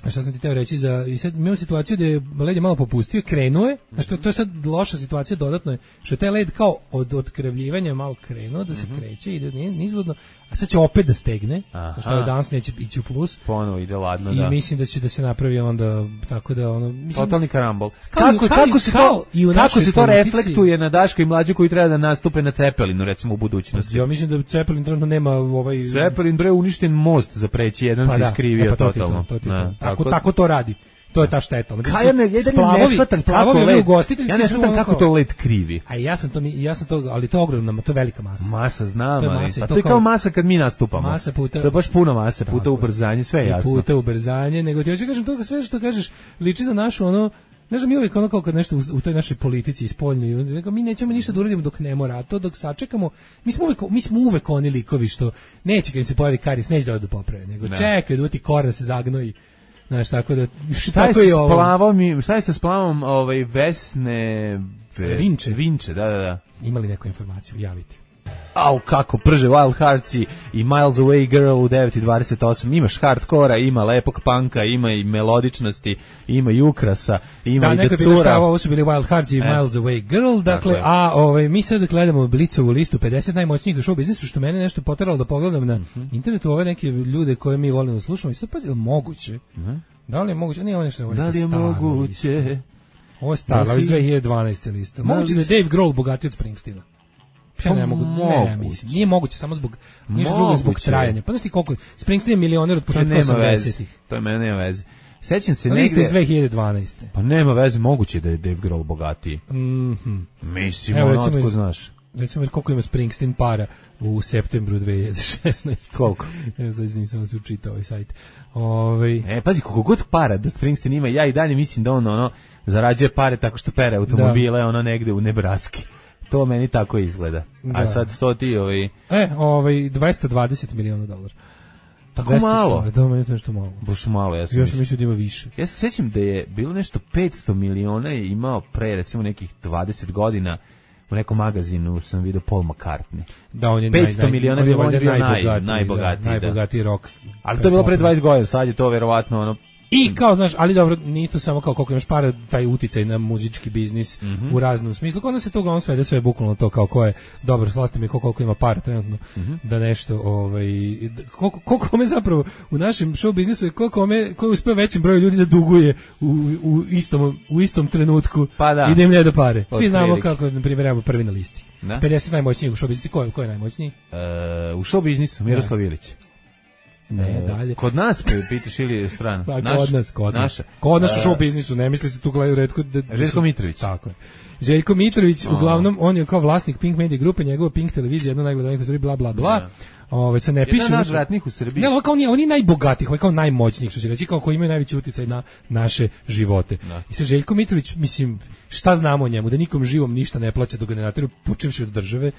A šta sam ti teo reći i sad imamo situaciju da je led je malo popustio, krenuo je, znači to je sad loša situacija, dodatno je, što je taj led kao od otkrevljivanja malo krenuo, da se kreće, ide nizvodno, a sad će opet da stegne, što je danas neće ići u plus. Ponovo ide ladno, i mislim da će da se napravi onda, tako da totalni karambol. Kako se to reflektuje na Daška i Mlađu koji treba da nastupe na Cepelinu, recimo u budućnosti? Ja mislim da Cepelin trenutno nema Cepelin bre uništen most za preći, jedan se iskrivio totalno. Tako to radi. To je ta šteta. Ja ne shvatam kako to led krivi. A ja sam to, ali to je ogromna, to je velika masa. Masa znam, pa to je kao masa kad mi nastupamo. Masa puta. To je baš puno mase, puta ubrzanje, sve je jasno. Puta ubrzanje, nego ti hoću kažem to sve što kažeš liči na našu ne znam, mi uvijek kao kad nešto u toj našoj politici i spoljnoj, mi nećemo ništa da uradimo dok ne mora, a to dok sačekamo, mi smo uvek oni likovi što neće kad im se pojavi karies, neće da poprave, nego čekaj da ti koran se zagnoji. Znaš, tako da... Šta je sa splavom Vesne... Vinče, da. Imali neku informaciju, javite. Au, kako prže Wild Hearts i Miles Away Girl u 9:28. Imaš hardkora, ima lepog punka, ima i melodičnosti, ima i ukrasa, ima i decura. Ovo su bili Wild Hearts i Miles Away Girl, dakle, mi sad gledamo Blicovu listu 50 najmoćnijih u show biznisu, što mene nešto poteralo da pogledam na internetu ove neke ljude koje mi volimo da slušamo i sad pazi, moguće? Da li je moguće? Nije ovo nešto da li je moguće? Ovo je staro, iz 2012. lista. Moguće da je Dave Grohl bogatiji od Springsteena. Ja ne mogu, mislim, nije moguće samo zbog trajanja. Pa znaš ti koliko Springsteen je milioner od početka 80-ih. To je mene nema veze. Sećam se negde iz 2012. Pa nema veze, moguće da je Dave Grohl bogatiji. Mislim, otko znaš. Recimo koliko ima Springsteen para u septembru 2016. Koliko? Znači nisam se učitao ovaj sajt. Pazi, koliko god para da Springsteen ima, ja i dalje mislim da on zarađuje pare tako što pere automobile negde u Nebraski. To meni tako izgleda. Da. A sad to ti 220 miliona dolara. Tako malo? Da, meni je to nešto malo. Baš malo, ja sam mislio da ima više. Ja se sjećam da je bilo nešto 500 miliona je imao pre recimo nekih 20 godina. U nekom magazinu sam vidio Paul McCartney. Da, on je 500 miliona je bio najbogatiji rock. Ali to je bilo pre 20 godina, sad je to verovatno I kao, znaš, ali dobro, nije to samo kao koliko imaš para, taj uticaj na muzički biznis u raznom smislu. Kod nas se to uglavnom svede sve bukvalno to kao ko je dobro, slasti mi koliko ima para trenutno da nešto, koliko me zapravo u našem show biznisu je ko uspeo većim broju ljudi da duguje u istom trenutku i da im ne da pare. Svi znamo kako, na primjer, evo prvi na listi. 50 najmoćnijih u show biznisu. Ko je najmoćniji? U show biznisu, Miroslav Ilić. Ne, dalje. Kod nas pitaš ili strano? Pa, kod nas u show biznisu, ne misli se tu gledaju retko. Željko Mitrović. Tako je. Željko Mitrović, uglavnom, on je kao vlasnik Pink Media grupe, njegova Pink televizija, jedna najgledanijih u Srbiji, bla, bla, bla. Se ne piše. Jedan najvratnijih u Srbiji. Ne, kao oni najbogatijih, kao najmoćnijih, što će reći, kao koji imaju najveći uticaj na naše živote. I se Željko Mitrović, mislim, šta znamo o njemu? Da nikom živom ništa ne plaća dok ga ne nateru, počevši od države.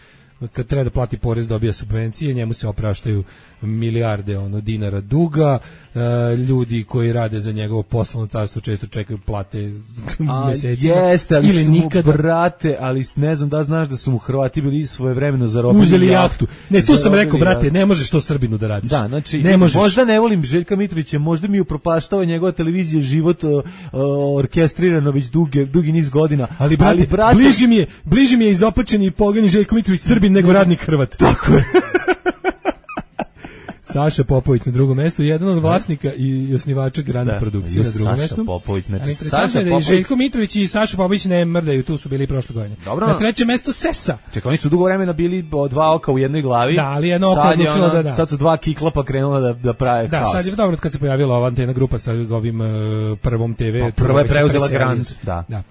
Kad treba da plati porez, dobija subvencije, njemu se opraštaju milijarde dinara duga, ljudi koji rade za njegovo poslovno carstvo često čekaju plate mesecima. Jeste, ali ili su nikada. Brate, ali ne znam da znaš da su mu Hrvati bili svojevremeno zarobili. Uzeli jahtu. Ne, tu sam rekao, brate, ne možeš to Srbinu da radiš. Da, znači, ne možeš. Možda ne volim Željka Mitrovića, možda mi upropaštava njegova televizija život orkestrirano već dugi niz godina. Ali brate, bliži mi je izopačeni i pogani Željko Mitrović Srbin nego radnik Hrvat. Tako je. Saša Popović na drugom mestu, jedan od vlasnika i osnivača Grand Produkcije na drugom mestu. Saša Popović, znači Saša Popović. Željko Mitrović i Saša Popović ne mrdaju, tu su bili prošle godine. Dobro. Na trećem mestu Sesa. Čekaj, oni su dugo vremena bili dva oka u jednoj glavi. Da, ali jedno oko odlučilo da. Sad su dva kiklapa krenula da prave haos. Da, sad je dobro kad se pojavila ova antena grupa sa ovim prvom TV. Prva je preuzela Grand. Da.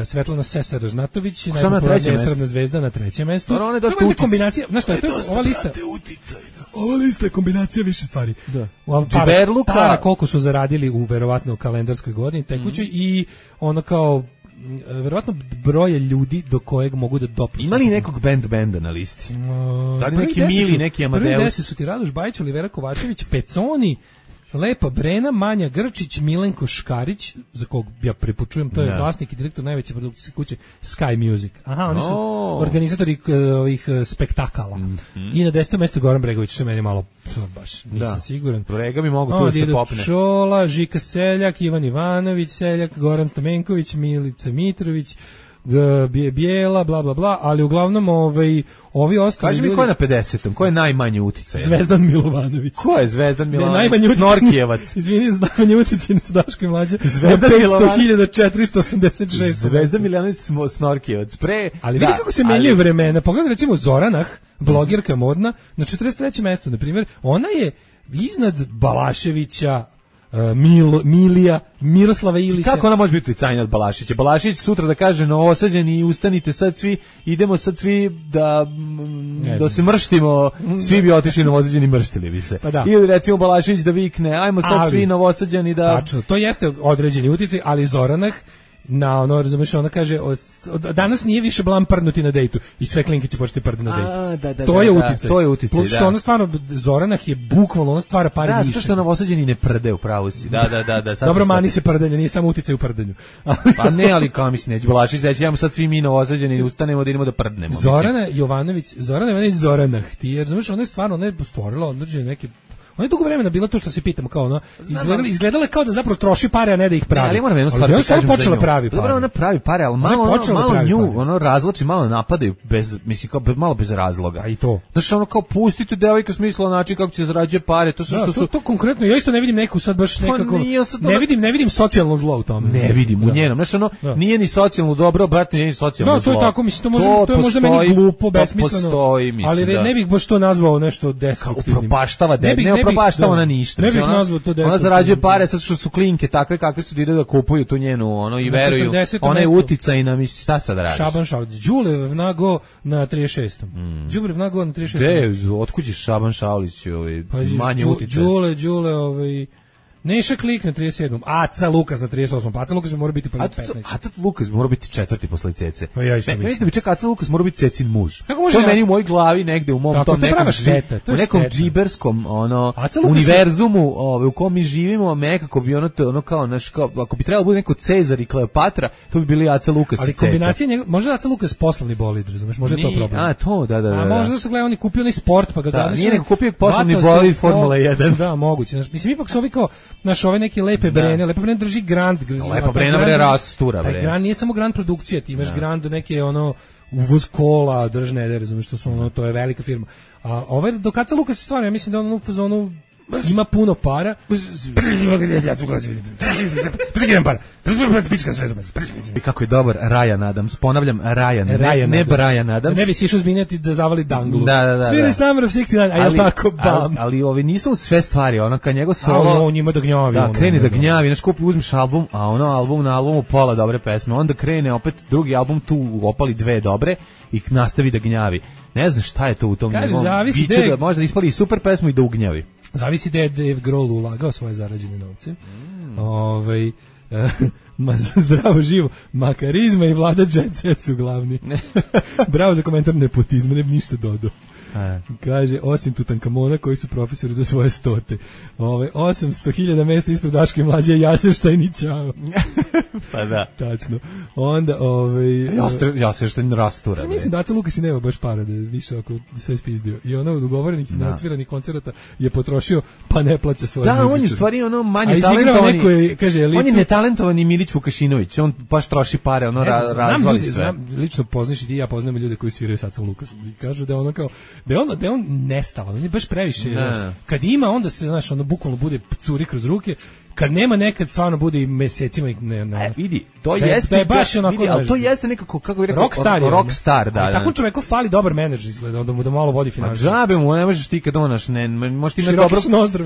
Svetlana Sesa Ražnatović, najpopularnija estradna zvezda na trećem mestu. To je dosta kombinacija, znaš šta, ova lista je kombinacija više stvari. Da. Para koliko su zaradili u verovatno kalendarskoj godini tekućoj i ono kao verovatno broje ljudi do kojeg mogu da dopuste. Ima li nekog benda na listi? Da li neki Mili, neki Amadeus? Prvi 10 su ti Radoš Bajić, Olivera Kovačević, Peconi, Lepa Brena, Manja Grčić, Milenko Škarić, za kog ja prepočujem, to je vlasnik i direktor najveće produkcijske kuće Sky Music. Aha, oni su organizatori ovih spektakala. I na 10. mjestu Goran Bregović, što je meni malo, baš nisam siguran. Brega bi mogu tu da se popne. Šola, Žika Seljak, Ivan Ivanović Seljak, Goran Stamenković, Milica Mitrović, Bijela, bla, bla, bla, ali uglavnom ovi ostali... Kaži mi ko je na 50. Ko je najmanji uticaj? Zvezdan Milovanović. Ko je Zvezdan Milovanović? Snorkijevac. Izvini, najmanji uticaj su Daško i Mlađe. Zvezdan Milovanović. 500.486. Zvezdan Milovanović Snorkijevac. Ali vidi kako se menjaju vremena. Pogledaj recimo Zoranah, blogerka modna, na 43. mjestu, na primjer, ona je iznad Balaševića, Milija, Miroslava Ilića. Kako ona može biti uticajna od Balašića? Balašić sutra da kaže Novosađani i ustanite sad svi, idemo sad svi da se mrštimo, svi bi otišli Novosađani, mrštili bi se. Pa da. Ili recimo Balašić da vikne, ajmo sad svi Novosađani da... Tačno, to jeste određeni uticaj, ali Zoranah razumiješ, ona kaže danas nije više blam prdnuti na dejtu i sve klinke će početi prdi na dejtu. To je uticaj. To je uticaj, plus što ona stvarno, Zoranah je bukvalno, ona stvara pare više. Da, što Novosađani ne prde, upravo si. Da. Dobro, mani se prdenja, nije samo uticaj u prdenju. Pa ne, ali kao mislim, neće Balašić reći, ajmo sad svi mi Novosađani ustanemo da idemo da prdnemo. Zorana Jovanović Zoranah, ti jer razumiješ, ona je stvarno, ona je stvorila određene neke... Ona je dugo vremena bila to što se pitamo kao ono, izgledala kao da zapravo troši pare, a ne da ih pravi. Ali moram jednu stvar da kažem počela pravi pare. Dobro, ona pravi pare, ali malo nju, ono razlači, malo napadaju bez, mislim kao malo bez razloga. A i to. Znači ono kao pustite devojku smisla način kako će zarađuje pare, to sve što su to konkretno, ja isto ne vidim neku sad baš nekako. Ne vidim socijalno zlo u tome. Ne vidim u njenom. Znači ono nije ni socijalno dobro, brate, nije ni socijalno zlo. Da, to je tako, mislim, to je možda meni glupo, besmisleno. Ali ne bih baš to nazvao nešto destruktivnim. Upropaštava, ne upropašta ona ništa. Ne bih nazvao to ona zarađuje pare sad što su klinke takve kakve su ide da kupuju tu njenu ono i veruju. Ona je uticajna, misli šta sad radiš? Šaban Šaulić, Đulev nago na 36. Đulev nago na 36. Otkud je Šaban Šaulić, manje uticaj? Đule, Neša Klik na 37. Aca Lukas na 38. Aca Lukas mora biti prvi 15. Aca Lukas mora biti četvrti posle Cece. Pa ja isto mislim. Mislim da bi čak Aca Lukas mora biti Cecin muž. To je meni u mojoj glavi negde u mom tom nekom džiberskom univerzumu u kom mi živimo, nekako bi ono kao ako bi trebalo bude neko Cezar i Kleopatra, to bi bili Aca Lukas i Ceca. Ali kombinacija možda Aca Lukas poslovni bolid, razumeš, možda je to problem. A to, da. A možda su gledali, oni kupio onaj sport pa ga dali. Nije neko kupio poslovni bolid Formula 1. Da, moguće. Mislim ipak su ovi kao naš ove neke lepe brene drži Grand. Lepa brena bre rastura bre. Taj Grand nije samo Grand produkcija, ti imaš Grand neke ono uvoz kola, držne, razumiješ što su ono, to je velika firma. A ovaj do Aca Lukas se stvarno, ja mislim da on u fazonu ima puno para. I kako je dobar Ryan Adams, ponavljam Ryan, ne Brian Adams. Ne bi si išao zminjati da zavali danglu. Da. Sviri Summer of 69, a je tako bam. Ali ovi nisu sve stvari, ono kad njegov solo. On njima da gnjavi. Da, krene da gnjavi, znaš kupi, uzmiš album, a ono album na albumu pola dobre pesme, onda krene opet drugi album, tu opali dve dobre i nastavi da gnjavi. Ne znam šta je to u tom njegovom biću, da možda ispali super pesmu i da ugnjavi. Zavisi da je Dave Grohl ulagao svoje zarađene novce. Zdravo živo, makarizma i vlada jet set su glavni. Bravo za komentar nepotizma, ne bi ništa dodao. Kaže, osim Tutankamona koji su profesori do svoje 100. 800.000 mesta ispred Daške mlađe Jasenštajn i Ćao. Pa da. Tačno. Onda, Jasenštajn rastura. Mislim da Aca Lukas i nema baš para da više ako sve spizdio. I ono od ugovorenih i neotviranih koncerata je potrošio, pa ne plaća svoje muzičare. Da, on je stvari ono manje talentovani. Kaže, on je netalentovani Milić Vukašinović, on baš troši pare, ono razvali sve. Lično poznaš i ti, ja poznam ljude koji sviraju sa Acom Lukasom i kažu da je ono kao da je on nestalan, on je baš previše, kad ima onda se, znaš, ono bukvalno bude curi kroz ruke, kad nema nekad stvarno bude i mesecima i ne. Vidi, to jeste, je baš onako, vidi, ali to jeste nekako, kako bih rekao, rockstar, da. Tako čoveku fali dobar menadžer, izgleda, da malo vodi finansije. Džabe mu, ne možeš ti kad onaš,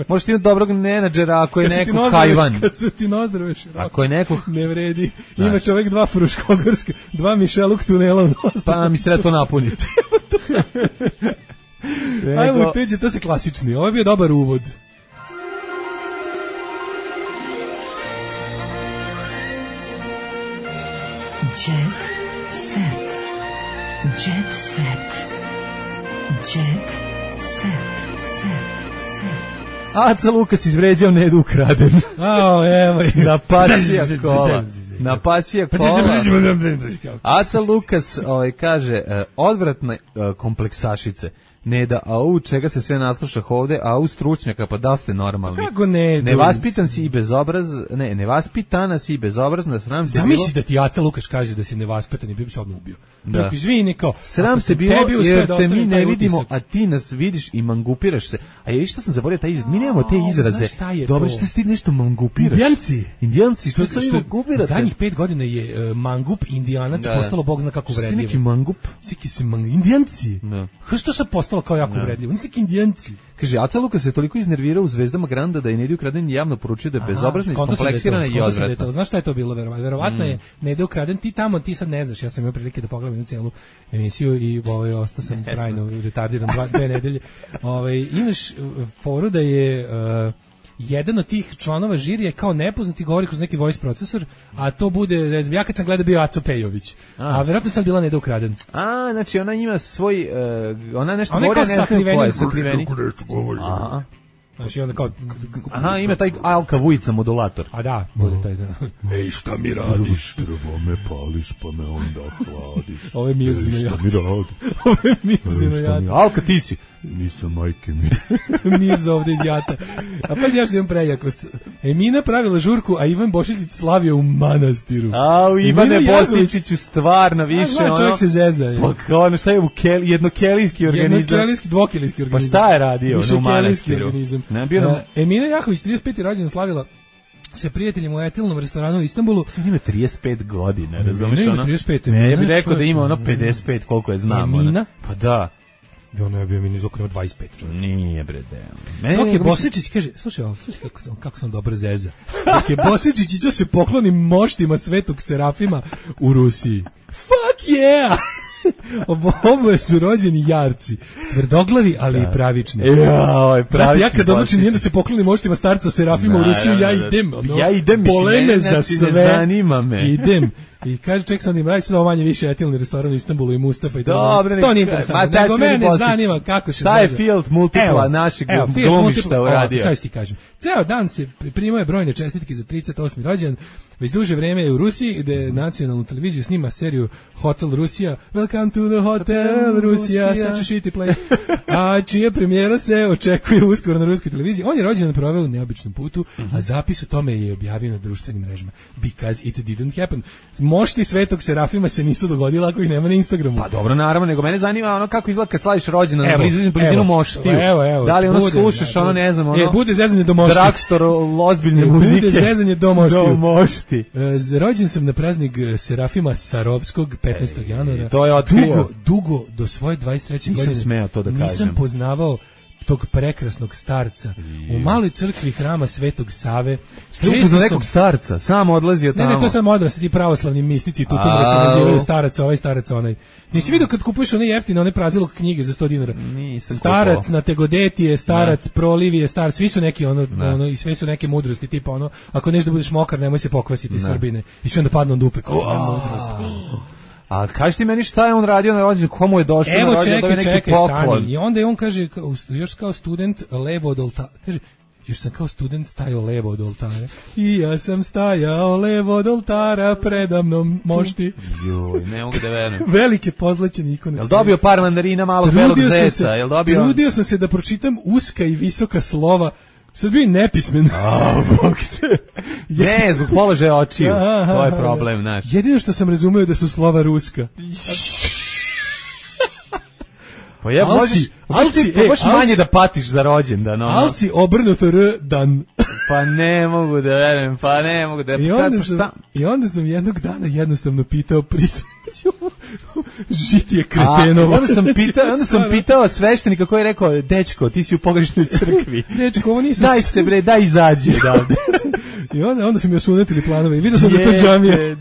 možeš imati dobrog menadžera ako je neko hajvan. Kad su ti nozdrave široko. Ako je neko... Ne vredi. Ima čovek 2 fruškogorske, 2 Mišeluk tunela u nozdrave. Pa mi se treba to napuniti. Ajmo, to se klasični. Ovo je bio dobar uvod. Jet set. Jet set. Jet set. Aca Lukas izvređao Nedu Ukraden. Evo. Na pasija kola. Aca Lukas kaže, odvratne kompleksašice. Neda, čega se sve naslušah ovde, stručnjaka, pa da ste normalni. Kako ne? Nevaspitan si i nevaspitana si i bezobrazna, sram te bilo. Zamisli da ti Aca Lukas kaže da si nevaspitan i bi se odmah ubio. Da. Izvini, kao. Sram te bilo jer te mi ne vidimo, a ti nas vidiš i mangupiraš se. A ja što sam zaboravio taj izraz, mi nemamo te izraze. Dobro, što ti nešto mangupiraš? Indijanci, što se mangupirate? Zadnjih 5 godina je mangup indijanac postalo bog zna kako uvredljivo. Neki mangup? Indijanci? Što se postalo kao jako uvredljivo. Niste neki Indijanci. Kaže, Aca Lukas se toliko iznervirao u Zvezdama Granda da je Nedi Ukraden javno poručio da je bezobrazna, iskompleksirana i odvratna. Znaš šta je to bilo? Verovatno je Nedi Ukraden, ti sad ne znaš, ja sam imao prilike da pogledam jednu cijelu emisiju i ostao sam trajno retardiran 2 nedelje. Imaš foru da je jedan od tih članova žirija kao nepoznati govori kroz neki voice procesor, a to bude, ja kad sam gledao bio Aco Pejović, a verovatno sam bila Neda Ukraden. Znači ona ima svoj, ona nešto govori, ona je sakriveni. Znači onda kao... ima taj Alka Vujica modulator. A da, bude taj da. Ej, šta mi radiš? Prvo me pališ, pa me onda hladiš. Ovo je Mirzino Jata. Šta mi radiš? Ovo je Mirzino Jata. Alka, ti si. Nisam majke mi. Mirza ovde iz Jata. A pa ja što imam prejakost. Emina pravila žurku, a Ivan Bošićić slavio u manastiru. Ivane Bošićiću stvarno više ono. Čovjek se zeza. Pa ono šta je jednokelijski organizam. Jednokelijski, dvokelijski organizam. Pa šta je radio u manastiru? Emina Jahović 35. rođendan slavila sa prijateljima u etilnom restoranu u Istanbulu. Ima 35 godina, razumiješ ono? Ima 35. Ja bih rekao da ima ono 55, koliko je znam. Emina? Pa da. I ono je bio mi nizokrenuo 25 čovječ. Nije bre, deo. Dok je Bosičić, kaže, slušaj kako sam dobro zeza. Dok je Bosičić iđo se pokloni moštima Svetog Serafima u Rusiji. Fuck yeah! Oboje su rođeni jarci, tvrdoglavi, ali i pravični. Ja kad odlučim nije da se poklonim moštima starca Serafima u Rusiju, ja idem poleme za sve. Zanima me. Idem. I kaže, ček sam im raditi, ovo manje više etilni restoran u Istanbulu i Mustafa i dobre, to nije interesantno. Nego mene zanima kako se šta je Field Multipla našeg glumišta uradio. Šta ti kažem? Ceo dan se primao je brojne čestitke za 38. rođendan. Već duže vreme je u Rusiji, gde nacionalnu televiziju snima seriju Hotel Rusija. Welcome to the Hotel Rusija, such a shitty place. A čija premijera se očekuje uskoro na ruskoj televiziji. On je rođendan proveo u neobičnom putu, a zapis o tome je objavio na društvenim mrežama. Because it didn't happen. Mošti Svetog Serafima se nisu dogodila ako ih nema na Instagramu. Pa dobro, naravno, nego mene zanima ono kako izgleda kad slaviš rođendan na blizinu moštiju. Evo, da li ono slušaš, ono ne znam, ono... bude zezanje do moštiju. Dragstor ozbiljne muzike. Bude zezanje do moštiju. Rođen sam na praznik Serafima Sarovskog 15. januara. To je otkrio. Dugo do svoje 23. godine. Nisam smeo to da kažem. Nisam poznavao tog prekrasnog starca u maloj crkvi hrama Svetog Save. Što je upoznao nekog starca? Sam odlazio tamo. Ne, to sam odrasli ti pravoslavni mistici, tu nazivaju starac ovaj, starac onaj. Nisi vidio kad kupuješ one jeftine, one prazilog knjige za 100 dinara? Starac na Tegodetije, starac Prolivije, starac, svi su neki ono i sve su neke mudrosti, tipa ono, ako nešto da budeš mokar, nemoj se pokvasiti Srbine. I sve onda padnu na dupe, kao mudrost. A kaži ti meni šta je on radio na rođendan, komu je došao na rođendan, da je neki poklon. I onda je on kaže, još kao student levo od oltara, kaže, još sam kao student stajao levo od oltara. I ja sam stajao levo od oltara, predamnom mošti. Joj, ne mogu da verujem. Velike pozlaćene ikone. Jel dobio par mandarina, malog belog zeca? Trudio sam se da pročitam uska i visoka slova. Sad bio nepismen. Bog te. Ne, zbog položaja očiju. To je problem naš. Jedino što sam razumeo da su slova ruska. Pa ja možeš manje da patiš za rođendan. Al si obrnuto R dan. Pa ne mogu da verujem, I onda sam jednog dana jednostavno pitao žitije kretenovo. Onda sam pitao sveštenika koji je rekao, dečko, ti si u pogrešnoj crkvi. Dečko, ovo nisu... Daj se bre, daj izađi odavde. I onda su mi osunetili planove i vidio sam da to džamija.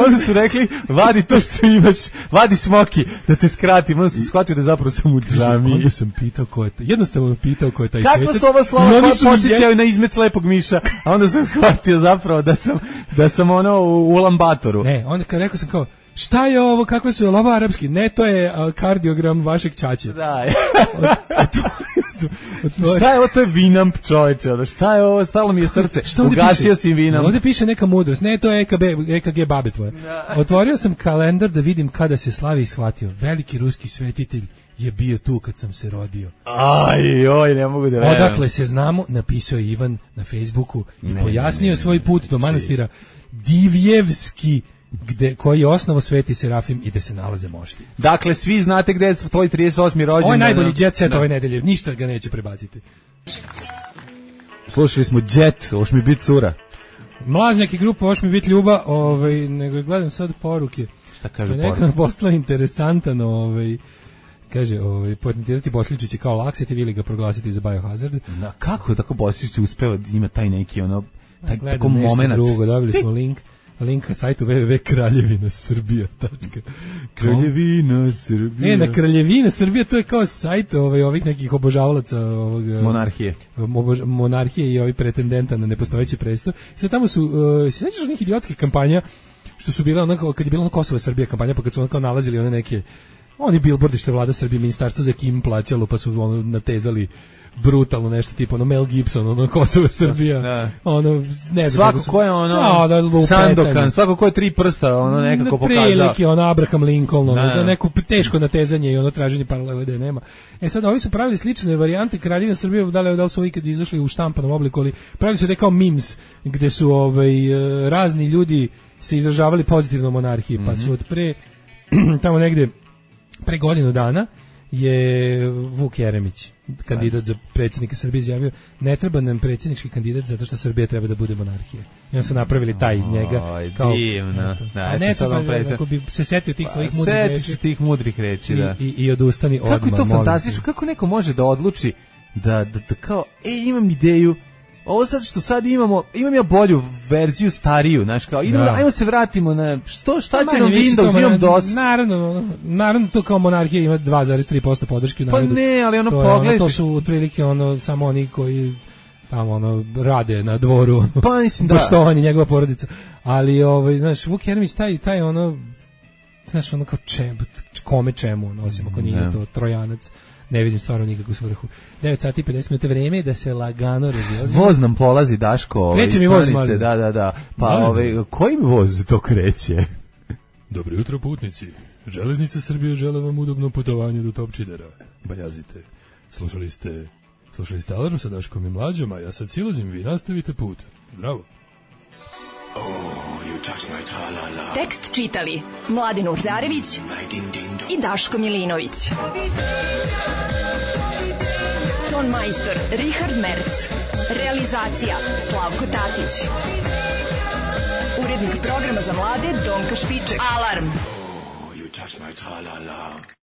Onda su rekli, vadi to što imaš, vadi smoki, da te skratim. Onda su shvatio da zapravo sam u džamiji. Onda sam pitao ko je taj, jednostavno pitao ko je taj svetac. Kako su ovo slova koja podsjećaju na izmet lepog miša, a onda sam shvatio zapravo da sam ono u lambatoru. Ne, onda kad rekao sam kao, šta je ovo, kako su ovo arapski? Ne, to je kardiogram vašeg ćaće. Da. Šta je ovo, to je Vinamp, čovječe, šta je ovo, stalo mi je srce, ugasio si Vinamp. Ovdje piše neka mudrost, ne, to je EKG babe tvoje. Otvorio sam kalendar da vidim kada se slavi i shvatio, veliki ruski svetitelj je bio tu kad sam se rodio. Oj, ne mogu da verujem. Odakle se znamo, napisao je Ivan na Facebooku i pojasnio svoj put do manastira Divjevski, koji je osnovo Sveti Serafim i gde se nalaze mošti. Dakle, svi znate gde je tvoj 38. rođendan. Ovo je najbolji jet set ove nedelje, ništa ga neće prebaciti. Slušali smo Jet, oš mi bit cura. Mlaznjak i grupa Oš mi bit ljuba, nego gledam sad poruke. Šta kaže poruke? Neka postala interesantan, kaže, patentirati Bosličić kao lakseti, ili ga proglasiti za biohazard. Kako tako Bosličić uspeva da ima taj neki tako moment. Drugo, dobili smo link na sajtu www.kraljevinasrbija.com. Kraljevina Srbija. Na Kraljevina Srbija, to je kao sajt ovih nekih obožavalaca monarhije i ovih pretendenta na nepostojeći presto. I sad tamo su, se sjećaš onih idiotskih kampanja, što su bile onako, kad je bila Kosovo Srbija kampanja, pa kad su onako nalazili one neke, oni billboardi što je vlada Srbije, ministarstvo za Kim plaćalo, pa su natezali brutalno nešto tipa Mel Gibson, Kosovo Srbija, ne znam. Svako ko je Sandokan, svako ko je 3 prsta, nekako pokazao. Prilike, Abraham Lincoln, neko teško natezanje i traženje paralele da je nema. Sad, ovi su pravili slične varijante Kraljevina Srbije, da li su ikad izašli u štampanom obliku, ali pravili su da kao memes, gde su razni ljudi se izražavali pozitivno monarhiji, pa su od tamo negde pre godinu dana je Vuk Jeremić, kandidat za predsjednika Srbije, izjavio: ne treba nam predsjednički kandidat zato što Srbija treba da bude monarhija. I onda su napravili taj njega kao divno. A ne treba, ako bi se setio tih tvojih mudrih reči. Seti se tih mudrih reči, da. I odustani odmah. Kako je to fantastično, kako neko može da odluči da kao, imam ideju, ovo sad što sad imam ja bolju verziju, stariju, znaš, kao, ajmo se vratimo na, šta će nam Windows, imam DOS. Naravno, to kao monarhija ima 2,3% podrške u narodu. Pa ne, ali pogledajte. To su otprilike samo oni koji tamo rade na dvoru, pa mislim da poštovanje njegova porodica. Ali znaš, Vuk Jeremić taj znaš, kao čemu, osim ako nije to Trojanac. Ne vidim stvarno nikakvu svrhu. 9 sati i 50 minuta, vreme je da se lagano razlazi. Voz nam polazi, Daško. Kreće mi voz, malo. Da. Pa kojim voz to kreće? Dobro jutro, putnici. Železnica Srbije žele vam udobno putovanje do Topčidera. Bajazite. Slušali ste Alarm sa Daškom i Mlađom, a ja sad silazim, vi nastavite put. Bravo. Tekst čitali Mladen Urdarević i Daško Milinović. Ton majstor Richard Merc. Realizacija Slavko Tatić. Urednik programa za mlade Donka Špiček. Alarm.